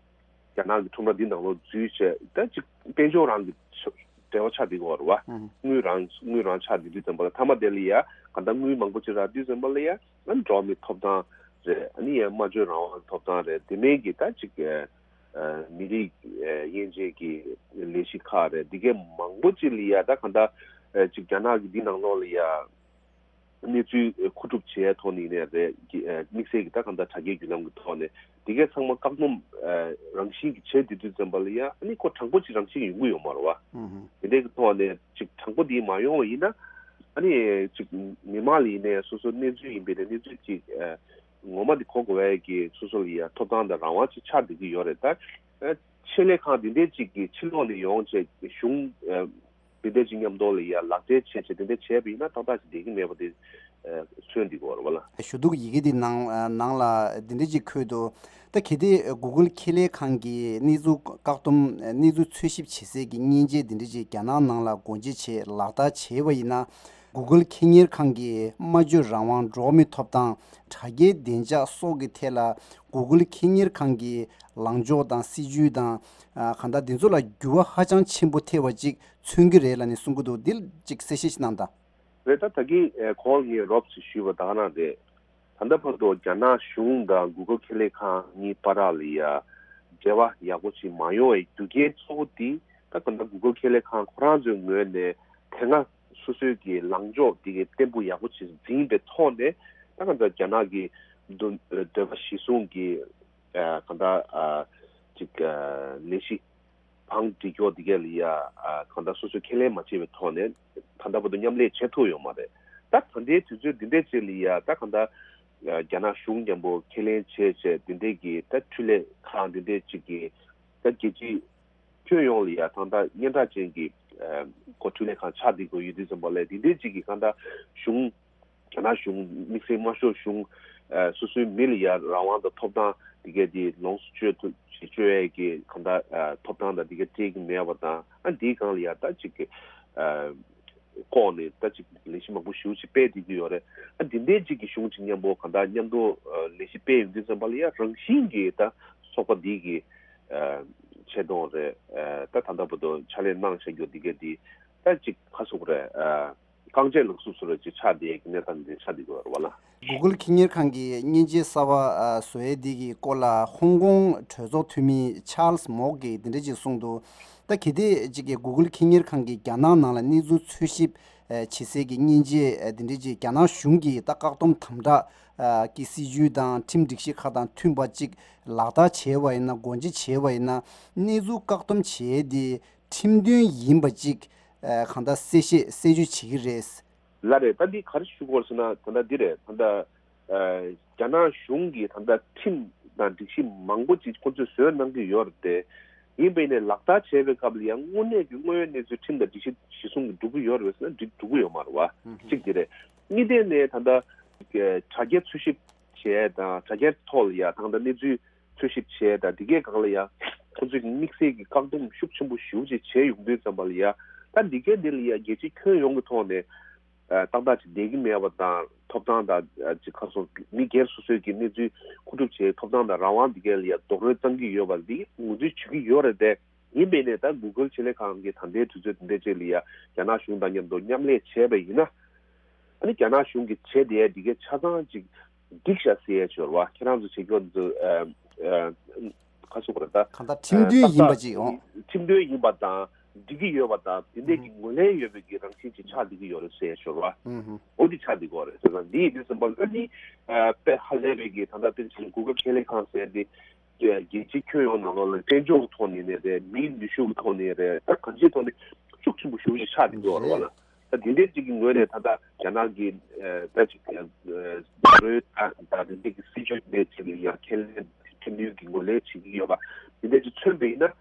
རྒྱ་ནག་གི་ཁྲོམ་ར་འདི་ནང་ལོགས་འཛུལ་བྱས་ད་ཅིག་དཔལ་འབྱོར་རང་གི་འབྲེལ་བ་ཆགས་བསྡད་ཀྱི་ཡོད་རེད་བ། དངུལ་རང་དངུལ་རང་ཆགས་བསྡད་དུས་ཙམ་པ་ལ་མཐའ་མ་དེ་ལ་ཡ་གང་ལྟར་དངུལ་མང་པོ་ཅིག་རག་དུས་ཙམ་པ་ལ་ཡ་ཨ་ནི་འགྲོ་བ་མིའི་ཐོབ་ཐང་རེད། ཨ་ནི་ཡ་སྨྲ་བརྗོད་རང་དབང་ཐོབ་ཐང་རེད། དེ་མིན་གྱི་ད་ཅིག་མི་རིགས་དབྱེ་འབྱེད་ཀྱི་ལས་གཞི་ཁག་རེད། འདི་གའི་མང་པོ་ཅིག་ལ་ཡ་ད་གང་ལྟར་ཅིག་རྒྱ་ནག་གི་འདི་ནང་ལོགས་ལ་ཡ། གནས་ཚུལ་མཁོ་སྒྲུབ་བྱས་ཐོག་ནས་ནས་རེད། དམིགས་བསལ་གྱི་ད་གང་ལྟར་དྲ་རྒྱའི་བརྒྱུད་ལམ་གྱི་ཐོག་ནས་འདི་གའི་ཚང་མ་བཀག་སྡོམ་རང་བཞིན་གྱི་བྱས་དུས་དུས་ཙམ་པ་ལ་ཡ་ཨ་ནི་ཁོ་དྲང་པོ་ཅིག་རང་བཞིན་ཡོང་གི་ཡོད་མ་རེད་བ། དེ་འདྲའི་གི་ཐོག་ནས་ཅིག་དྲང་པོ་འདི་མ་ཡོང་བ་ཡིན་ན་ཨ་ནི་ཅིག་མི་མང་ལ་ཡིན་ནའི་སོ་སོ་གནས་ཚུལ་ཡིན་པའི་ནས་གནས་ཚུལ་ཅིག་ངོ་མ་འདི་གོ་དགོས་པའི་གི་སོ་སོ་ལ་ཡ་ཐོབ་ཐང་དང་རང་དབང་ཅིག་ཆགས་བསྡད་ཀྱི་ཡོད་རེད། ད་ཆེད་ལས་ཁང་འདི་འདྲའི་ཅིག་གི་ཕྱི་ལོགས་ནས་ཡོང་བྱས་གཞུང་དེ་འདྲ་ཅིག་མཉམ་དུ་ལ་ཡ་ལག་འབྲེལ་བྱས་བྱས་དེ་འདྲ་བྱས་པ་ཡིན་ན་ཏག་ཏག་ཅིག་བསྡད་ཀྱི་མེད་པ་དེ་མཚོན་འདི་གོ་ར་བ་ལ། ཞུ་གཏུག་ཡི་གེ་འདི་ནང་ནང་ལ་འདི་འདྲ་ཅིག་འཁོད་འདུག་ད་གལ་ཏེ་Google་ཁེ་ལས་ཁང་གིས་གནས་ཚུལ་བཀག་སྡོམ་གནས་ཚུལ་འཚོལ་ཞིབ་བྱེད་སའི་གི་མཉེན་ཆས་འདི་འདྲ་ཅིག་རྒྱ་ནག་ནང་ལ་སྒོ་འབྱེད་བྱས་ལག་བསྟར་བྱས་པ་ཡིན་ན། Google་ཁེ་གཉེར་ཁང་གིས་སྨྲ་བརྗོད་རང་དབང་འགྲོ་བ་མིའི་ཐོབ་ཐང་དྲ་རྒྱའི་བདེ་འཇགས་སོགས་ཀྱི་ཐད་ལ་Google་ཁེ་གཉེར་ཁང་གི་ལངས་ཕྱོགས་དང་སྲིད་ཇུས་དང་གང་ལྟར་འདི་ཚོ་ལ་འགྱུར་བ་ཧ་ཅང་ཆེན་པོ་ཐེབས་པ་ཅིག་མཚོན་གྱི་རེད་ལབ་ནས་གསུང་གི་འདུག་འདི་ཅིག་གསལ་བཤད་ཅིག་གནང་དང་། རེད། ད་ད་གིན་གོང་ངས་རོབ་ཙམ་ཞུས་པ་ད་ག་རང་རེད། ད་ལྟ་བར་དུ་རྒྱ་ནག་གཞུང་དང་Google་ཁེ་ལས་ཁང་གཉིས་བར་ལ་ཡ་འབྲེལ་བ་ཡག་པོ་ཅིག་མ་ཡོང་བའི་རྒྱུ་རྐྱེན་གཙོ་བོ་དེ་ད་ག་ད་Google་ཁེ་ལས་ཁང་ཁོ་རང་ཚོའི་ངོས་ནས་དེ་སྔ་སོ་སོའི་གི་ལངས་ཕྱོགས་དེ་གི་བརྟན་པོ་ཡག་པོ་ཅིག་འཛིན་པའི་ཐོག་ནས་ད་ག་ད་རྒྱ་ནག་གི་འདོད་འདོད་པ་གཞིར་བཟུང་གི་ག་ད་ཅིག་ལས་གཞི་བང་སྒྲིག་ཕྱོགས་འདི་གས་ལ་ཡ་གང་ལྟར་སོ་སོས་ཁས་ལེན་མ་བྱས་པའི་ཐོག་ནས་ད་ལྟ་བར་དུ་མཉམ་ལས་བྱེད་ཐུབ་ཡོད་མ་རེད། ད་ད་ལྟའི་དུས་ཚོད་འདི་འདྲའི་ཅིག་ལ་ཡ་ད་གང་ལྟར་རྒྱ་ནག་གཞུང་མཉམ་པོ་ཁས་ལེན་བྱས་བྱས་འདི་འདྲའི་གི་ད་འཕྲུལ་ལས་ཁང་འདི་འདྲའི་ཅིག་གི་ད་རྒྱལ་སྤྱིའི་ཁྱོན་ཡོངས་ལ་ཡ་ད་ལྟ་སྙན་གྲགས་ཅན་གྱི་གོ་འཕྲུལ་ལས་ཁང་ཆགས་བསྡད་དགོས་ཡོད་དུས་ཙམ་པ་ལ་འདི་འདྲའི་ཅིག་གི་གང་ལྟར་གཞུང་རྒྱ་ནག་གཞུང་དམིགས་བསལ་དམར་ཤོག་གཞུང་སོ་སོའི་མི་ལ་ཡ་རང་དབང་དང་ཐོབ་ཐང་དེ་གས་དེ་ལོངས་སུ་སྤྱོད་ཐུབ་སྤྱོད་ཡས་ཀྱི་གང་ལྟར་ཐོབ་ཐང་དང་དེ་གས་སྤྲད་ཀྱི་མེད་པ་དང་ཨ་འདིའི་སྒང་ལ་ཡ་ད་ཅིག་གི་ལྐོག་ནས་ད་ཅིག་ལས་གཞི་མང་པོ་ཞེ་པོ་ཅིག་སྤེལ་བསྡད་ཀྱི་ཡོད་རེད། ཨ་འདི་འདྲའི་ཅིག་གི་གཞུང་ཅིག་མཉམ་པོ་གང་ལྟར་མཉམ་དུ་ལས་གཞི་སྤེལ་ཡོང་དུས་ཙམ་པ་ལ་ཡ་རང་བཞིན་གྱི་ད་ཚོགས་པ་འདི་གི་ཆེ་མཐོང་རེད། ད་ད་ལྟ་བར་དུ་ཕྱག་ལས་གནང་བཞག་རྒྱུ་འདི་གས་འདི་ད་ཅིག་ཁ་ཟུག་རེད། རྐང་རྗེས་ལག་སུབ་སུ་རེད་ཅིག་ཆགས་བསྡད་ཀྱི་གནས་སྟངས་འདི་ཆགས་བསྡད་ཀྱི་ཡོད་རེད་བ་ལ། Google་ཁེ་གཉེར་ཁང་གིས་མཉེན་ཆས་གསར་པ་བཟོ་ཡས་འདི་གི་སྐོར་ལ་ཧོང་ཀོང་གྲོས་ཚོགས་འཐུས་མི་Charles Mok་གིས་འདི་འདྲ་ཅིག་གསུངས་འདུག་ད་གལ་ཏེ་ཅིག་གི་Google་ཁེ་གཉེར་ཁང་གིས་རྒྱ་ནག་ནང་ལ་གནས་ཚུལ་འཚོལ་ཞིབ་བྱེད་སའི་གི་མཉེན་ཆས་འདི་འདྲ་ཅིག་རྒྱ་ནག་གཞུང་གི་ད་བཀག་སྡོམ་དམ་དྲག་གི་སྲིད་ཇུས་དང་ཁྲིམས་སྒྲིག་གཞི་ཁག་དང་མཐུན་པ་ཅིག་ལག་བསྟར་བྱས་པ་ཡིན་ན་སྒོ་འབྱེད་བྱས་པ་ཡིན་ན་གནས་ཚུལ་བཀག་སྡོམ་བྱས་ཏེ་ཁྲིམས་མཐུན་ཡིན་པ་ཅིག་གང་ལྟར་གསལ་བཤད་གསལ་བརྗོད་བྱེད་ཀྱི་རེད། ལགས་རེད། ད་འདི་ག་རེ་ཞུ་དགོས་ཟེར་ན་ད་ལྟ་འདི་རེད། ད་ལྟ་རྒྱ་ནག་གཞུང་གིས་ད་ལྟ་ཁྲིམས་དང་སྒྲིག་གཞི་མང་པོ་ཅིག་ཁོ་ཚོས་བཟོས་གནང་གི་ཡོད་རེད་དེ། ཡིན་པས་ནས་ལག་བསྟར་བྱས་པའི་སྐབས་ལ་ཡང་དངོས་གནས་ཀྱི་དངོས་ཡོད་གནས་ཚུལ་ཁྲིམས་དང་སྒྲིག་གཞི་གཞིར་བཟུང་གིས་འགྲུབ་ཀྱི་ཡོད་རེད་ཟེར་ན་འགྲིག་འགྲུབ་ཀྱི་ཡོད་མ་རེད་བ། གཅིག་འདི་རེད། གཉིས་ནས་ད་ལྟ་དྲ་རྒྱ་འཚོལ་ཞིབ་ བྱས་དང་དྲ་རྒྱའི་ཐོག་ལ་ཡ་ད་ལྟ་གནས་ཚུལ་འཚོལ་ཞིབ་བྱས་དང་འདི་གའི་སྒང་ལ་ཡ་ཁོང་ཚོས་དམིགས་བསལ་གྱི་བཀག་སྡོམ་ཤུགས་ཆེན་པོ་ཞེ་པོ་ཅིག་བྱས་ཡོང་དུས་ཙམ་པ་ལ་ཡ་ད་འདི་གའི་འདི་ལ་ཡ་རྒྱལ་སྤྱིའི་ཁྱོན་ཡོངས་ཀྱི་ཐོག་ནས་ཏག་ཏག་ཅིག་བསྡད་ཀྱི་མེད་པ་དང་ཐོབ་ཐང་དང་ཅིག་ཁ་སོ་མི་སྒེར་སོ་སོའི་གི་གནས་ཚུལ་མཁོ་སྒྲུབ་བྱེད་ཐོབ་ཐང་དང་རང་དབང་འདི་གའི་ལ་ཡ་རྡོག་རོལ་བཏང་གི་ཡོད་པ་འདི་ངོས་འཛིན་བྱེད་ཀྱི་ཡོད་རེད་དེ། ཡིན་པས་ནས་ད་གུ་གལ་ཆེད་ལས་ཁང་གིས་ད་ལྟའི་དུས་ཚོད་འདི་འདྲའི་ཅིག་ལ་ཡ་རྒྱ་ནག་གཞུང་དང་མཉམ་དུ་མཉམ་ལས་བྱས་པ་ཡིན་ན། ཨ་ནི་རྒྱ་ནག་གཞུང་གིས་བྱས་བསྡད་འདི་གའི་ཆ་ཚང་ཅིག་འགྲིག་ཤག་ཟེར་ཡས་ཅིག་ཡོད་རེད་བ། ཁྱེད་རང་ཚོ་བྱེད་རྒྱུ་འདི་ཚོ་ཨ་ཨ་ག་ཟེར་དགོས་རེད་ད། གང་ལྟར་ཁྲིམས་མཐུན་ཡིན་པ་ཅིག་ཡོང་། ཁྲིམས་མཐུན་ཡིན་པ་དང་འགྲིག་གི་ཡོད་པ་དང་དེ་འདྲས་ཀྱི་ངོས་ལེན་ཡོད་པའི་གི་རང་བཞིན་ཅིག་ཆགས་བསྡད་ཀྱི་ཡོད་རེད་ཟེར་ཡས་ཅིག་ཡོད་རེད་བ། འོ་འདི་ཆགས་བསྡད་ཀྱི་ཡོད་རེད་ཟེར་ཙང་འདི་ཡིན་དུས་ཙམ་པ་ཨ་ནི་ཨ་དཔེ་ཧ་ལས་པའི་གི་ད་ལྟ་དཔེ་ཆ་གུ་གལ་ཆེད་ལས་ཁང་ཟེར་འདི། རྒྱལ་སྤྱིའི་ཁྱོན་ཡོངས་ནང་ལོགས་ལ་དཔལ་འབྱོར་གྱི་ཐོག་ནས་རེད། མིའི་ནུས་ཤུགས་ཀྱི་ཐོག་ནས་རེད། ད་གང་ཅིའི་ཐོག་ནས་ཤུགས་ཆེན་པོ་ཞེ་པོ་ཅིག་ཆགས་བསྡད་ཀྱི་ཡོད་རེད་བ་ལ། ད་དེ་འདྲའི་ཅིག་གི་ངོས་ནས་ད་ལྟ་རྒྱ་ནག་གི་ད་ཅིག་རོལ་ད་ད་དེ་འདྲའི་གི་སྲིད་ཇུས་དེ་ཅིག་ལ་ཡང་ཁས་ལེན་ཁྲིམས་མཐུན་གྱི་ངོས་ལེན་བྱེད་ཀྱི་ཡོད་པ་དེ་འདྲ་ཅིག་མཚོན་པ་ཡིན་ན།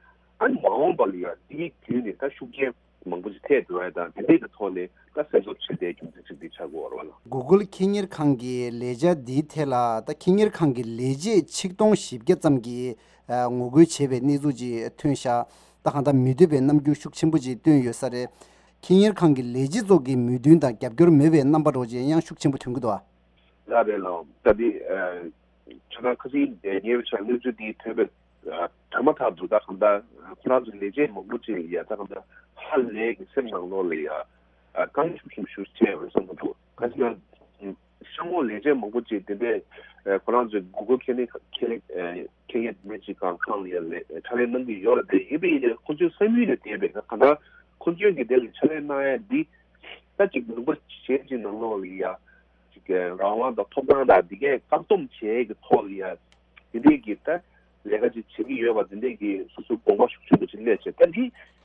ཨ་ནི་མ་འོངས་པ་ལ་ཡང་དེའི་བརྒྱུད་ནས་ད་ཤུགས་རྐྱེན་མང་པོ་ཅིག་ཐེབས་འགྲོ་ཡ་དང་དེ་འདྲའི་གི་ཐོག་ནས་ད་སེམས་གསོ་བྱེད་བསྡད་རྒྱུ་མཚན་ཅིག་འདི་ཆགས་ཀྱི་ཡོད་རེད་བ་ལ། གུ་གལ་ཁེ་གཉེར་ཁང་གི་ལས་འཆར་འདིའི་ཐད་ལ་ད་ཁེ་གཉེར་ཁང་གི་ལས་བྱེད་ཆིག་སྟོང་བཞི་བརྒྱ་ཙམ་གྱིས་ཨ་ངོ་རྒོལ་བྱས་པའི་གནས་ཚུལ་ཅིག་ཐོན་ཤག་ད་གང་ལྟར་མི་འདོད་པའི་རྣམ་འགྱུར་ཤུགས་ཆེན་པོ་ཅིག་བཏོན་ཡོད་ས་རེད། ཁེ་གཉེར་ཁང་གི་ལས་བྱེད་ཚོ་གི་མོས་མཐུན་དང་རྒྱབ་སྐྱོར་མེད་པའི་རྣམ་པ་འདྲ་བོ་ཅིག་ཡང་ཤུགས་ཆེན་པོ་ཐོན་གྱི་འདུག་ཨ། ལགས་རེད་ལགས། ད་འདི་ཁྱོད་རང་ཁ་སང་ཉེ་བའི་ཆར་གནས་ཚུལ་འདི་ཐོན་པའི་ཨ་ཐོན་མ་ཐག་ཏུ་ད་གང་ལྟར་ཁོ་རང་ཚོའི་ལས་བྱེད་མང་པོ་ཅིག་ལ་ཡ་ད་གང་ལྟར་ཧ་ལས་ཀྱི་སེམས་ནང་ལོགས་ལ་ཡ་ཨ་དཀའ་ངལ་ཤུགས་ཆེན་པོ་ཞིག་འཕྲད་ཡོད་བསམ་གྱི་འདུག་ག་ཅི་ན་ཤོག་ངོས་ལས་བྱེད་མང་པོ་ཅིག་དེ་འདྲའི་ཨ་ཁོ་རང་ཚོའི་གུ་གལ་ཁེ་ལས་ཁེ་ལས་ཨ་ཁེ་ལས་མི་ཅིག་གང་ཁང་ལ་ཡ་ལས་ཕྱག་ལས་གནང་གི་ཡོད་རེད་དེ། ཡིན་པ་ཡིན་ནའི་ཁོ་ཚོའི་བསམ་ཡུལ་ལས་འདས་པའི་གང་ལྟར་ཁོ་ཚོའི་གི་དེ་ལ་ཕྱག་ལས་གནང་ཡ་འདི་ད་ཅིག་ལུང་པ་གཞན་ཅིག་ནང་ལོགས་ལ་ཡ། ཅིག་གི་རང་དབང་དང་ཐོབ་ཐང་དང་འདི་གའི་བཀག་སྡོམ་བྱེད་ཀྱི་ཐོག་ལ་ཡ། འདི་འདྲའི་གི་ད་ལས་ཀ་ཅིག་བྱེད་ཀྱི་ཡོད་པ་འདི་འདྲའི་གི་སོ་སོའི་དགོངས་པ་ཤུགས་ཆེན་པོ་ཅིག་སླེབས་བྱས། ད་འདི་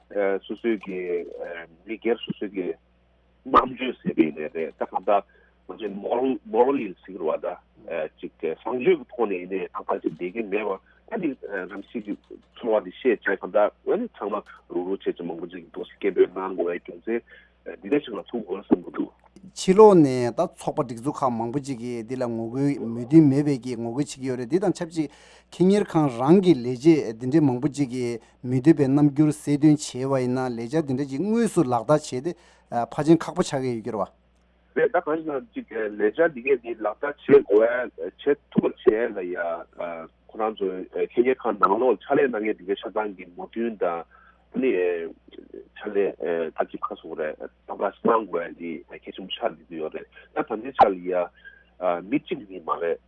ཨ་སོ་སོའི་གི་ཨ་མི་སྒེར་སོ་སོའི་གི་རྣམ་དཔྱོད་ཟེར་བ་ཡིན་ནའི་རེད། ད་གང་ལྟར་ང་ཚོའི་མོ་རལ་མོ་རལ་ཡིན་ཟེར་གྱི་རེད་བ། ད་ཨ་ཅིག་གི་བཟང་སྤྱོད་ཀྱི་ཐོག་ནས་ཡིན་ནའི་ད་ག་ཅིག་བསྡད་ཀྱི་མེད་པ། ད་འདི་ཨ་རང་བཞིན་གྱི་ཚོར་བ་འདི་བཤད་བྱས་གང་ལྟར་ཨ་ནི་ཚང་མ་རུག་རུག་བྱས་ཅིག་མང་པོ་ཅིག་འདུག་སེ་སྐད་འབོད་གནང་དགོས་པའི་རྒྱུ་མཚན། འདི་འདྲ་ཞིག་ལ་ཐུག་དགོས་བསམ་གྱི་འདུག་ཕྱི་ལོགས་ནས་ད་ཚོགས་པ་སྒྲིག་འཛུགས་ཁག་མང་པོ་ཅིག་གིས་འདི་ལ་ངོ་རྒོལ་མོས་མཐུན་མེད་པའི་གི་ངོ་རྒོལ་བྱེད་ཀྱི་ཡོད་རེད། འདི་དང་ཆབས་ཅིག་ཁེ་གཉེར་ཁང་རང་གི་ལས་བྱེད་འདི་འདྲའི་མང་པོ་ཅིག་གིས་མི་འདོད་པའི་རྣམ་འགྱུར་གསལ་སྟོན་བྱས་པ་ཡིན་ན་ལས་འཆར་འདི་འདྲ་ཅིག་དངོས་སུ་ལག་བསྟར་བྱས་ཏེ་ཕལ་ཆེར་ཁག་པོ་ཆགས་ཀྱི་ཡོད་ཀྱི་རེད་བ། རེད། ད་གང་ཡིན་ན་ཅིག་ལས་འཆར་འདི་གས་འདི་ལག་བསྟར་བྱེད་དགོས་ཡ་བྱེད་ཐུབ་པ་བྱས་ལ་ཡ། ཁོ་རང་ཚོའི་ཁེ་གཉེར་ཁང་ནང་ལོགས་ཕྱག་ལས་གནང་མཁན་འདི་གའི་ཆ་ཚང་གི་མོས་མཐུན་དང་ནི་ཕྱག་ལས་ད་ཅིག་ཁ་སོ་རེད། ད་ག་གནང་དགོས་ཡ་འདི་གལ་ཆེན་པོ་ཆགས་བསྡད་ཀྱི་ཡོད་རེད། ད་ད་ལྟའི་ཆ་ལ་ཡ་མི་གཅིག་གཉིས་མ་རེད།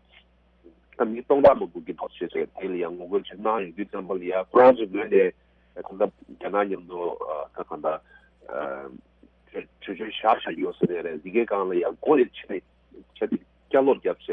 ད་མི་སྟོང་ཕྲག་མང་པོ་གི་ཐོག་བྱས་བྱས་དེ་ལ་ཡང་ངོ་རྒོལ་ཅིག་གནང་ཡོང་དུས་ཙམ་པ་ལ་ཡ་ཁོ་རང་ཚོའི་ངོས་ནས་གང་ལྟར་རྒྱ་ནག་མཉམ་དུ་ད་གང་ལྟར་གྲོས་གྲོས་ཆོད་བཞག་བཞག་ཡོད་ས་རེད། རེད། འདི་གའི་སྒང་ལ་ཡང་མགོ་ནས་ཕྱི་ནས་ཆ་ཚིག་བསྐྱར་ལོག་བརྒྱབ་བྱས་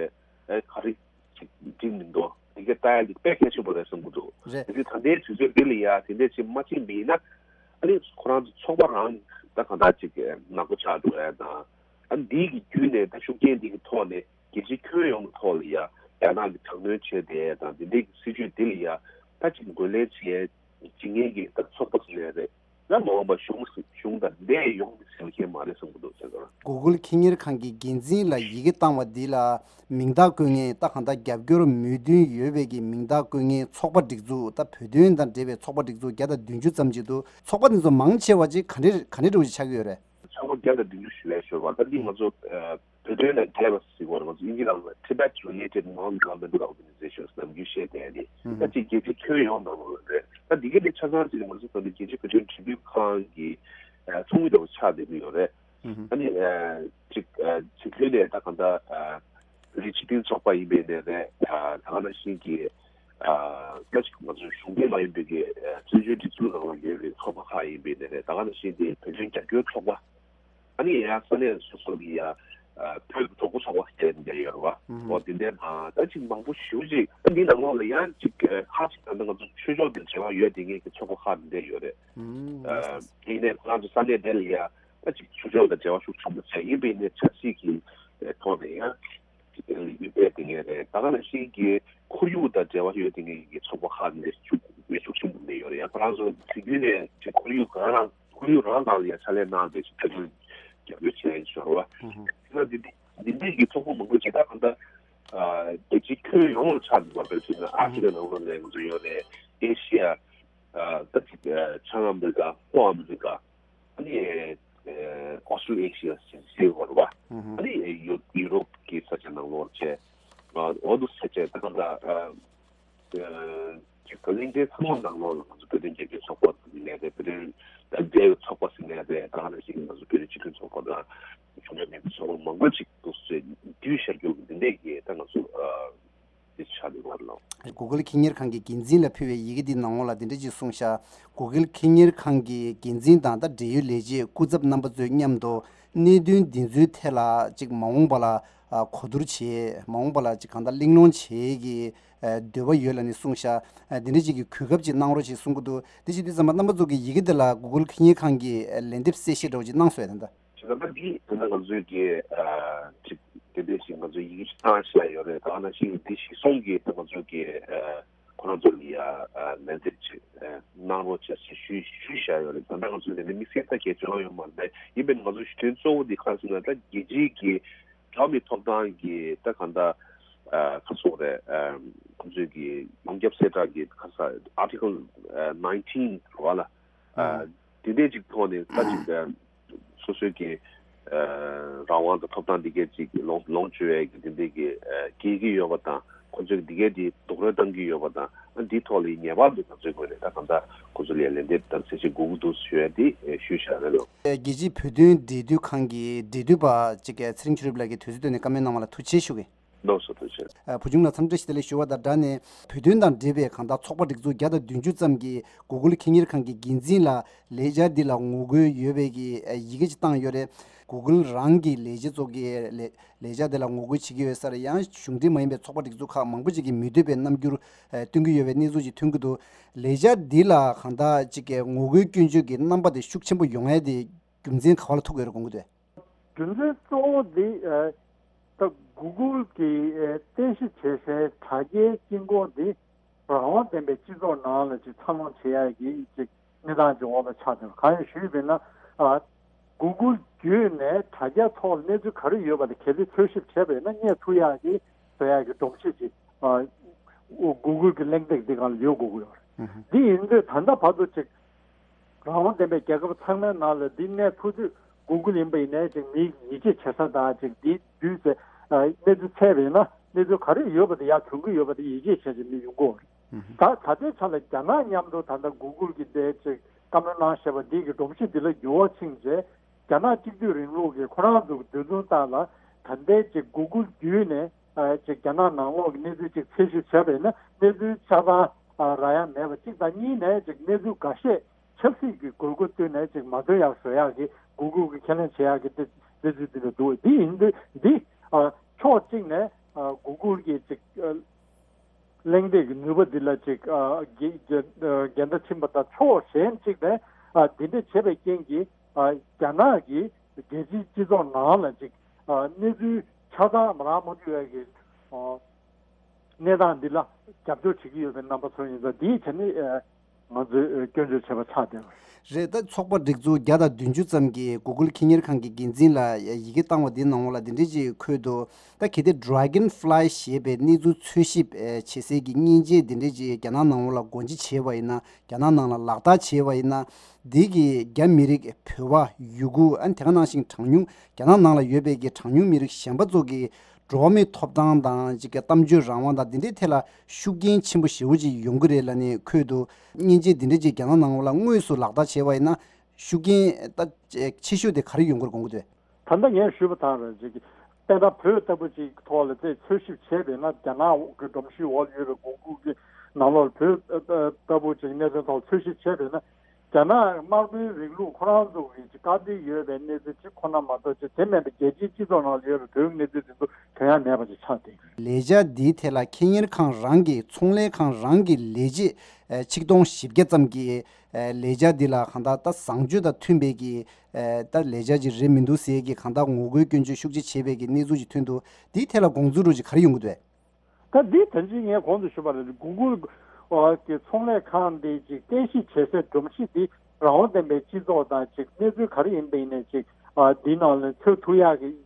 ཨེ་ག་རེ་ཅིག་འགྲིག་མི་འདུག་འདི་གའི་ལྟ་ཡ་འདི་དཔེ་གལ་ཆེན་པོ་རེད་བསམ་གྱི་འདུག་རེད། དེ་ཚོས་ད་ལྟའི་དུས་ཚོད་འདི་ལ་ཡ་དེ་འདྲས་ཅིག་མ་བྱེད་པ་ཡིན་ན་ཨ་ནི་ཁོ་རང་ཚོ་ཚོགས་པ་རང་ད་གང་ལྟར་ཅིག་ནག་པོ་ཆགས་འགྲོ་ཡ་དང་། ཨ་ནི་འདི་གི་བརྒྱུད་ནས་ད་ཤུགས་རྐྱེན་འདི་གི་ཐོག་ནས་རྒྱལ་སྤྱིའི་ཁྱོན་ཡོངས་ཀྱི་ཐོག་ལ་ཡ་རྒྱ་ནག་གི་དྲག་གནོན་བྱས་ཏེ་དང་འདི་འདྲའི་གི་སྲིད་བྱུས་འདི་ལ་ཡ་ད་ཅིག་འགོས་ལེན་བྱེད་བྱེད་མཁན་གྱི་ད་ཚོགས་པ་ཟེར་ནའི་རེད། ཡང་མ་འོངས་པ་གཞུང་གཞུང་དང་འདས་ཡོང་གི་ཟེར་མཁན་མ་རེད་བསམ་གྱི་འདུག་ཟེར་གི་རེད། གུ་གལ་ཁེ་གཉེར་ཁང་གི་འགན་འཛིན་ལ་ཡི་གེ་བཏང་བ་འདི་ལ་མིང་རྟགས་བཀོད་མཁན་ད་གང་ལྟར་རྒྱབ་སྐྱོར་མོས་མཐུན་ཡོད་པའི་གི་མིང་རྟགས་བཀོད་མཁན་ཚོགས་པ་སྒྲིག་འཛུགས་ད་བོད་དོན་དང་འབྲེལ་བའི་ཚོགས་པ་སྒྲིག་འཛུགས་བརྒྱ་དང་བདུན་ཅུ་ཙམ་ཅིག་འདུག་ཚོགས་པ་འདི་ཚོ་མང་ཆེ་བ་ཅིག་ག་འདྲ་ག་འདྲ་འདྲ་བོ་ཅིག་ཆགས་ཀྱི་ཡོད་རེད། ཚོགས་པ་བརྒྱ་དང་བདུན་ཅུ་ཞིག་ལས་ཤོར་བ་ད་འདི་ང་ཚོ་བོད་དོན་ལ་འབྲེལ་བ་ཟེར་བ་རེད། ང་ཚོ་དབྱིན་ཇི་ནང་ལ་Tibet Related Non-Governmental Organizations ནམ་རྒྱུན་བཤད་བསྡད་ཡ་དེ་ད་ཅིག་རྒྱལ་སྤྱིའི་ཁྱོན་ཡོངས་ནང་ལོགས་ལ་རེད། ད་འདི་ག་དེ་ཆ་ཚང་ཅིག་ང་ཚོ་ད་ལྟ་རྒྱལ་སྤྱིའི་བོད་དོན་འབྲེལ་མཐུད་ཁང་གི་ཚོགས་མི་འདྲ་བོ་ཆགས་བསྡད་ཀྱི་ཡོད་རེད། ཨ་ནི་ཅིག་ཕྱི་ཁུལ་ནས་ད་གང་ལྟར་བོད་རིགས་སྤྱི་མཐུན་ཚོགས་པ་ཡིན་པའི་ནས་རེད། ད་ག་ནང་བཞིན་གྱི་ད་ཅིག་ང་ཚོ་གཞུང་འབྲེལ་མ་ཡིན་པའི་གི་བཙན་བྱོལ་སྒྲིག་འཛུགས་ནང་ལ་ཡོད་པའི་ཚོགས་པ་ཁག་ཡིན་པའི་ནས་རེད། ད་ག་ནང་བཞིན་གྱི་བོད་དོན་རྒྱབ་སྐྱོར་ཚོགས་པ། ཨ་ནི་ཡང་ས་གནས་སོ་སོ་གི་ཡ་བོད་ཀྱི་གྲོགས་པོ་ཚོགས་པ་ཟེར་འདྲ་ཡོད་རེད་བ། འོ་དེ་འདྲ་དང་ད་ཅིག་མང་པོ་ཞེ་པོ་ཅིག་ཨ་འདི་ནང་ལོགས་ལ་ཡང་ཅིག་ཁ་ཅིག་ད་ལྟ་ང་ཚོ་ཆོས་ཕྱོགས་དང་འབྲེལ་བ་ཡོད་དེ་ངེད་ཀྱི་ཚོགས་པ་ཁག་འདི་འདྲ་ཡོད་རེད། ཨ་ཡིན་ནའི་ཁོ་རང་ཚོ་ས་གནས་དེ་ལ་ཡ་ད་ཅིག་ཆོས་ཕྱོགས་དང་འབྲེལ་བ་ཤུགས་ཆེན་པོ་བྱས་ཡིན་པས་ནས་ཆབ་སྲིད་ཀྱི་ཐོག་ནས་ཡང་ཅིག་ལས་འགུལ་སྤེལ་དེ་ངེས་རེད། ད་ག་ནང་བཞིན་གྱི་ཁོར་ཡུག་དང་འབྲེལ་བ་ཡོད་དེ་ངེད་ཀྱི་ཚོགས་པ་ཁག་འདི་འདྲ་ཤུགས་ཤུགས་ཆེན་པོ་འདི་འདྲ་ཡོད་རེད། ཡང་ཁོ་རང་ཚོ་གཟིགས་རྒྱུ་ནས་ཅིག་ཁོར་ཡུག་གང་རང་ཁོར་ཡུག་རང་ནང་ལ་ཡང་ཕྱག་ལས་གནང་བསྡད་ཅིག་ཕྱག་ལས་རྒྱབ་སྐྱོར་བྱས་ཡིན་ཞོར་བ། ཡིན་ན་འདི་འདི་འདི་འདྲའི་གི་ཚོགས་པ་མང་པོ་ཅིག་ད་གང་ལྟར་ ཨ་རྒྱལ་སྤྱིའི་ཁྱོན་ཡོངས་ལ་ཆགས་འདུག་པ། དཔེར་བྱས་ན་ཨ་ཧྥི་རི་ཀ་ནང་ལོགས་ནས་ང་ཚོ་ཡོད་རེད། ཨེ་ཤི་ཡ། ཨ་ད་ཅིག་ཨ་བྱང་ཨ་མི་རི་ཀ། ལྷོ་ཨ་མི་རི་ཀ། ཨ་ནི་ཨ་ཨོ་སི་ཊྲེ་ལི་ཡ་ཞེས་ཟེར་བ་རེད་པ། ཨ་ནི་ཡུ་ཡུ་རོབ་ཀྱི་ས་ཆ་ནང་ལོགས་བྱས། ཨ་འོ་འདུག་ཟེར་བྱས། ད་ག་ད་ཨ་ཅིག་གླེང་སྟེགས་ཚང་མ་ནང་ལོགས་ལ་ང་ཚོ་བོད་དོན་རྒྱབ་སྐྱོར་ཚོགས་པ་ཟེར་ནས་རེད། བོད་དོན་དང་འབྲེལ་བའི་ཚོགས་པ་ཟེར་ནས་རེད། ད་ག་ནང་བཞིན་ང་ཚོ་བོད་རིགས་སྤྱི་མཐུན་ཚོགས་པ་དང་གཞུང་འབྲེལ་མིན་པའི་ཚོགས་པ་མང་པོ་ཅིག་འདུག་ཟེར། བསྡུས་ཤར་རྒྱུ་འདི་འདྲས་ཀྱི་ད་ང་ཚོ་ཨ་འདི་ཆགས་འདུག་བར་ལ། Google་ཁེ་གཉེར་ཁང་གི་འགན་འཛིན་ལ་ཕུལ་བའི་ཡི་གེ་འདི་ནང་ལོགས་ལ་འདི་འདྲས་ཅིག་གསུངས་ཤག Google་ཁེ་གཉེར་ཁང་གི་འགན་འཛིན་དང་ད་འབྲེལ་ཡོད་ལས་བྱེད་སྐུ་ཚབ་རྣམ་པ་ཚོས་མཉམ་དུ་གནད་དོན་འདི་ཚོའི་ཐད་ལ་ཅིག་མ་འོངས་པ་ལ་ཨ་གོ་བསྡུར་བྱེད། མ་འོངས་པ་ལ་ཅིག་གང་ལྟར་གླེང་སློང་བྱེད་ཀྱི་ཨ་འདོད་པ་ཡོད་ལབ་ནས་གསུངས་ཤག་ཨ་འདི་འདྲ་ཅིག་གི་གོ་སྐབས་ཅིག་གནང་རོགས་ཞེས་གསུང་གི་འདུག་དེ་བྱེད་དུས་ཙམ་པ་རྣམ་པ་ཚོ་གི་ཡི་གེ་འདི་ལ་Google་ཁེ་གཉེར་ཁང་གིས་ཨ་ལན་འདེབས་གསལ་བཤད་འདྲ་བོ་ཅིག་གནང་སོང་ཡ་ད་ལྟ། བྱས་ཙང་ད་འདི་ད་ལྟ་ང་ཚོས་ཀྱི་ཨ་ཅིག་དེ་འདྲ་ཞིག་ང་ཚོས་ཡི་གེ་ཞིག་བཏང་བཞག་ཡོད་རེད། ད་ནང་བཞིན་འདི་གཞིར་བཟུང་གིས་ད་ང་ཚོས་ཀྱི་ཨ་ཁོ་རང་ཚོ་ལ་ཡ་ཨ་ལན་འདེབས་ཅིག་ཨ་གནང་རོགས་བྱ་ཞེས་ཞུས་ཞུས་བཞག་ཡོད་རེད། ད་ལྟ་ང་ཚོས་དེ་འདྲ་དམིགས་བསལ་ད་གལ་ཆེ་བ་ཡོད་མ་རེད། ཡིན་པས་ང་ཚོ་ཞུ་དོན་གཙོ་བོ་འདི་གང་ཟེར་ན། ད་རྒྱལ་སྤྱིའི་གི་འགྲོ་བ་མིའི་ཐོབ་ཐང་གི་ད་གང་ལྟར་ཨ་ག་ཟེར་དགོས་རེད། ཨ་ཁོ་ཚོས་ཀྱི་ཡོངས་ཁྱབ་གསལ་བསྒྲགས་ཀྱི་ག་ས་Article nineteen་རེད་པ་ལ། ཨ་དེ་འདྲས་ཅིག་ཐོག་ནས་ད་ཅིག་ཨ་སོ་སོའི་གི་ཨ་རང་དབང་དང་ཐོབ་ཐང་འདི་གས་ཅིག་ལོངས་ལོངས་སྤྱོད་ཡས་ཀྱི་དེ་འདྲས་ཀྱི་ཨ་འགལ་གྱི་ཡོད་པ་དང་། ཁོ་ཚོས་འདི་གས་དེ་རྡོག་རོལ་བཏང་གི་ཡོད་པ་དང་། ཨ་འདིའི་ཐོག་ལ་ངེས་པར་དུ་ང་ཚོའི་ངོས་ནས་ད་གང་ལྟར་ཁོ་ཚོ་ལ་ལན་འདེབས་དང་གསལ་བཤད་དགོས་ཀྱི་འདུག་ཞུ་ཡ་དེ་ཨ་ཞུས་བཞག་རེད་ལོ། རྒྱལ་སྤྱིའི་བོད་དོན་འབྲེལ་མཐུད་ཁང་གི་འབྲེལ་མཐུད་པ་ཅིག་གི་ཚེ་རིང་ཆོས་གྲུབ་ལགས་ཀྱིས་དུས་ཚོད་བཏོན་ནས་བཀའ་མོལ་གནང་བ་ལ་ཐུགས་རྗེ་ཆེ་ཞུ་གི། ལགས་སོ། ཐུགས་རྗེ་ཆེ། ཨ་བུ་ཆུང་ལགས་འཚམས་འདྲི་ཞུ་དེ་ལས་ཞུ་བ་དང་སྦྲགས་ནས། བོད་དོན་དང་འབྲེལ་བའི་གང་ལྟར་ཚོགས་པ་སྒྲིག་འཛུགས་བརྒྱ་དང་བདུན་ཅུ་ཙམ་གྱིས་Google་ཁེ་གཉེར་ཁང་གི་འགན་འཛིན་ལ་ལས་འཆར་འདི་ལ་ངོ་རྒོལ་ཡོད་པའི་གི་ཡི་གེ་ཅིག་བཏང་ཡོད་རེད། Google་རང་གི་ལས་བྱེད་ཚོ་གིས་ལས་ལས་འཆར་འདི་ལ་ངོ་རྒོལ་བྱེད་ཀྱི་ཡོད་ས་རེད། ཡང་གཞུང་འབྲེལ་མ་ཡིན་པའི་ཚོགས་པ་སྒྲིག་འཛུགས་ཁག་མང་པོ་ཅིག་གིས་མི་འདོད་པའི་རྣམ་འགྱུར་སྟོན་གྱི་ཡོད་པའི་གནས་ཚུལ་ཅིག་ཐོན་གྱི་འདུག་ལས་འཆར་འདི་ལ་གང་ལྟར་ཅིག་གི་ངོ་རྒོལ་སྐྱོན་བརྗོད་ཀྱི་རྣམ་པ་དེ་ཤུགས་ཆེན་པོ་ཡོང་ཡ་དེ་རྒྱུ་མཚན་ག་བ་ལ་ཐུག་ཡོད་རེད་དགོངས་ཀྱི་འདུག་རྒྱུ་མཚན་གཙོ་བོ་འདི་ཨ་ད་Google་གིས་ཨ་རྟེན་གཞི་བྱེད་སའི་དྲ་རྒྱའི་དཀྱིལ་འཁོར་འདི་རང་དབང་ལྡན་པའི་སྤྱི་ཚོགས་ནང་ལ་ཅིག་འཚར་ལོངས་བྱེད་ཡག་གི་ཅིག་གནས་སྟངས་ཅིག་འོག་ལ་ཆགས་ཏེ། གང་ཡིན་ཞུས་པ་ཡིན་ན་ཨ་Google་བརྒྱུད་ནས་དྲ་རྒྱ་ཐོག་ལ་གནས་ཚུལ་ག་རེ་ཡོད་པ་དེ་གལ་སྲིད་འཚོལ་ཞིབ་བྱས་པ་ཡིན་ན་རྙེད་ཐུབ་ཡག་གི་བཟོ་ཡག་གི་སྒྲོམ་གཞི་ཅིག་ཨ་Google་གི་གླེང་སྟེགས་འདི་སྒང་ལ་ཡོད་དགོས་ཀྱི་ཡོད་རེད། འདི་ཡིན་དུས་ད་ལྟ་བར་དུ་ཅིག་རང་དབང་ལྡན་པའི་རྒྱལ་ཁབ་ཚང་མའི་ནང་ལ་འདི་གནས་ཐུབ་དུས་Google་ཡིན་པ་ཡིན་ནའི་ཅིག་མིའི་ཡིད་ཆེས་བྱེད་ས་དང་ཅིག་འདི་བརྒྱུད་ཚེ་ཨ་གནས་ཚུལ་འཚོལ་བ་ཡིན་ན་གནས་ཚུལ་ག་རེ་ཡོད་པ་དེ་ཡར་ཐོན་གྱི་ཡོད་པ་དེ་ཡིད་ཆེས་བྱས་ཅིག་མི་ཡོང་གི་ཡོད་རེད། ད་ད་ལྟའི་ཆ་ལ་རྒྱ་ནག་མཉམ་དུ་ད་ལྟ་Google་གི་དེ་ཅིག་བཀའ་མོལ་གནང་བཞག་པ་འདི་གི་སྒྲོམ་གཞི་འདི་ལ་འགྱུར་བ་ཕྱིན་རྗེས་རྒྱ་ནག་གཅིག་སྡུད་རིང་ལུགས་ཀྱི་ཁོ་རང་ཚོ་གི་འདོད་འདུན་ལྟར་ལ་ད་ལྟའི་ཅིག་Google་བརྒྱུད་ནས་ཨ་ཅིག་རྒྱ་ནག་ནང་ལོགས་ཀྱི་གནས་ཚུལ་ཅིག་འཚོལ་ཞིབ་བྱས་པ་ཡིན་ན་གནས་ཚུལ་ཆ་ཚང་ཨ་རག་ཡ་མེད་པ་གཅིག་དང་། གཉིས་ནས་ཅིག་གནས་ཚུལ་འགའ་ཤས་ཆབ་སྲིད་ཀྱི་དགོས་མཁོ་བཏོན་ནས་ཅིག་མ་ཐོན་ཡག་བཟོ་ཡག་གི་Google་གི་ཁས་ལེན་བྱེད་ཡག་གི་གནས་ཚུལ་འདི་འདྲ་འདུག་འདི་ཡིན་དུས་འདི་ཨ་ཕྱོགས་གཅིག་ནས་ཨ་Google་གི་ཅིག་ཨ་གླེང་སྟེགས་ཀྱི་ནུས་པ་འདི་ལ་ཅིག་ཨ་འགལ་འགལ་འགལ་ཟླ་ཕྱིན་པ་དང་། ཕྱོགས་གཞན་གཅིག་ནས་ཨ་འདི་འདྲ་བྱས་པའི་རྐྱེན་གྱིས་ཨ་རྒྱ་ནག་གི་རྒྱལ་སྤྱིའི་སྤྱི་ཚོགས་ནང་ལ་ཅིག་ཨ་གནས་ཚུལ་ཆ་ཚང་མ་རག་མ་ཐུབ་ཡག་གི་ཨ་གནས་སྟངས་འདི་ལ་རྒྱབ་སྐྱོར་བྱེད་ཀྱི་ཡོད་པའི་རྣམ་པ་ཚོ་ཡིན་ཙང་། འདིའི་ཆ་ནས་ཨ་ང་ཚོས་སྐྱོན་བརྗོད་བྱས་པ་ཆགས་བསྡད་པ་རེད། ད་ཚོགས་པ་སྒྲིག་འཛུགས་བརྒྱ་དང་བདུན་ཅུ་ཙམ་གྱིས་Google་ཁེ་གཉེར་ཁང་གི་འགན་འཛིན་ལ་ཡི་གེ་བཏང་བ་འདིའི་ནང་ལོགས་ལ་འདི་འདྲས་ཅིག་འཁོད་འདུག་ད་གལ་ཏེ་Dragonfly་ཞེས་པའི་གནས་ཚུལ་འཚོལ་ཞིབ་བྱེད་སའི་གི་མཉེན་ཆས་འདི་འདྲས་ཅིག་རྒྱ་ནག་ནང་ལོགས་ལ་སྒོ་འབྱེད་བྱས་པ་ཡིན་ན། རྒྱ་ནག་ནང་ལ་ལག་བསྟར་བྱས་པ་ཡིན་ན། འདི་གིས་རྒྱ་མི་རིགས། བོད་པ། ཡུ་གུར། ཨ་ནི་དེ་ག་ནང་བཞིན་གྲངས་ཉུང་། རྒྱ་ནག་ནང་ལ་ཡོད་པའི་གི་གྲངས་ཉུང་མི་རིགས་གཞན་པ་ཚོ་གི་འགྲོ་བ་མིའི་ཐོབ་ཐང་དང་ཅིག་གི་གཏམ་བརྗོད་རང་དབང་དང་འདི་འདྲའི་ཐད་ལ་ཤུགས་རྐྱེན་ཆེན་པོ་ཞེ་པོ་ཅིག་ཡོང་གི་རེད་ལབ་ནས་འཁོད་འདུག་མཉེན་ཆས་འདི་འདྲ་ཅིག་རྒྱ་ནག་ནང་ལ་དངོས་སུ་ལག་བསྟར་བྱས་པ་ཡིན་ན་ཤུགས་རྐྱེན་ད་ཆེ་ཤོས་དེ་ག་རེ་ཡོང་གི་རེད་དགོངས་ཀྱི་འདུག་ད་ལྟ་ངས་ཞུས་པ་དང་རེད། ཅིག་དཔེར་ན་བོད་ལྟ་བུ་ཅིག་ཐོག་ལ་དེ་འཚོལ་ཞིབ་བྱས་པས་ན། རྒྱ་ནག་གི་སྒྲོམ་གཞིའི་འོག་ལ་ཡོད་པའི་Google་གི་ནང་ལོགས་ལ་བོད་ལྟ་བུ་ཅིག་གནད་དོན་ཐོག་འཚོལ་ཞིབ་བྱས་པས་ན། རྒྱ་ནག་དམར་པོའི་རིང་ལུགས་ཁོ་རང་ཚོ་གི་ཅིག་བཀག་སྡོམ་ཡོད་པའི་གནས་ཚུལ་ཅིག་ཁོ་ན་མ་གཏོགས། ཅིག་དེ་མིན་པའི་རྒྱལ་སྤྱིའི་སྤྱི་ཚོགས་ནང་ལ་ཡོད་པའི་བོད་ཀྱི་གནས་ཚུལ་དེ་ཚོ་ཐོན་ཡ་མེད་པ་ཅིག་ཆགས་བསྡད་ཡོད། ལས་འཆར་འདིའི་ཐད་ལ་ཁེ་གཉེར་ཁང་རང་གི་ཚོང་ལས་ཁང་རང་གི་ལས་བྱེད་ཆིག་སྟོང་བཞི་བརྒྱ་ཙམ་གྱིས་ལས་འཆར་འདི་ལ་གང་ལྟར་ད་བཟང་སྤྱོད་དང་མཐུན་པའི་གི་ད་ལས་འཆར་ཅིག་རེད་མི་འདུག་ཟེར་གི་གང་ལྟར་ངོ་རྒོལ་སྐྱོན་བརྗོད་ཤུགས་ཆེ་བྱས་པའི་གི་གནས་ཚུལ་ཅིག་ཐོན་འདུག་འདིའི་ཐད་ལ་དགོངས་ཚུལ་རུ་ཅིག་ག་རེ་ཡོང་གི་འདུག་ད་འདི་ད་ཅི་ངས་གོང་དུ་ཞུས་པ་ལས་Google་གི་ཚོང་ལས་ཁང་འདི་ཅིག་རྟེན་གཞི་བྱེད་སའི་སྒྲོམ་གཞི་འདི་རང་དབང་ལྡན་པའི་སྤྱི་ཚོགས་དང་ཅིག་གནས་ཚུལ་ག་རེ་ཡིན་པ་ཡིན་ནའི་ཅིག་འདི་ནང་ལ་འཚོལ་ཐུབ་ཡག་གི་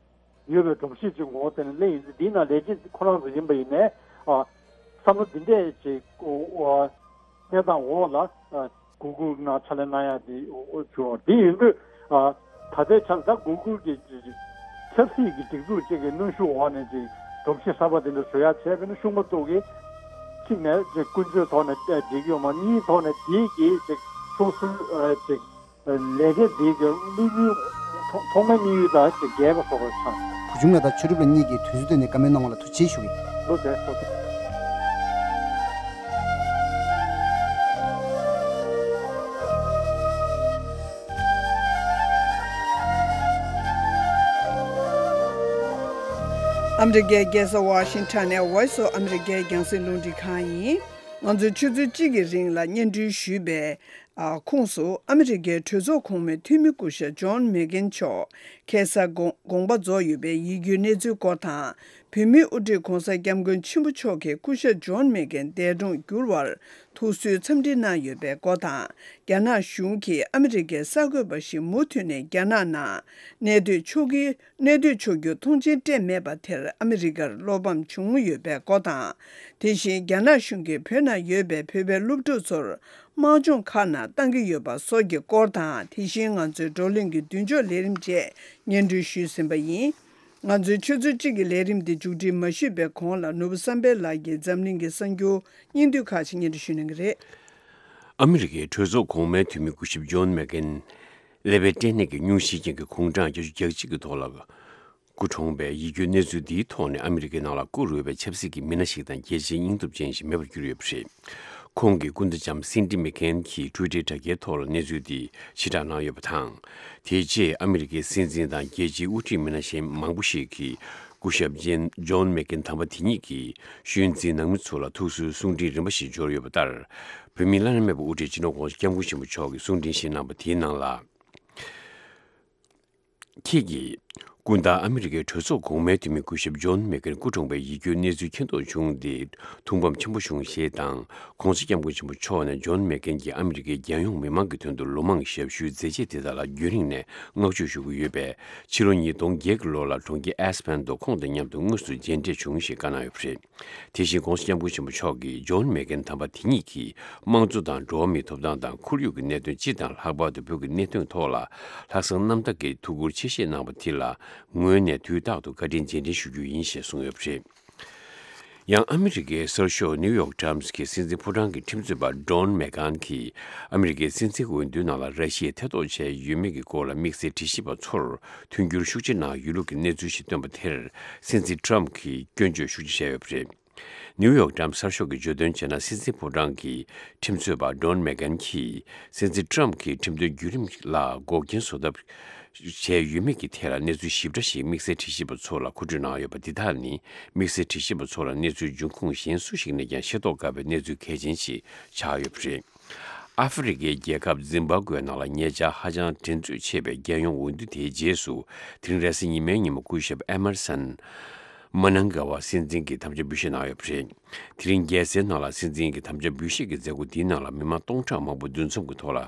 ཡོད་པའི་སྒྲོམ་གཞི་ཅིག་ངོ་བོ་དེ་ནི་གླེང་ཡིན་ཙང་འདིའི་ནང་ལས་བྱེད་ཁོ་རང་ཚོ་ཡིན་པ་ཡིན་ནའི་ཨ། བསམ་བློ་འདི་འདྲས་ཅིག་ཨོ་ཨོ་གནས་སྟངས་འོག་ལ་ཨ། གུ་གུལ་ནང་ཕྱག་ལས་གནང་ཡག་འདི་ཨོ་ཨོ་བྱུང་བ་འདི་ཡིན་དུས་ཨ། ད་ལྟའི་ཆར་ད་གུ་གུལ་གྱི་ཆབ་སྲིད་ཀྱི་སྒྲིག་འཛུགས་ཅིག་གི་གནོན་ཤུགས་འོག་ནས་ཅིག་སྒྲོམ་གཞི་གསར་པ་འདི་འདྲ་བཟོ་ཡག་བྱས་པས་ན་ཤུགས་མ་གཏོགས་ཀྱི་གཅིག་ནས་ཅིག་ཀུན་སྤྱོད་ཐོག་ནས་འགྲིག་ཡོད་མ་གཉིས་ཐོག་ནས་འདི་གི་ཅིག་སོ་སོའི་ཨ། ཅིག་ལས་ཀ་འདི་གི་དམིགས་ཡུལ་ཐོག་ཐོག་མའི་དམིགས་ཡུལ་དང་ཅིག་འགལ་བ་བཟོ་འདྲ་ཆགས། བུ་ཆུང་ལགས་དང་ཆོས་གྲུབ་ལགས་གཉིས་ཀྱིས་དུས་ཚོད་བཏོན་ནས་བཀའ་མོལ་གནང་བ་ལ་ཐུགས་རྗེ་ཆེ་ཞུ་གི་ཡིན། ལོ་ཟེར་ཐོག་ཨ་མི་རི་ཀའི་རྒྱལ་ས་ཝ་ཤིང་ཊོན་ནས་Voice of America རྒྱང་སྲིང་རླུང་འཕྲིན་ཁང་ཡིན། ང་ཚོས་ཆུ་ཚོད་གཅིག་གི་རིང་ལ་སྙན་སྒྲོན་ཞུས་པའི། ཨ། ཁོངས་སུ་ཨ་མི་རི་ཀའི་གྲོས་ཚོགས་གོང་མའི་འཐུས་མི་སྐུ་ཞབས་ཇོན་མེག་གྷན་མཆོག་ཁ་སང་དགོངས་དགོངས་པ་རྫོགས་ཡོད་པའི་ཡིད་སྐྱོའི་གནས་ཚུལ་སྐོར་དང་། བོད་མིའི་དབུ་ཁྲིད་༧གོང་ས་༧སྐྱབས་མགོན་ཆེན་པོ་མཆོག་གིས་སྐུ་ཞབས་ཇོན་མེག་གྷན་འདས་གྲོངས་གྱུར་བར་ཐུགས་གསོའི་འཚམས་འདྲི་གནང་ཡོད་པའི་སྐོར་དང་། རྒྱ་ནག་གཞུང་གིས་ཨ་མི་རི་ཀའི་གསར་འགོད་པ་ཞིག་མུ་མཐུད་ནས་རྒྱ་ནག་ནང་གནས་སྡོད་ཆོག་གི་གནས་སྡོད་ཆོག་རྒྱུ་མཐོང་མཆན་སྤྲད་མེད་པ་དེར་ཨ་མི་རི་ཀར་བློ་ཕམ་བྱུང་ཡོད་པའི་སྐོར་དང་། དེ་བཞིན་རྒྱ་ནག་གཞུང་གིས་བོད་ནང་ཡོད་པའི་བོད་པའི་སློབ་ཕྲུག་ཚོར་དམག་སྦྱོང་ཁག་ནང་བཏང་གི་ཡོད་པ་སོགས་ཀྱི་སྐོར་དང་། དེ་བཞིན་ང་ཚོའི་བགྲོ་གླེང་གི་མདུན་ལྕོག་ལས་རིམ་བཅས་སྙན་སྒྲོན་ཞུས་ཟིན་པ་ཡིན། ང་ཚོའི་ཆུ་ཚོད་གཅིག་གི་ལས་རིམ་འདི་མཇུག་སྒྲིལ་མ་ཞུས་པའི་གོང་ལ་ནོར་བུ་བསམ་འཕེལ་ལགས་ཀྱིས་འཛམ་གླིང་གི་གསར་འགྱུར་སྙིང་བསྡུས་ཁག་ཅིག་སྙན་སྒྲོན་ཞུ་གནང་གི་རེད། ཨ་མི་རི་ཀའི་གྲོས་ཚོགས་གོང་མའི་འཐུས་མི་སྐུ་ཞབས་ཇོན་མེག་གྷན། ཀླད་པའི་སྐྲན་ནད་ཀྱི་སྙུང་གཞིའི་རྐྱེན་གྱིས་དགུང་གྲངས་བརྒྱད་ཅུ་གྱ་གཅིག་གི་ཐོག་ལ་སྐུ་གྲོངས་པའི་ཡིད་སྐྱོའི་གནས་ཚུལ་འདིའི་ཐོག་ནས་ཨ་མི་རི་ཀའི་ནང་ལ་བཀུར་འོས་པའི་ཆབ་སྲིད་ཀྱི་མི་སྣ་ཞིག་དང་རྒྱལ་སྤྱིའི་སྙིང་སྟོབས་ཅན་ཞིག་མེད་པར་གྱུར་ཡོད་པ་རེད། ཁོང་གི་སྐུ་ཟླ་ལྕམ་སིན་ཌི་མེག་གྷན་གྱིས་ཊུའི་ཊར་དྲ་རྒྱའི་ཐོག་ལ་གནས་ཚུལ་འདི་ཕྱིར་བསྒྲགས་གནང་ཡོད་པ་དང་། དེ་རྗེས་ཨ་མི་རི་ཀའི་སྲིད་འཛིན་དང་རྒྱལ་སྤྱིའི་དབུ་ཁྲིད་མི་སྣ་གཞན་མང་པོ་ཞིག་གིས་སྐུ་ཞབས་ཇན་ཇོན་མེག་གྷན་དམ་པ་དེ་ཉིད་ཀྱི་ཤོས་འཛིན་ནང་མི་ཚོ་ལ་ཐུགས་གསོའི་གསུང་འཕྲིན་རིམ་པ་ཞིག་འབྱོར་ཡོད་པ་ལྟར། བོད་མིའི་བླ་ན་མེད་པའི་དབུ་ཁྲིད་སྤྱི་ནོར་༧གོང་ས་༧སྐྱབས་མགོན་ཆེན་པོ་མཆོག་གིས་གསུང་འཕྲིན་ཞིག་གནང་པ་དེའི་ནང་ལ། ཁྱེད་ཀྱིས་སྐུ་ཟླ་ཨ་མི་རི་ཀའི་གྲོས་ཚོགས་གོང་མའི་འཐུས་མི་སྐུ་ཞབས་ཇོན་མེག་གྷན་སྐུ་གྲོངས་པའི་ཡིད་སྐྱོའི་གནས་ཚུལ་མཁྱེན་རྟོགས་བྱུང་སྟེ་ཐུགས་ཕམ་ཆེན་པོ་བྱུང་ཞེས་དང་། ༸གོང་ས་༸སྐྱབས་མགོན་ཆེན་པོ་མཆོག་ནས་ཇོན་མེག་གྷན་གྱིས་ཨ་མི་རི་ཀའི་རྒྱལ་ཡོངས་མི་མང་གི་དོན་དུ་ལོ་མང་ཞབས་ཞུའི་མཛད་རྗེས་དེ་དག་ལ་རྒྱུན་རིང་ནས་བསྔགས་བརྗོད་ཞུ་གི་ཡོད་པས། ཕྱི་ལོ་ཉིས་སྟོང་བརྒྱད་ཀྱི་ལོ་ལ་གྲོང་ཁྱེར་ཨེ་སི་ཕན་དུ་ཁོང་དང་མཉམ་དུ་དངོས་སུ་མཇལ་འཕྲད་བྱུང་ཞེས་བཀའ་གནང་ཡོད་པ་རེད། དེ་བཞིན་༸གོང་ས་༸སྐྱབས་མགོན་ཆེན་པོ་མཆོག་གིས་ཇོན་མེག་གྷན་དམ་པ་དེ་ཉིད་ཀྱིས་དམངས་གཙོ་དང་འགྲོ་བ་མིའི་ཐོབ་ཐང་དང་ཁོར་ཡུག་གི་གནད་དོན་སྤྱི་དང་ལྷག་པར་དུ་བོད་ཀྱི་གནད་དོན་ཐོག་ལ་ལྷག་བསམ་རྣམ་དག་གིས་ཐུགས་ཁུར་ཆེ་བཞེས་གནང་བ་དེ་ལ་ངོས་ནས་དུས་རྟག་ཏུ་བཀའ་དྲིན་རྗེས་དྲན་ཞུ་རྒྱུ་ཡིན་ཞེས་གསུངས་ཡོད་པ་རེད། ཡང་ཨ་མི་རི་ཀའི་གསར་ཤོག་ནིའུ་ཡོག་ཊའིམ་སི་གི་སྲིད་འཛིན་ཕོ་བྲང་གི་ཁྲིམས་རྩོད་པ་ཌོན་མེག་གྷན་གྱིས་ཨ་མི་རི་ཀའི་སྲིད་འཛིན་འོས་བསྡུའི་ནང་ལ་ར་ཤི་ཡས་ཐེ་གཏོགས་བྱས་ཡོད་མེད་ཀྱི་སྐོར་ལ་དམིགས་བསལ་དྲི་ཞིབ་པ་ཚོར་མཐུན་འགྱུར་ཤུགས་ཆེ་གནང་ཡོད་ལུགས་ཀྱི་གནས་ཚུལ་ཞིག་བཏོན་པ་དེར་སྲིད་འཛིན་ཊམ་གྱིས་སྐྱོན་བརྗོད་ཤུགས་ཆེ་བྱས་ཡོད་པ་རེད། ནིའུ་ཡོག་ཊའིམ་སི་གསར་ཤོག་གིས་བརྗོད་དོན་བྱས་ན། སྲིད་འཛིན་ཕོ་བྲང་གི་ཁྲིམས་རྩོད་པ་ཌོན་མེག་གྷན་གྱིས་སྲིད་འཛིན་ཊམ་གྱིས་ཁྲིམས་དོན་བརྒྱུད་རིམ་ལ་འགོག་རྐྱེན་བཟོ་ཐབས་བྱས་ཡོད་མེད་ཀྱི་ཐད་ལ་གནས་ཚུལ་ཞིབ་ཕྲ་ཞིག་དམིགས་བསལ་དྲི་ཞིབ་པ་ཚོ་ལ་མཁོ་སྤྲོད་གནང་ཡོད་པ་འདི་དག་ནི། དམིགས་བསལ་དྲི་ཞིབ་པ་ཚོ་ལ་གནས་ཚུལ་འབྱུང་ཁུངས་གཞན་སུ་ཞིག་ནས་ཀྱང་ཤེས་རྟོགས་དཀའ་བའི་གནས་ཚུལ་གལ་ཆེན་ཞིག་ཆགས་ཡོད་པ་རེད། ཨ་ཧྥེ་རི་ཁའི་རྒྱལ་ཁབ་ཛིམ་བྷ་ཀུའེ་ནང་ལ་ཉེ་ཆར་ཧ་ཅང་འགྲན་རྩོད་ཆེ་བའི་རྒྱལ་ཡོངས་འོས་བསྡུ་དེའི་རྗེས་སུ། དེ་རིང་རེས་གཟའ་ཉི་མའི་ཉིན་མོ་སྐུ་ཞབས་ཨེ་མར་སན་མ་ནང་ག་ཝ་སྲིད་འཛིན་གྱི་དམ་བཅའ་འབུལ་བཞེས་གནང་ཡོད་པ་རེད། དེ་རིང་རྒྱལ་སའི་ནང་ལ་སྲིད་འཛིན་གྱི་དམ་བཅའ་འབུལ་བཞེས་ཀྱི་མཛད་སྒོ་འདིའི་ནང་ལ་མི་མང་སྟོང་ཕྲག་མང་པོ་འདུ་འཛོམས་ཀྱི་ཐོག་ལ་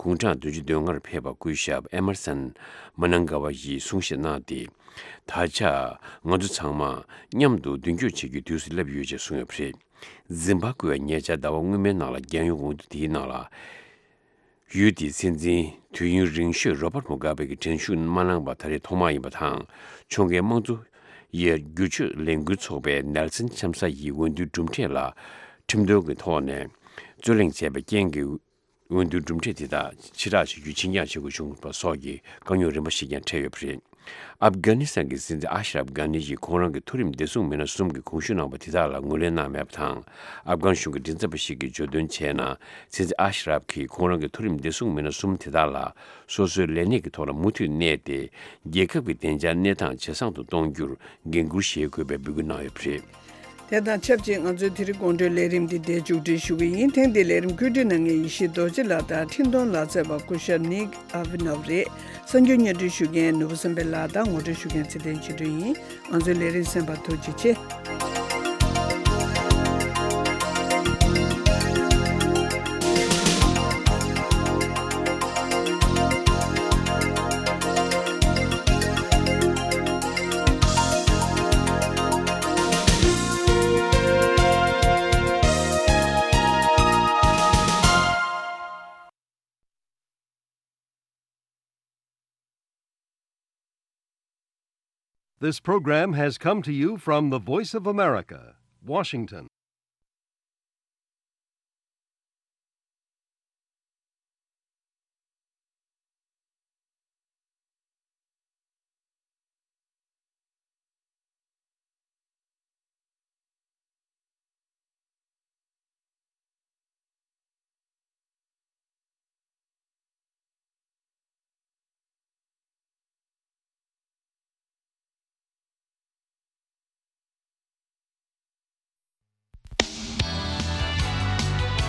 དགུང་གྲངས་བདུན་ཅུ་དོན་ལྔར་ཕེབས་པ་སྐུ་ཞབས་ཨེ་མར་སན་མ་ནང་ག་ཝ་ཡིས་གསུང་བཤད་གནང་སྟེ། ད་ཆ་ང་ཚོ་ཚང་མ་མཉམ་དུ་མདུན་སྐྱོད་བྱེད་རྒྱུའི་དུས་སུ་སླེབས་ཡོད་ཅེས་གསུངས་ཡོད་པ་རེད། ཛིམ་བྷ་ཀུའེ་ཉེ་ཆར་ཟླ་བ་སྔོན་མའི་ནང་ལ་རྒྱལ་ཡོངས་འོས་བསྡུ་དེའི་ནང་ལ། ཡུལ་དེའི་སྲིད་འཛིན་དུས་ཡུན་རིང་ཤོས་རོ་བྷར་མུ་གྷ་བེ་གིས་དྲན་ཤུགས་མ་གནང་པ་ད་རེས་ཐོག་མ་ཡིན་པ་དང་། ཕྱོགས་འགལ་དམངས་གཙོ་ཡི་བསྒྱུར་བཅོས་ལས་འགུལ་ཚོགས་པའི་ནེལ་སན་ཆམ་ས་ཡིས་འོས་བསྡུའི་གྲུབ་འབྲས་ལ་ཁྲིམས་དོན་གྱི་ཐོག་ནས་རྩོད་གླེང་བྱས་པའི་རྐྱེན་གྱིས། འོས་བསྡུའི་གྲུབ་འབྲས་དེ་དག་ཕྱིར་བསྒྲགས་བྱེད་རྒྱུའི་ཆིངས་ཡིག་བྱེད་དགོས་བྱུང་བ་སོགས་ཀྱི་དཀའ་རྙོག་རིམ་པ་ཞིག་ཀྱང་འཕྲད་ཡོད་པ་རེད། ཨབ་གྷ་ནི་སི་ཐན་གྱི་སྲིད་འཛིན་ཨ་ཤ་རབ་གྷ་ནི་ཡིས་ཁོང་རང་གི་མཐོ་རིམ་བདེ་སྲུང་མི་སྣ་གསུམ་གྱིས་གོང་ཞུས་གནང་བ་དེ་དག་ལ་ངོས་ལེན་གནང་མེད་པ་དང་། ཨབ་གྷན་གཞུང་གི་མགྲིན་ཚབ་པ་ཞིག་གིས་བརྗོད་དོན་བྱས་ན། སྲིད་འཛིན་ཨ་ཤ་རབ་ཀྱིས་ཁོང་རང་གི་མཐོ་རིམ་བདེ་སྲུང་མི་སྣ་གསུམ་དེ་དག་ལ་སོ་སོའི་ལས་གནས་ཀྱི་ཐོག་ལ་མུ་མཐུད་གནས་ཏེ། རྒྱལ་ཁབ་ཀྱི་བདེ་འཇགས་གནས་སྟངས་ཇེ་བཟང་དུ་གཏོང་རྒྱུར་འགན་འཁུར་བཞེས་དགོས་པའི་འབོད་སྐུལ་གནང་ཡོད་པ་རེད། དེ་དང་ཆབས་ཅིག་ང་ཚོའི་དེ་རིང་དགོང་དྲོའི་ལས་རིམ་འདི་འདིར་མཇུག་སྒྲིལ་ཞུ་གི་ཡིན། ཐེངས་འདིའི་ལས་རིམ་བཀོད་སྒྲིག་གནང་མཁན་ཡེ་ཤེས་རྡོ་རྗེ་ལགས་དང་འཕྲིན་གཏོང་ལག་རྩལ་པ་སྐུ་ཞབས་ནིག་ཨ་བི་ནོབ་རེད། གསར་འགྱུར་སྙན་སྒྲོན་ཞུ་མཁན་ནོར་བུ་བསམ་འཕེལ་ལགས་དང་ངོ་སྤྲོད་ཞུ་མཁན་ཚེ་བརྟན་ཆོས་སྒྲོན་ཡིན། ང་ཚོའི་ལས་རིམ་གསན་པར་ཐུགས་རྗེ་ཆེ། This program has come to you from the Voice of America, Washington.